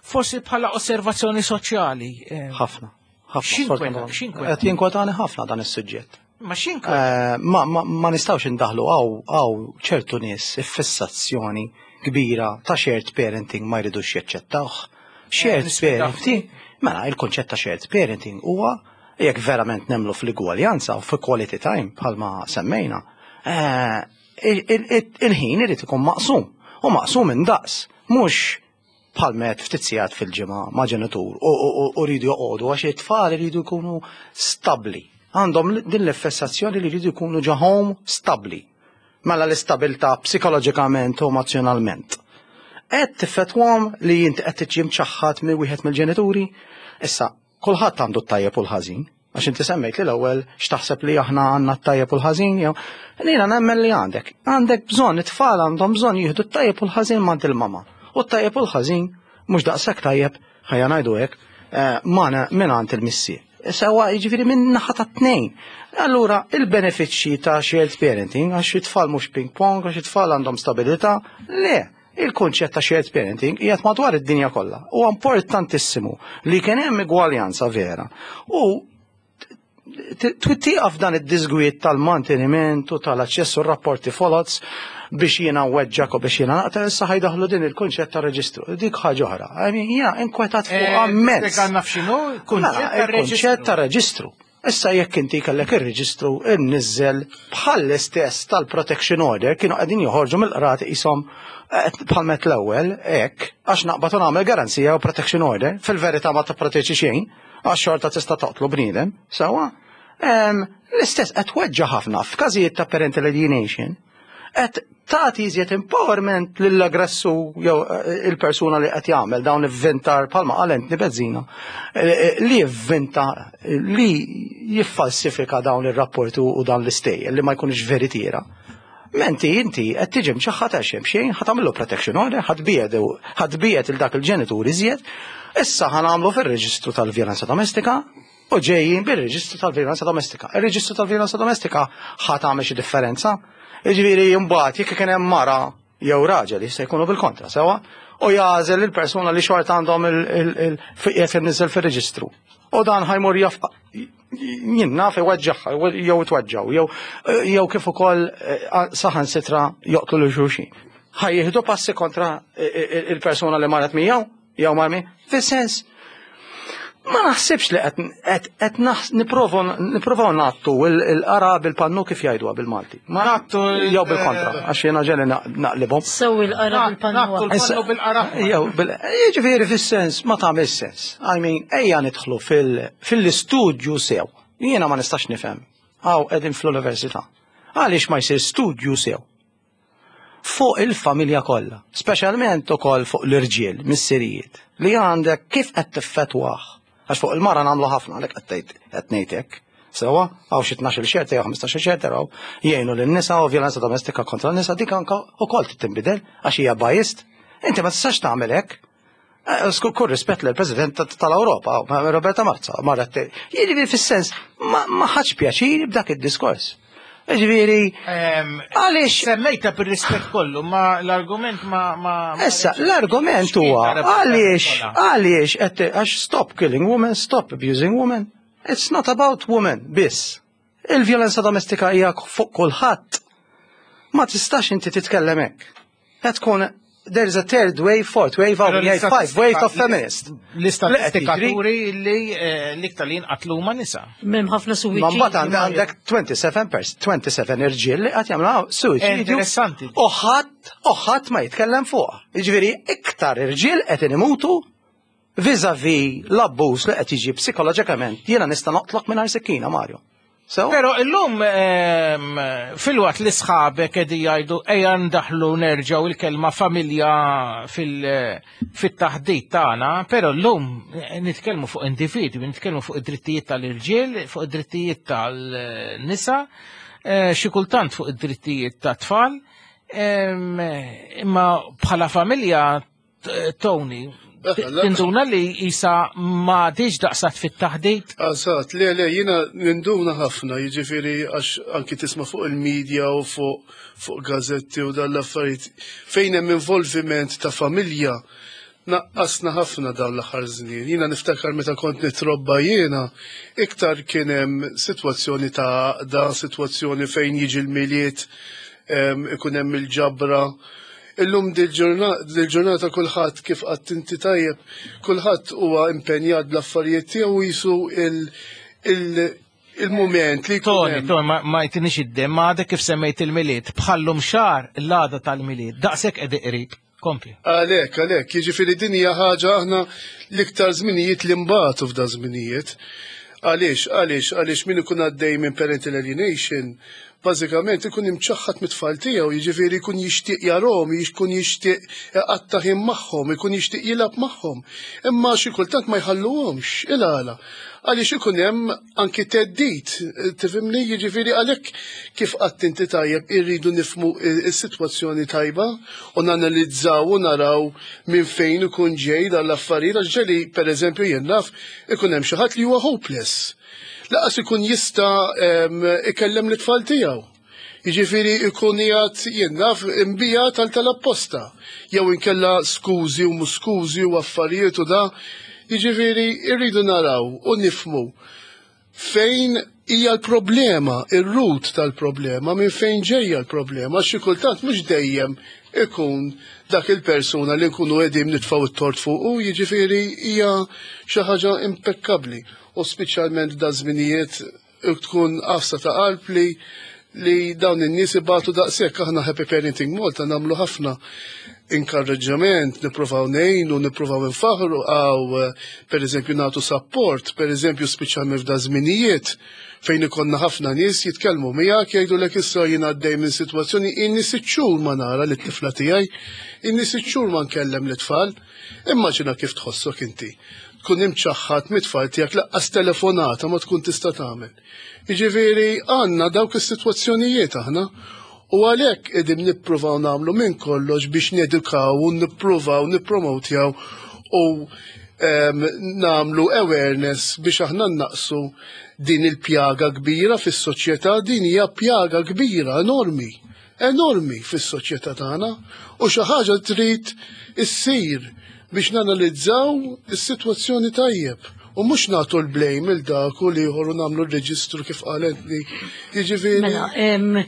forsi bħala osservazzjoni soċjali. Ħafna. Ħafna. Qed jinkwetani ħafna dan is-suġġett. Ma x'inkweta? Ma, ma, ma nistgħux indaħlu għaw għaw ċertu nies iffissazzjoni kbira ta' shared parenting ma jridux jaċċettawh. Shared parenting, mela il-konċett ta' shared parenting huwa jekk verament nemmnu fl-igwaljanza u fi quality time bħalma semmejna, il-ħin irid ikun maqsum u maqsum indaqs, mhux bħal met ftit sigħat fil-ġimgħa ma' ġenitur u rridu joqogħdu għax it-tfal iridu jkunu stabbli. Għandhom din l-fessazzjoni li jridu jkunu ġo home stabbli. Mela l-istabilità psikoloġikament u emozjonalment. Qed tiffetwhom li inti qed tiġi mċaħħad minn wieħed mill-ġenituri. Issa, kulħadd għandu t-tajjeb u l-ħażin. Għax inti semmejt li l-ewwel x'taħseb li aħna għandna t-tajjeb u l-ħażin jew jiena nemmen li għandek. Għandek bżonn, it-tfal għandhom bżonn jieħdu t-tajjeb u l-ħażin m'għand il-mama. U t-tajjeb u l-ħażin mhux daqshekk tajjeb, ħajja ngħidu hekk, ma minn għand il-missier. Sewa jiġifieri minn naħa ta' tnejn. Allura il-benefiċċji ta' shared parenting għax it-tfal mhux ping pong, għax it-tfal għandhom stabilità, le. Il-konċett ta' shared parenting qiegħed madwar id-dinja kollha. Huwa importantissimu li kien hemm igwaljanza vera. U twittiqaf dan id-disgwit tal-manteniment u tal-aċċess u rapporti folots biex jiena weġġak u biex jiena naqta, issa ħajdaħlu din il-kunċett ta' reġistru. Dik ħaġa oħra. I mean, jiena inkwetat fuq ammens. Għandna f'xinu? Kunċett ta' reġistru. Issa jekk inti kellek ir-reġistru inniżel bħall-istess tal-protection order kienu qegħdin joħorġu mill-qrati qishom bħal met l-ewwel hekk għax naqbad u nagħmel garanzija u protection order, fil-verità ma tipproteġi xejn għax xorta tista' toqtlu bniedem, sewwa. L-istess qed tweġġa' ħafna f'każijiet ta' parental alienation qed tagħti iżjed empowerment lill-aggressu jew il-persuna li qed jagħmel dawn ivvintar bħalma qal Anthony Bezzina li jivvinta li jiffalsifika dawn ir-rapporti u dawn l-istejjer li ma jkunux veritiera. Menti inti qed tiġi mċaħħad għax hemm xejn, ħa tagħmillu protection order, ħa tbiegħed ħa tbiegħed il dak il-ġenitur iżjed, issa ħa nagħmlu fir-reġistru tal-vjolenza domestika u ġejjin bir-reġistru tal-vjolenza domestika. Ir-reġistru tal-vjolenza domestika ħa tagħmel xi differenza. Jiġifieri mbagħad jekk kien hemm mara jew raġel jista' jkunu bil-kontra, sewa, u jagħżel il-persuna li xorta għandhom il-qiegħed inniżel fir-reġistru. U dan ħajmur jaf jien naf iweġġaħ jew itweġġaw jew jew kif ukoll saħansitra joqtlu lil xulxin. Ħajjieħdu passi kontra il-persuna li marret miegħu jew marmi, fis-sens ma naħsibx li qed nipprovaw ngħattu il-qara bil-pannu kif jgħiduha bil-Malti. Ma Ngħattu jew bil-kontra, għax jiena ġeli naqlibhom. Sew il-qara bil-pannu. Ngħattu l-pannu bil-qara. Jew jiġifieri fis-sens ma tagħmel sens. I mean, ejja nidħlu fil-istudju sew. Jiena ma nistax nifhem. Hawn qegħdin fl-università. Għaliex ma jsir studju sew? Fuq il-familja kollha, speċjalment ukoll fuq l-irġiel, missirijiet, li għandek kif qed tiffetwah. Għax fuq il-mara nagħmlu ħafna għalhekk qed qed ngħid hekk. Sewa, hawn xi tnax-il xerta jew ħmistax-il xerta raw jgħinu lin-nisa u vjolenza domestika kontra n-nisa dik anke ukoll tinbidel għax hija biased. Inti ma tistax tagħmel hekk. Kull rispett lill-President tal-Ewropa, Roberta Marza, marret jiġifieri fis-sens ma ħadx pjaċir b'dak id-diskors. Jiġifieri għaliex semmejta bir-rispett kollu, ma l-argument ma ma Issa l-argument huwa għaliex għaliex qed għax stop killing women, stop abusing women. It's not about women biss. Il-vjolenza domestika hija fuq kulħadd. Ma tistax inti titkellem hekk. Qed tkun there is a third wave, fourth wave, or five wave of feminist. L-istatistika turi li l-iktar li jinqatlu huma nisa. M'hemm ħafna suwiċidi. Ma mbagħad għandek twenty-seven pers, twenty-seven irġiel li qed jagħmlu suwiċidju. Interessanti. U ħadd, u ħadd ma jitkellem fuqha. Jiġifieri iktar irġiel qed imutu vis-a-vis l-abbuż li qed jiġi psikoloġikament. Jiena nista' noqtlok mingħajr sikkina, Mario. So? Pero illum fil-waqt li sħabek qegħdin jgħidu ejja ndaħlu nerġgħu il-kelma familja fit-taħdit tagħna, però llum nitkellmu fuq individwi, nitkellmu fuq id-drittijiet tal-irġiel, fuq id-drittijiet tal-nisa, xi kultant fuq id-drittijiet tat-tfal. Imma bħala familja, Tony, tinduna li jisa ma diġ daqsat fit-taħdit? Eżatt, le, le, jiena ninduna ħafna, jiġifieri għax anki tisma' fuq il-medja u fuq fuq gazzetti u dal-affarijiet. Fejn hemm involviment ta' familja, naqqasna ħafna dawn l-aħħar żnien. Jiena niftakar meta kont nitrobba jiena, iktar kien hemm sitwazzjoni ta' għaqda, sitwazzjoni fejn jiġi l-Milied, ikun hemm il-ġabra. Illum dil-ġurnata kulħadd, kif qatt inti tajjeb, kulħadd huwa impenjat bl-affarijiet tiegħu, jisu il-moment li Tony, Tony, ma jtinix id-dem, ma għadek kif semmejt il-Milied, bħallum xahar l-għada tal-Milied, daqshekk qed qrib. Kompli. Għalek, għalek, jiġifieri din hija ħaġa aħna l-iktar żminijiet li mbagħtu f'da żminijiet. Għaliex, għaliex, għaliex min ikun għaddej minn parental alienation, bażikament ikun imċaħħad mit-tfal tiegħu, jiġifieri jkun jixtieq jarahom, jkun jixtieq iqatta' ħin magħhom, ikun jixtieq jilgħab magħhom. Imma xi kultant ma jħalluhomx, il-għala. Għaliex ikun hemm anki theddid, tifhimni, jiġifieri għalhekk kif qatt inti tajjeb irridu nifhmu s-sitwazzjoni tajba u nanalizzaw u naraw minn fejn ikun ġej dan l-affarijiet, għax ġeli pereżempju jien naf ikun hemm xi ħadd li huwa hopeless. Laqas ikun jista' ikellem l-tfal tiegħu. Jiġifieri ikun qiegħed jien naf imbija tal tal-apposta. Jew inkella skużi u mhux skużi u affarijiet u da. Jiġifieri rridu naraw u nifhmu fejn hija l-problema, ir-root tal-problema, minn fejn ġejja l-problema, xi kultant mhux dejjem ikun dak il-persuna li nkunu qegħdin nitfgħu t-tort fuqu, jiġifieri hija xi ħaġa impekkabbli. U speċjalment da żminijiet tkun qafsa ta' qalb li li dawn in-nies ibatu daqshekk. Aħna Happy Parenting Malta nagħmlu ħafna inkarreġġament, nippruvaw ngħinu, nippruvaw infaħru, għaw pereżempju nagħtu support, pereżempju speċjalment f'da żminijiet fejn ikollna ħafna nies jitkellmu miegħek jgħidulek issa jien għaddej minn sitwazzjoni inni sitt xhur ma nara lit-tifla tiegħi, inni sitt xhur ma nkellem lit-tfal. Immaġina kif tħossok inti. Tkun imċaħħad mit-tfal tiegħek, laqqas telefonata ma tkun tista' tagħmel. Jiġifieri għandna dawk is-sitwazzjonijiet aħna u għalhekk qegħdin nippruvaw nagħmlu minn kollox biex nedukaw u nippruvaw nippromotjaw u nagħmlu awareness biex aħna naqsu din il-pjaga kbira fis-soċjetà. Din hija pjaga kbira enormi, enormi fis-soċjetà tagħna u xi ħaġa trid issir biex nanalizzaw is-sitwazzjoni tajjeb u mhux nagħtu l-blame il dak u l-ieħor u nagħmlu r-reġistru kif qal Anthony. Jiġifieri Mela,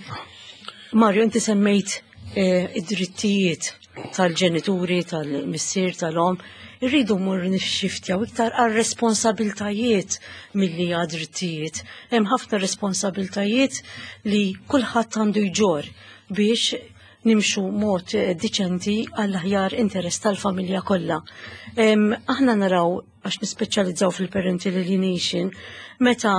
Mario, inti semmejt id-drittijiet tal-ġenituri, tal-missier, tal-om. Irridu mmur nixxiftjaw iktar għal responsabiltajiet milli għad drittijiet. Hemm ħafna responsabiltajiet li kulħadd għandu jġor biex nimxu mod diċenti għall-aħjar interess tal-familja kollha. Aħna naraw, għax nispeċjalizzaw fil-parental alienation, meta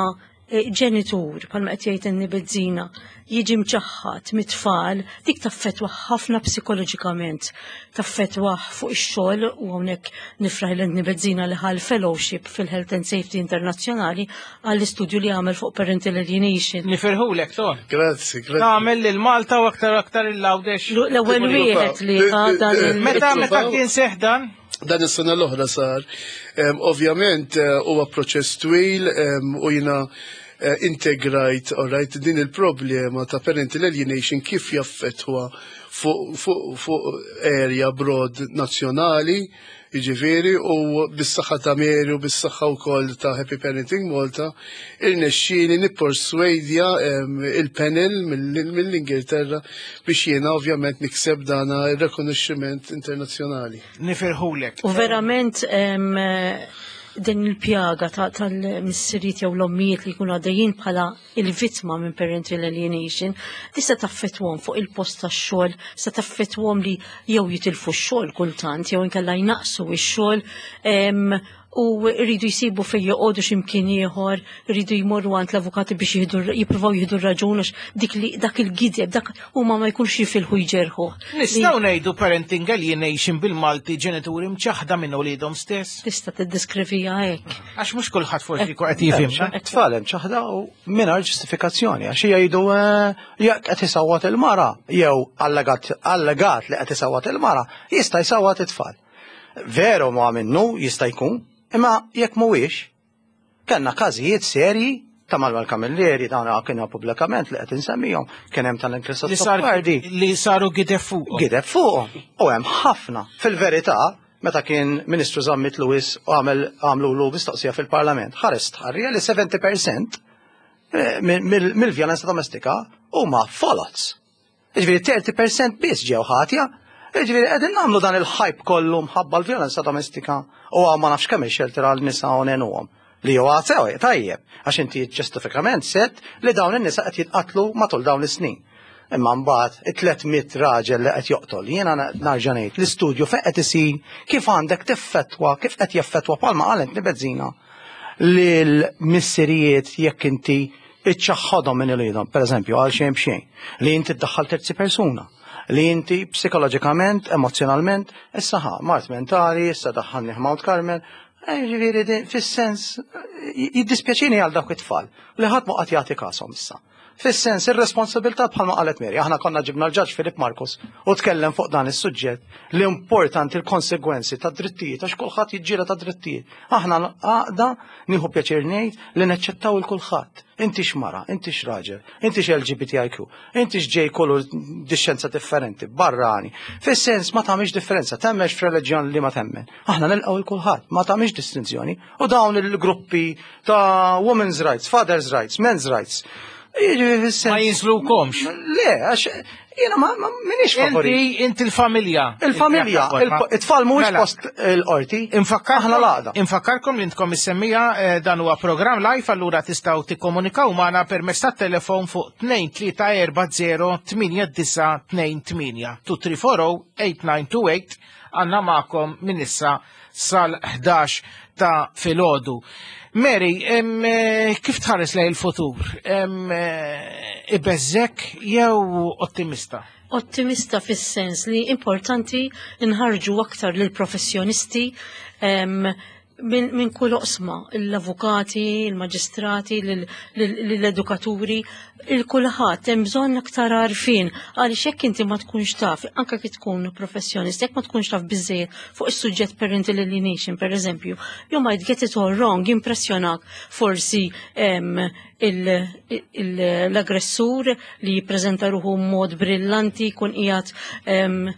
ġenitur, bħalma qed jgħid Anthony Bezzina, jiġi mċaħħad mit-tfal, dik taffetwa ħafna psikoloġikament, taffetwa fuq ix-xogħol, u hawnhekk nifraħ lil Anthony Bezzina li ħa l-fellowship fil-Health and Safety Internazzjonali għall-istudju li għamel fuq parental alienation. Nifirħulek, Ton. Grazzi, grazzi. Tagħmel lil Malta u aktar aktar il-Għawdex. L-ewwel wieħed li ħa dan il- Meta meta kien seħ dan? Dan is-sena l-oħra sar. Ovvjament huwa proċess twil u jiena integrajt, all right, din il-problema ta' parental alienation kif jaffettwa fuq area broad nazzjonali, jiġifieri, u bis-saħħa ta' Mary u bis-saħħa wkoll ta' Happy Parenting Malta, irnexxieli nipperswadja il-panel mill-Ingilterra biex jiena ovvjament nikseb dana ir-rikonoxximent internazzjonali. Nifirħulek. U verament din il-pjaga tal-missiriet jew l-ommijiet li jkunu għaddejjin bħala il-vittma minn parental alienation, tista' taffettwhom fuq il-post tax-xogħol, tista' taffettwhom li jew jitilfu x-xogħol kultant, jew inkella jnaqsu x-xogħol, U rridu jsibu fejn joqogħdu x'imkien ieħor, rridu jmorru għand l-avukati biex jieħdu jippruvaw jieħdu r-raġun għax dik li dak il-gideb dak huma ma jkunx jifilħu jġerħu. Nistgħu ngħidu parenting alienation bil-Malti, ġenituri mċaħda minn uliedhom stess? Tista' tiddeskrivija hekk. Għax mhux kulħadd forsi jkun qed jifhimna. Tfal hemm ċaħda u mingħajr ġustifikazzjoni, għax hija jgħidu eh, jekk qed isawwat il-mara jew allegat allegat li qed isawwat il-mara, jista' jsawwat it-tfal. Veru ma minnu jista' jkun, imma jekk mhuwiex, kellna każijiet serji ta' Manuel Camilleri, dawn kienu pubblikament li qed insemmihom, kien hemm tal-Inkrista Li sar li saru gideb fuqhom. Gideb fuqhom. U hemm ħafna. Fil-verità, meta kien Ministru Zammit Lewis u għamel għamlu mistoqsija fil-Parlament, ħares tħarrija li sebgħin fil-mija mill-vjolenza domestika huma folots. Ġifieri tletin fil-mija biss ġew ħatja. Ġifieri qegħdin nagħmlu dan il-hype kollu mħabba l-vjolenza domestika u ma nafx kemm il-shelter għal nisa u ngħinuhom. Li huwa sew tajjeb, għax inti ġustifikament set li dawn in-nisa qed jitqatlu matul dawn is-snin. Imma mbagħad it-tliet mitt raġel li qed joqtol, jiena narġa' ngħid l-istudju fejn qed isir, kif għandek tiffettwa, kif qed jaffettwa, bħalma qalet Nibezzina, lil missirijiet jekk inti iċċaħħadhom minn uliedhom, per eżempju, għal xejn b'xejn, li inti tdaħħal terzi persuna, li inti psikoloġikament, emozjonalment, issa ħa, mard mentali, issa daħħalni Mount Carmel, eh, ġifieri din- fis-sens, jiddispjaċini għal dawk it-tfal li ħadd ma qatt jagħti kashom issa. Fis-sens ir-responsabilità, bħalma qalet Mary, aħna konna ġibna l-ġaġ Filip Marcus u tkellem fuq dan is-suġġett li importanti l-konsegwenzi ta' drittijiet, għax kulħadd jiġġiela ta' drittijiet. Aħna għaqda nieħu pjaċir ngħid li neċċettaw il kulħadd. Inti x'mara, inti x'raġel, inti x'L G B T I Q, inti x'ġej kollu dixxenza differenti, barrani. Fis-sens ma tagħmilx differenza, temmenx f'reliġjon li ma temmen. Aħna nilqgħu il kulħadd, ma tagħmilx distinzjoni. U dawn il-gruppi ta' women's rights, father's rights, men's rights. Jiġifieri fis-sens- Ma jinżlukomx. Le, għax jiena ma ma- minix favori. Inti inti l-familja. Il-familja, il- it-tfal mhuwiex Mela. post il-qorti. Infakkarkom Aħna l-għaqda. Infakkarkom li intkom is-semmija, eh, dan huwa programm live, allura tistgħu tikkomunikaw magħna permezz tat-telefon fuq tnejn tlieta erba' żero tmienja disgħa tnejn tmienja, tnejn tlieta erba' żero tmienja disgħa tnejn tmienja, għandna magħkom minn issa sal-ħdax ta' filgħodu. Mary, em, eh, kif tħares lejn il-futur? Em, eh, Ibeżżgħek jew ottimista? Ottimista fis-sens li importanti nħarġu aktar lil professjonisti em, minn min kull oqsma, l-avukati, il-maġistrati, l-edukaturi, il-kulħadd hemm bżonn aktar għarfien, għaliex jekk inti ma tkunx taf, anke kif tkun professjonist, jekk ma tkunx taf biżejjed fuq is-suġġett parental alienation, per eżempju, you might get it all wrong, impressjonak forsi em, il- il- l-aggressur li jippreżenta ruħu mod brillanti, jkun qiegħed em,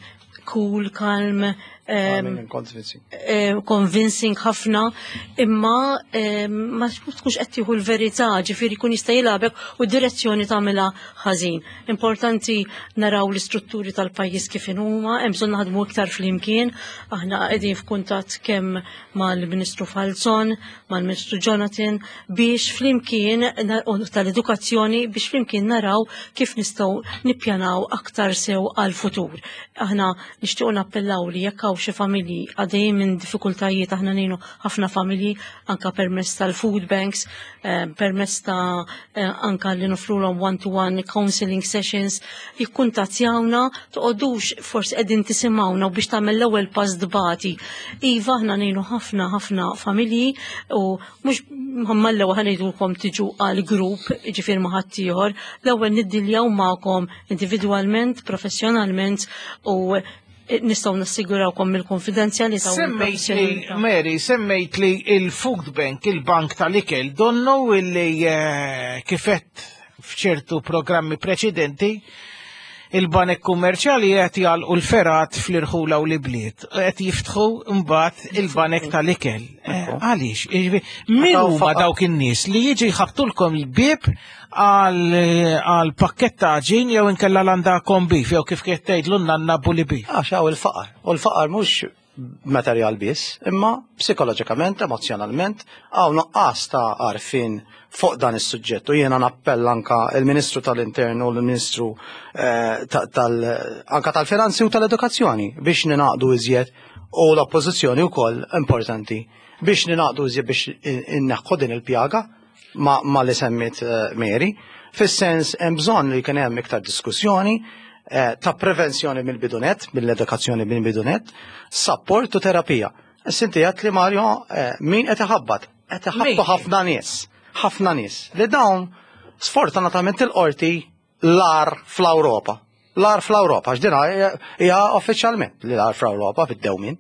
cool, calm, em, Convincing. eh, convincing ħafna, imma eh, ma tkunx qed tieħu l-verità, ġifieri jkun jista' jilgħabek u direzzjoni tagħmilha ħażin. Importanti naraw l-istrutturi tal-pajjiż kif huma, hemm bżonn naħdmu iktar flimkien. Aħna qegħdin f'kuntatt kemm mal-Ministru Falzon, mal-Ministru Jonathan, biex flimkien u tal-edukazzjoni, biex flimkien naraw kif nistgħu nippjanaw aktar sew għal-futur. Aħna nixtiequ nappellaw li jekk hawn xi familji għaddejjin minn diffikultajiet, aħna ngħinu ħafna familji anka permezz tal-food banks, eh, permezz ta' eh, anka li nofrulhom one-to-one counseling sessions, jikkuntattjawna, toqgħodux forsi qegħdin tisimgħuna u biex tagħmel l-ewwel pass dbati. Iva, aħna ngħinu ħafna ħafna familji u mhux mal-ewwel ħa ngħidulkom tiġu għal grupp, ġifier ma' ħaddieħor, l-ewwel niddiljaw magħkom individwalment, professjonalment, u nistgħu nassigurawkom mill-konfidenzjalità u Semmejt li, mill-professjonalità. Mary, semmejt li il-food bank, il-bank tal-ikel, donnu illi eh, kifet f'ċertu programmi preċedenti, il-banek kummerċjali qed jagħlqu l-fergħat fl-irħula u l-bliet, qed jiftħu mbagħad il-banek tal-ikel. Eh, Għaliex? Jiġifieri, min huma dawk in-nies li jiġi jħabtulkom il-bieb għal għal pakkett ta' għaġin jew inkella landa corned beef jew kif kien tgħidlu nanna bully beef? Għax hawn il-faqar. U l-faqar mhux materjal biss, imma psikoloġikament, emozjonalment, hawn nuqqas ta' għarfien fuq dan is-suġġett. U jiena nappella anka il-Ministru tal-Intern u l-Ministru eh, ta- tal anka tal-Finanzi u tal-Edukazzjoni biex ninaqdu iżjed U l-oppożizzjoni wkoll importanti biex ninaqdu iżjed biex inneħħu din il-pjaga ma, ma li semmit eh, Mary. Fis-sens hemm bżonn li kien hemm iktar diskussjoni eh, ta' prevenzjoni mill-bidu nett, mill-edukazzjoni mill-bidu nett, support u terapija. Sinti għat li Mario, eh, min qed iħabbat? Qed iħabbtu ħafna nies, ħafna nies. Li dawn sfortunatament il-qorti l-agħar fl-Ewropa. L-agħar fl-Ewropa, għax dina hija uffiċjalment li l-agħar fl-Ewropa fid-dewmin.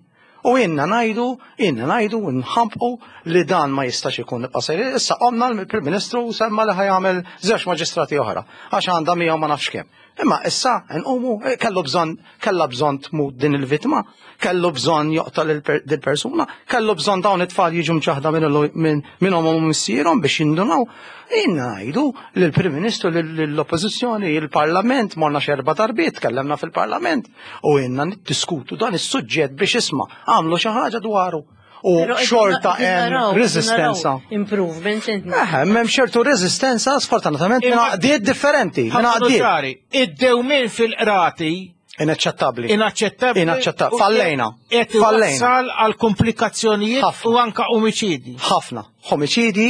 U inna ngħidu, inna ngħidu, nħampqu li dan ma jistax ikun nibqa' sejri. Issa qomna l-Prim Ministru semma li ħa jagħmel żewġ maġistrati oħra, għax għandha miegħu ma nafx kemm. Imma issa nqumu eh, kellu bżonn kellha bżonn tmut din il-vittma, kellu bżonn joqtol il-persuna, kellu bżonn dawn it-tfal jiġu mċaħda minn minn ommhom u missierhom biex jindunaw. Inna ngħidu lill-Prim Ministru, lill-Oppożizzjoni, il-Parlament, morna xerba darbiet, tkellemna fil-Parlament u inna niddiskutu dan is-suġġett biex isma' għamlu xi ħaġa dwaru. U Però qegħdin xorta qegħdin hemm naraw- reżistenza. naraw Improvement inti. Eh, hemm ċertu reżistenza sfortunatament minn għaqdiet differenti, minn għaqdiet. ċari, id-dewmin fil-qrati Inaċċettabbli. Inaċċettabbli. Inaċċettabbli. Fallejna. Qed Fallejna. iwassal għal komplikazzjonijiet u anka omiċidi. Ħafna. Omiċidi,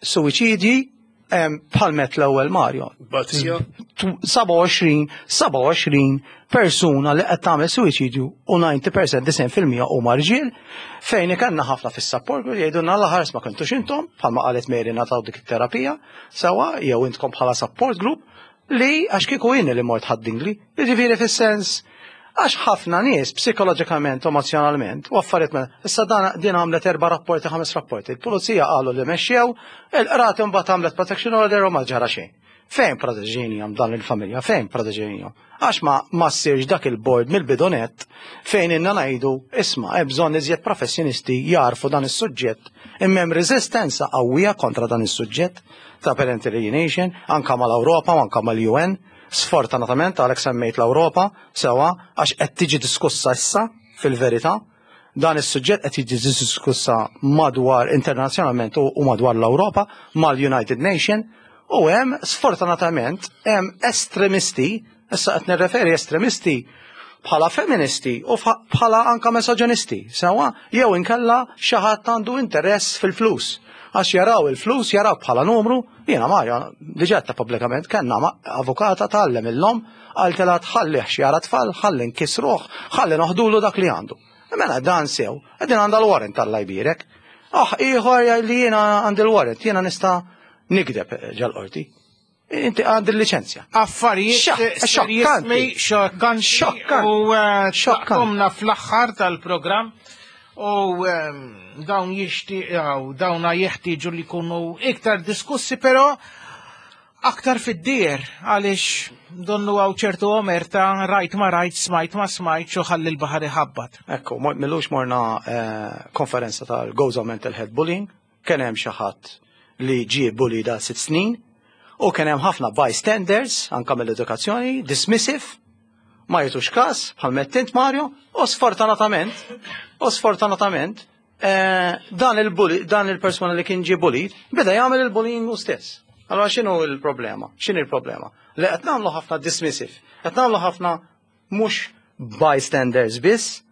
suwiċidi, bħalmet l-ewwel Mario. Batija. sebgħa u għoxrin, sebgħa u għoxrin persuna li qed tagħmel suwiċidju u disgħin fil-mija disgħin fil-mija huma rġiel, fejn ikanna ħafna fis-support group jgħidulna l-ħars ma kontux intom, bħalma qalet Mary nataw dik it-terapija, sewa jew intkom bħala support group li għax kieku jien li mort Ħad-Dingli, jiġifieri fis-sens għax ħafna nies psikoloġikament, emozjonalment, u affarijiet ma. Issa dan din għamlet erba' rapporti, ħames rapporti. Il-pulizija qalu li mexxew, il-qrati mbagħad għamlet protection order u ma ġara xejn. Fejn proteġejnihom dan il-familja? Fejn proteġejnihom? Għax ma ma ssirx dak il-board mill-bidu nett fejn inna ngħidu isma' hemm bżonn iżjed professjonisti jarfu dan is-suġġett, imma hemm reżistenza qawwija kontra dan is-suġġett ta' parental alienation anka mal-Ewropa u anka mal-U N. Sfortunatament għalhekk semmejt l-Ewropa sewa għax qed tiġi diskussa issa fil-verità. Dan is-suġġett qed jiġi diskussa madwar internazzjonalment u u madwar l-Ewropa mal-United Nation u hemm sfortunatament hemm estremisti, issa qed nirreferi estremisti bħala feministi u fa- bħala anka misoġinisti, sewa jew inkella xi ħadd għandu interess fil-flus. Għax jaraw il-flus, jaraw bħala numru, jiena Mario, diġà ta' pubblikament, kellna ma- avukata tgħallem illum, qaltilha tħallih jara tfal, ħalli nkisruh, ħalli noħdulu dak li għandu. Mela dan sew, qegħdin għandha l-warrant tal jbierek. Ah, ieħor li jiena għandi l-warrant, jiena nista' nikdeb ġal-qorti. Inti għandi l-liċenzja. Affarijiet Xokkanti. Xokkanti. Xokkanti. U eh, taqtomna fl-aħħar tal-programm u ehm, dawn jixtiequ, dawna jeħtieġu li jkunu iktar diskussi, però aktar fid-dieher, għaliex donnu hawn ċertu omerta, rajt ma rajt, smajt ma smajt, u ħalli l-baħar iħabbat. Ekku, mo- millux morna eh, konferenza tal-Gozo Mental Health Bullying, kien hemm xi ħadd li ġie bullied da sitt snin, u kien hemm ħafna bystanders, anka mill-edukazzjoni, dismissive, ma jitux kas, bħal mettint Mario, u sfortunatament, u sfortunatament, eh, dan il-bully, dan il-persuna li kien ġie bullied, beda jagħmel il-bullying u stess. Allora x'inhu il-problema? X'inhi il-problema? Li qed nagħmlu ħafna dismissive, qed nagħmlu ħafna mhux bystanders biss,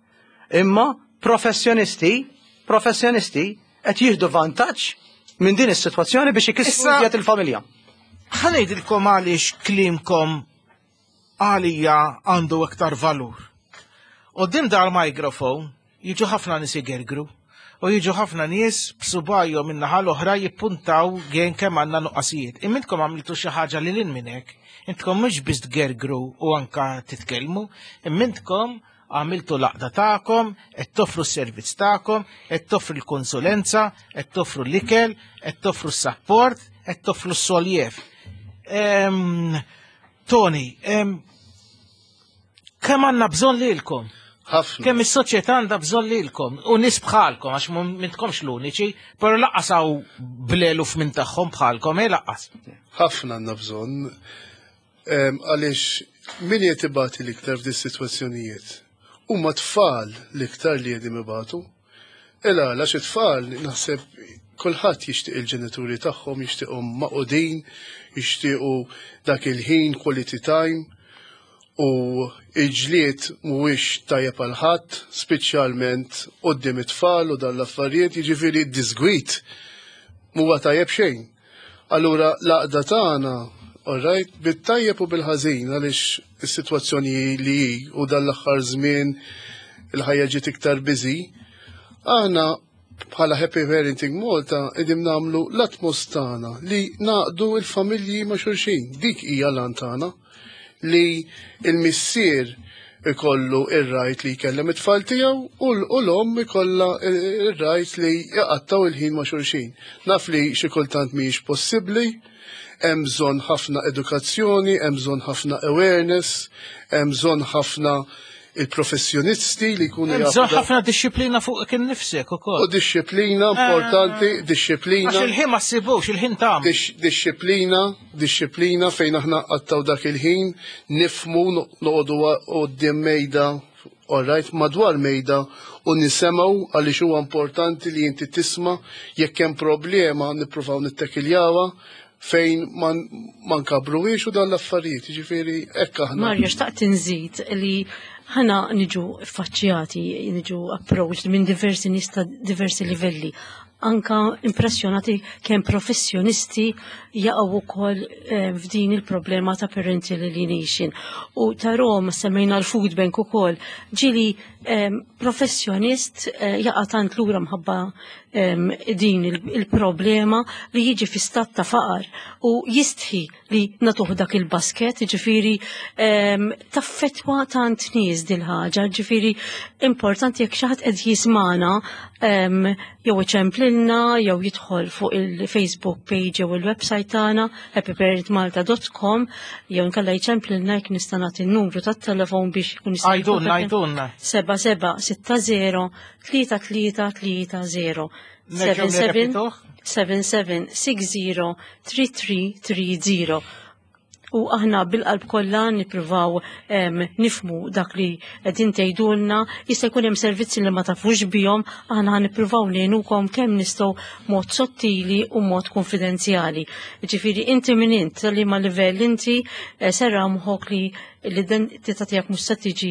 imma professjonisti, professjonisti qed jieħdu vantaġġ minn din is-sitwazzjoni biex ikissru Issa- iżjed il-familja. Ħa ngħidilkom għaliex kliemkom għalija għandu iktar valur. Quddiem dal-mikrofon jiġu ħafna nies igergru u jiġu ħafna nies b'subajhom min-naħa l-oħra jippuntaw gen kemm għandna nuqqasijiet. Imma intkom għamiltu xi ħaġa lil hinn minn hekk. Intkom mhux biss tgergru u anka titkellmu, imma intkom għamiltu l-għaqda tagħkom, qed toffru s-servizz tagħkom, qed toffru l-konsulenza, qed toffru l-ikel, qed toffru s-support, qed toffru s-soljev. Em, Tony, em, kemm għandna bżonn lilkom? Ħafna. Kemm is-soċjetà għandha bżonn lilkom u nies bħalkom għax m'intkomx l-uniċi, però lanqas hawn bl-eluf minn tagħhom bħalkom, eh lanqas. Ħafna għandna bżonn. Em, Għaliex min qed ibati l-iktar f'di sitwazzjonijiet? Huma tfal l-iktar li qegħdin ibatu. Ela, għax it-tfal naħseb kulħadd jixtieq il-ġenituri tagħhom, jixtieqhom magħqudin, jixtiequ dak il-ħin quality time. U il-ġlied mhuwiex tajjeb għal ħadd, speċjalment quddiem it-tfal u dan l-affarijiet, jiġifieri d-disgwit mhuwa tajjeb xejn. Allura l-għaqda tagħna, all right, bit-tajjeb u bil-ħażin, għaliex is-sitwazzjoni li hi u dan l-aħħar żmien il-ħajja ġiet iktar busy, aħna bħala Happy Parenting Malta qegħdin nagħmlu l-utmost tagħna li ngħaqqdu il-familji ma' xulxin. Dik hija l-għan tagħna, li il-missier ikollu ir-right li jkellem it-tfal tiegħu u l-omm ikollha ir-right li jqattgħu il-ħin ma' xulxin. Naf li xi kultant mhijiex possibbli, hemm bżonn ħafna edukazzjoni, hemm bżonn ħafna awareness, hemm bżonn ħafna il-professjonisti li jkunu Hemm bżonn ħafna dixxiplina fuq kien nifsek ukoll. U dixxiplina importanti, dixxiplina. Għax il-ħin ma ssibux, il-ħin tam. Dixxiplina, dixxiplina fejn aħna qattgħu dak il-ħin, nifhmu, noqogħdu quddiem mejda, all right, madwar mejda u nisimgħu, għaliex huwa importanti li inti tisma'. Jekk hemm problema nippruvaw nittekiljawha fejn ma nkabruwiex u dan l-affarijiet, jiġifieri hekk aħna. Mario, xtaqt inżid li ħana niġu faċċjati, niġu approached minn diversi nies ta' diversi livelli. Anka impressjonati kemm professjonisti jaqgħu wkoll eh, f'din il-problema ta' parental alienation. U ta' Roma semmejna l-food bank ukoll. Ġieli eh, professjonist eh, jaqa' tant lura mħabba din il-problema li jiġi fi stat ta' faqar u jistħi li nagħtuh dak il-basket, ġifieri taffettwa tant nies dil-ħaġa, ġifieri importanti jekk xi ħadd qed jismana jew iċemplilna jew jidħol fuq il-Facebook page jew il-website tagħna happyparentmalta dot com jew nkella jċemplilna, jekk nista' nagħti n-numru tat-telefon biex jkun jista'. Għajdunna, għajdunna. seba' seba' sitta zero tlieta tlieta tlieta zero, seven seven seven seven six zero three three three zero. U aħna bil-qalb kollha nippruvaw nifhmu dak li qegħdin tgħidulna. Jista' jkun hemm servizzi li ma tafux bihom, aħna nippruvaw ngħinukom kemm nistgħu mod sottili u mod konfidenzjali. Ġifieri inti min int, li ma livell inti, eh, serra moħħok li l-identità tiegħek mhux se tiġi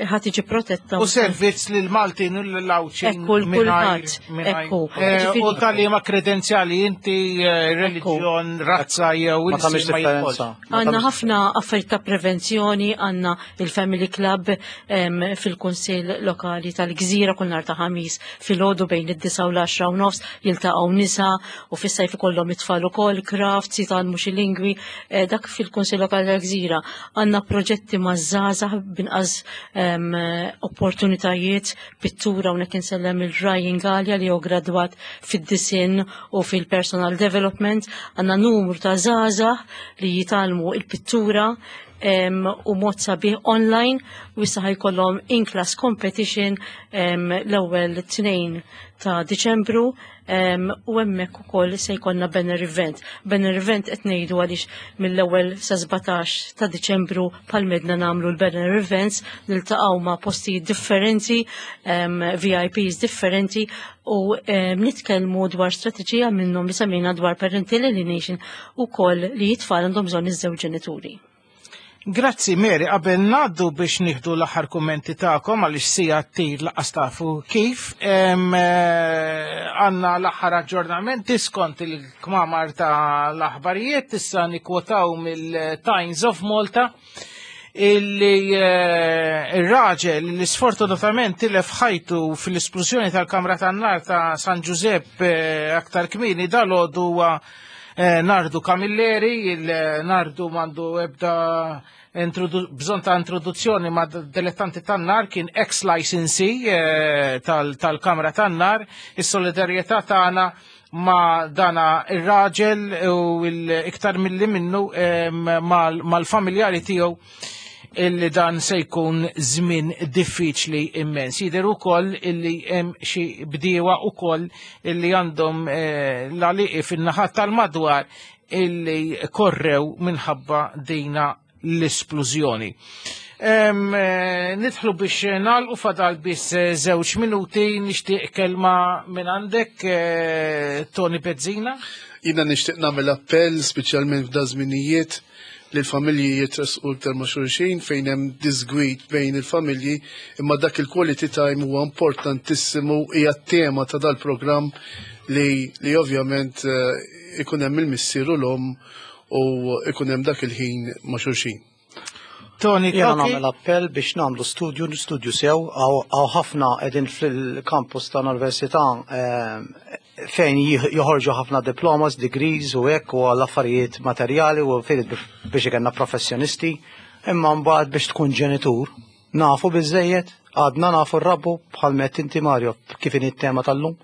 ħa tiġi protetta. U servizz lil Maltin u l-Għawdxin. Ekku, l-kulħadd. Ekku. Eh, u tal ma kredenzjali inti, eh, reliġjon, razza jew Ma tagħmilx differenza. Għandna ħafna affarijiet ta' prevenzjoni, għandna il-Family Club fil-Kunsill Lokali tal-Gżira kull nhar ta' Ħamis filgħodu bejn id-disgħa u l-għaxra u nofs jiltaqgħu nisa u fis-sajf ikollhom it-tfal ukoll crafts, jitgħallmu xi lingwi, eh, dak fil-Kunsill Lokali tal-Gżira. Għandna proġetti ma' żgħażagħ b'inqas opportunitajiet, pittura, u insellem il-Ryan Gallia li hu gradwat fid-disinn u fil-personal development. Għandna numru ta' żgħażagħ li jitgħallmu il-pittura u mod sabiħ online u issa ħa jkollhom in-class competition l-ewwel tnejn ta' Diċembru u hemmhekk ukoll se jkollna banner event. Banner event qed ngħidu għaliex mill-ewwel sa sbatax ta' Diċembru bħal-medna nagħmlu l-banner events, niltaqgħu ma' postijiet differenti, V I Ps differenti u nitkellmu dwar strateġija minnhom li semmejna dwar parental alienation u koll li t-tfal għandhom bżonn iż-żewġ ġenituri. Grazzi Mary, qabel ngħaddu biex nieħdu l-aħħar kummenti tagħkom, għaliex siegħa ttir lanqas tafu kif, eh, għandna l-aħħar aġġornamenti skont il-kmamar ta' l-aħbarijiet, issa nikwotaw mill-Times of Malta illi eh, il-raġel li sfortunatament tilef ħajtu fil-esplużjoni tal-kamra tan-nar ta' San Giuseppe eh, aktar kmieni dalgħodu huwa eh, Nardu Camilleri. Il-Nardu m'għandu ebda bżonn ta' introduzzjoni ma' dilettanti tan-nar, kien ex-licensee tal-kamra tan-nar. Is-solidarjetà tagħna ma' dana ir-raġel u l-iktar mill-li minnu mal-familjari tiegħu, illi dan se jkun żmien diffiċli immens. Jidher ukoll illi hemm xi bdiewa ukoll illi għandhom eh, l-għaliqi fin-naħat tal-madwar illi korrew minħabba dina l-esplużjoni. Eh, nidħlu biex nagħlqu, fadal biss eh, żewġ minuti, nixtieq kelma minn għandek, Tony Bezzina. Jiena nixtieq nagħmel appell, speċjalment f'da żminijiet. li l-familji jitressqu iktar ma' xulxin fejn hemm disgwid bejn il-familji, imma dak il-quality time huwa importantissimu, hija t-tema ta' dal-programm li, li ovvjament eh, ikun hemm il-missier u l-omm u ikun hemm dak il-ħin ma' xulxin. Tony, Jena Koki? nagħmel appell biex nagħmlu studju, studju sew, hawn ħafna qegħdin fil-campus tal-università eh, fejn jih- joħorġu ħafna diplomas, degrees u hekk u għall affarijiet materjali u fejn biex ikollna professjonisti, imma mbagħad biex tkun ġenitur, nafu biżejjed, għadna nafu rrabbu bħal met inti Mario kif inhi t-tema tal-lum.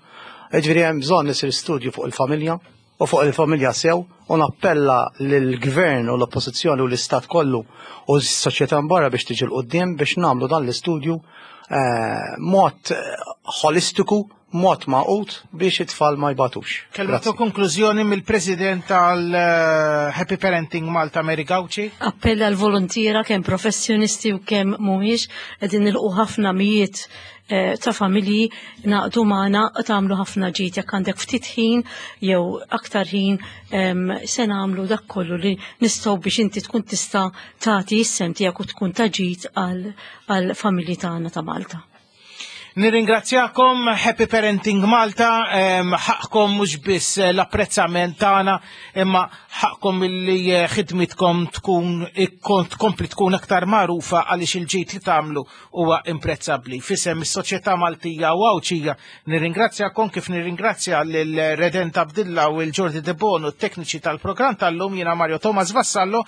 Ġifieri hemm bżonn isir studju fuq il-familja u fuq il-familja sew u nappella lill-gvern u l-oppożizzjoni u l-istat kollu u s-soċjetà barra biex tiġi 'l quddiem biex nagħmlu dan l-istudju eh, mod eh, holistiku, mod magħqud biex it-tfal ma jbatux. Kelma ta' konklużjoni mill-President tal-Happy Parenting Malta, Mary Gauci. Appell għal volontiera kemm professjonisti u kemm mhumiex, qegħdin nilqu ħafna mijiet eh, ta' familji naqdu magħna, tagħmlu ħafna ġid jekk għandek ftit ħin jew aktar ħin, em, se nagħmlu dak kollu li nistgħu biex inti tkun tista' tagħti s-sehem tiegħek u tkun ta' ġid għal familji tagħna ta' Malta. Nirringrazzjakom Happy Parenting Malta, em, ħaqkom mhux biss l-apprezzament tagħna, imma ħaqkom illi eh, ħidmitkom tkun ikkon- tkompli tkun aktar magħrufa għaliex il-ġid li tagħmlu huwa imprezzabbli. F'isem is-soċjetà Maltija u Għawdxija nirringrazzjakom kif nirringrazzja lil Redent Abdilla u l-Jordi De Bono, t-tekniċi tal-programm tal-lum. Jiena Mario Thomas Vassallo,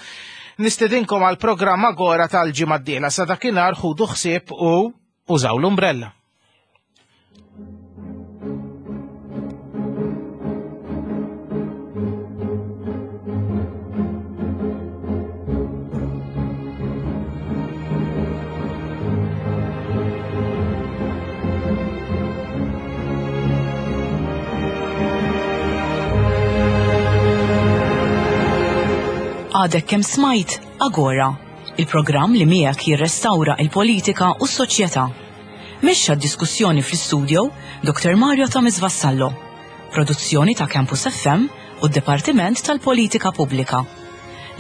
nistedinkom għal programm Agora tal-ġimgħa d-dieħla. Sa dakinhar ħudu ħsieb u użaw l-umbrella. Għadek kemm smajt Agora, il-programm li miegħek jirrestawra il-politika u s-soċjetà. Mexxa d-diskussjoni fl-studio Doktor Mario Thomas Vassallo. Produzzjoni ta' Campus F M u d-Dipartiment tal-Politika Pubblika.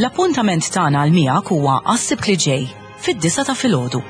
L-appuntament tagħna għal miegħek huwa għas-Sibt li ġej fid-disgħa ta' filgħodu.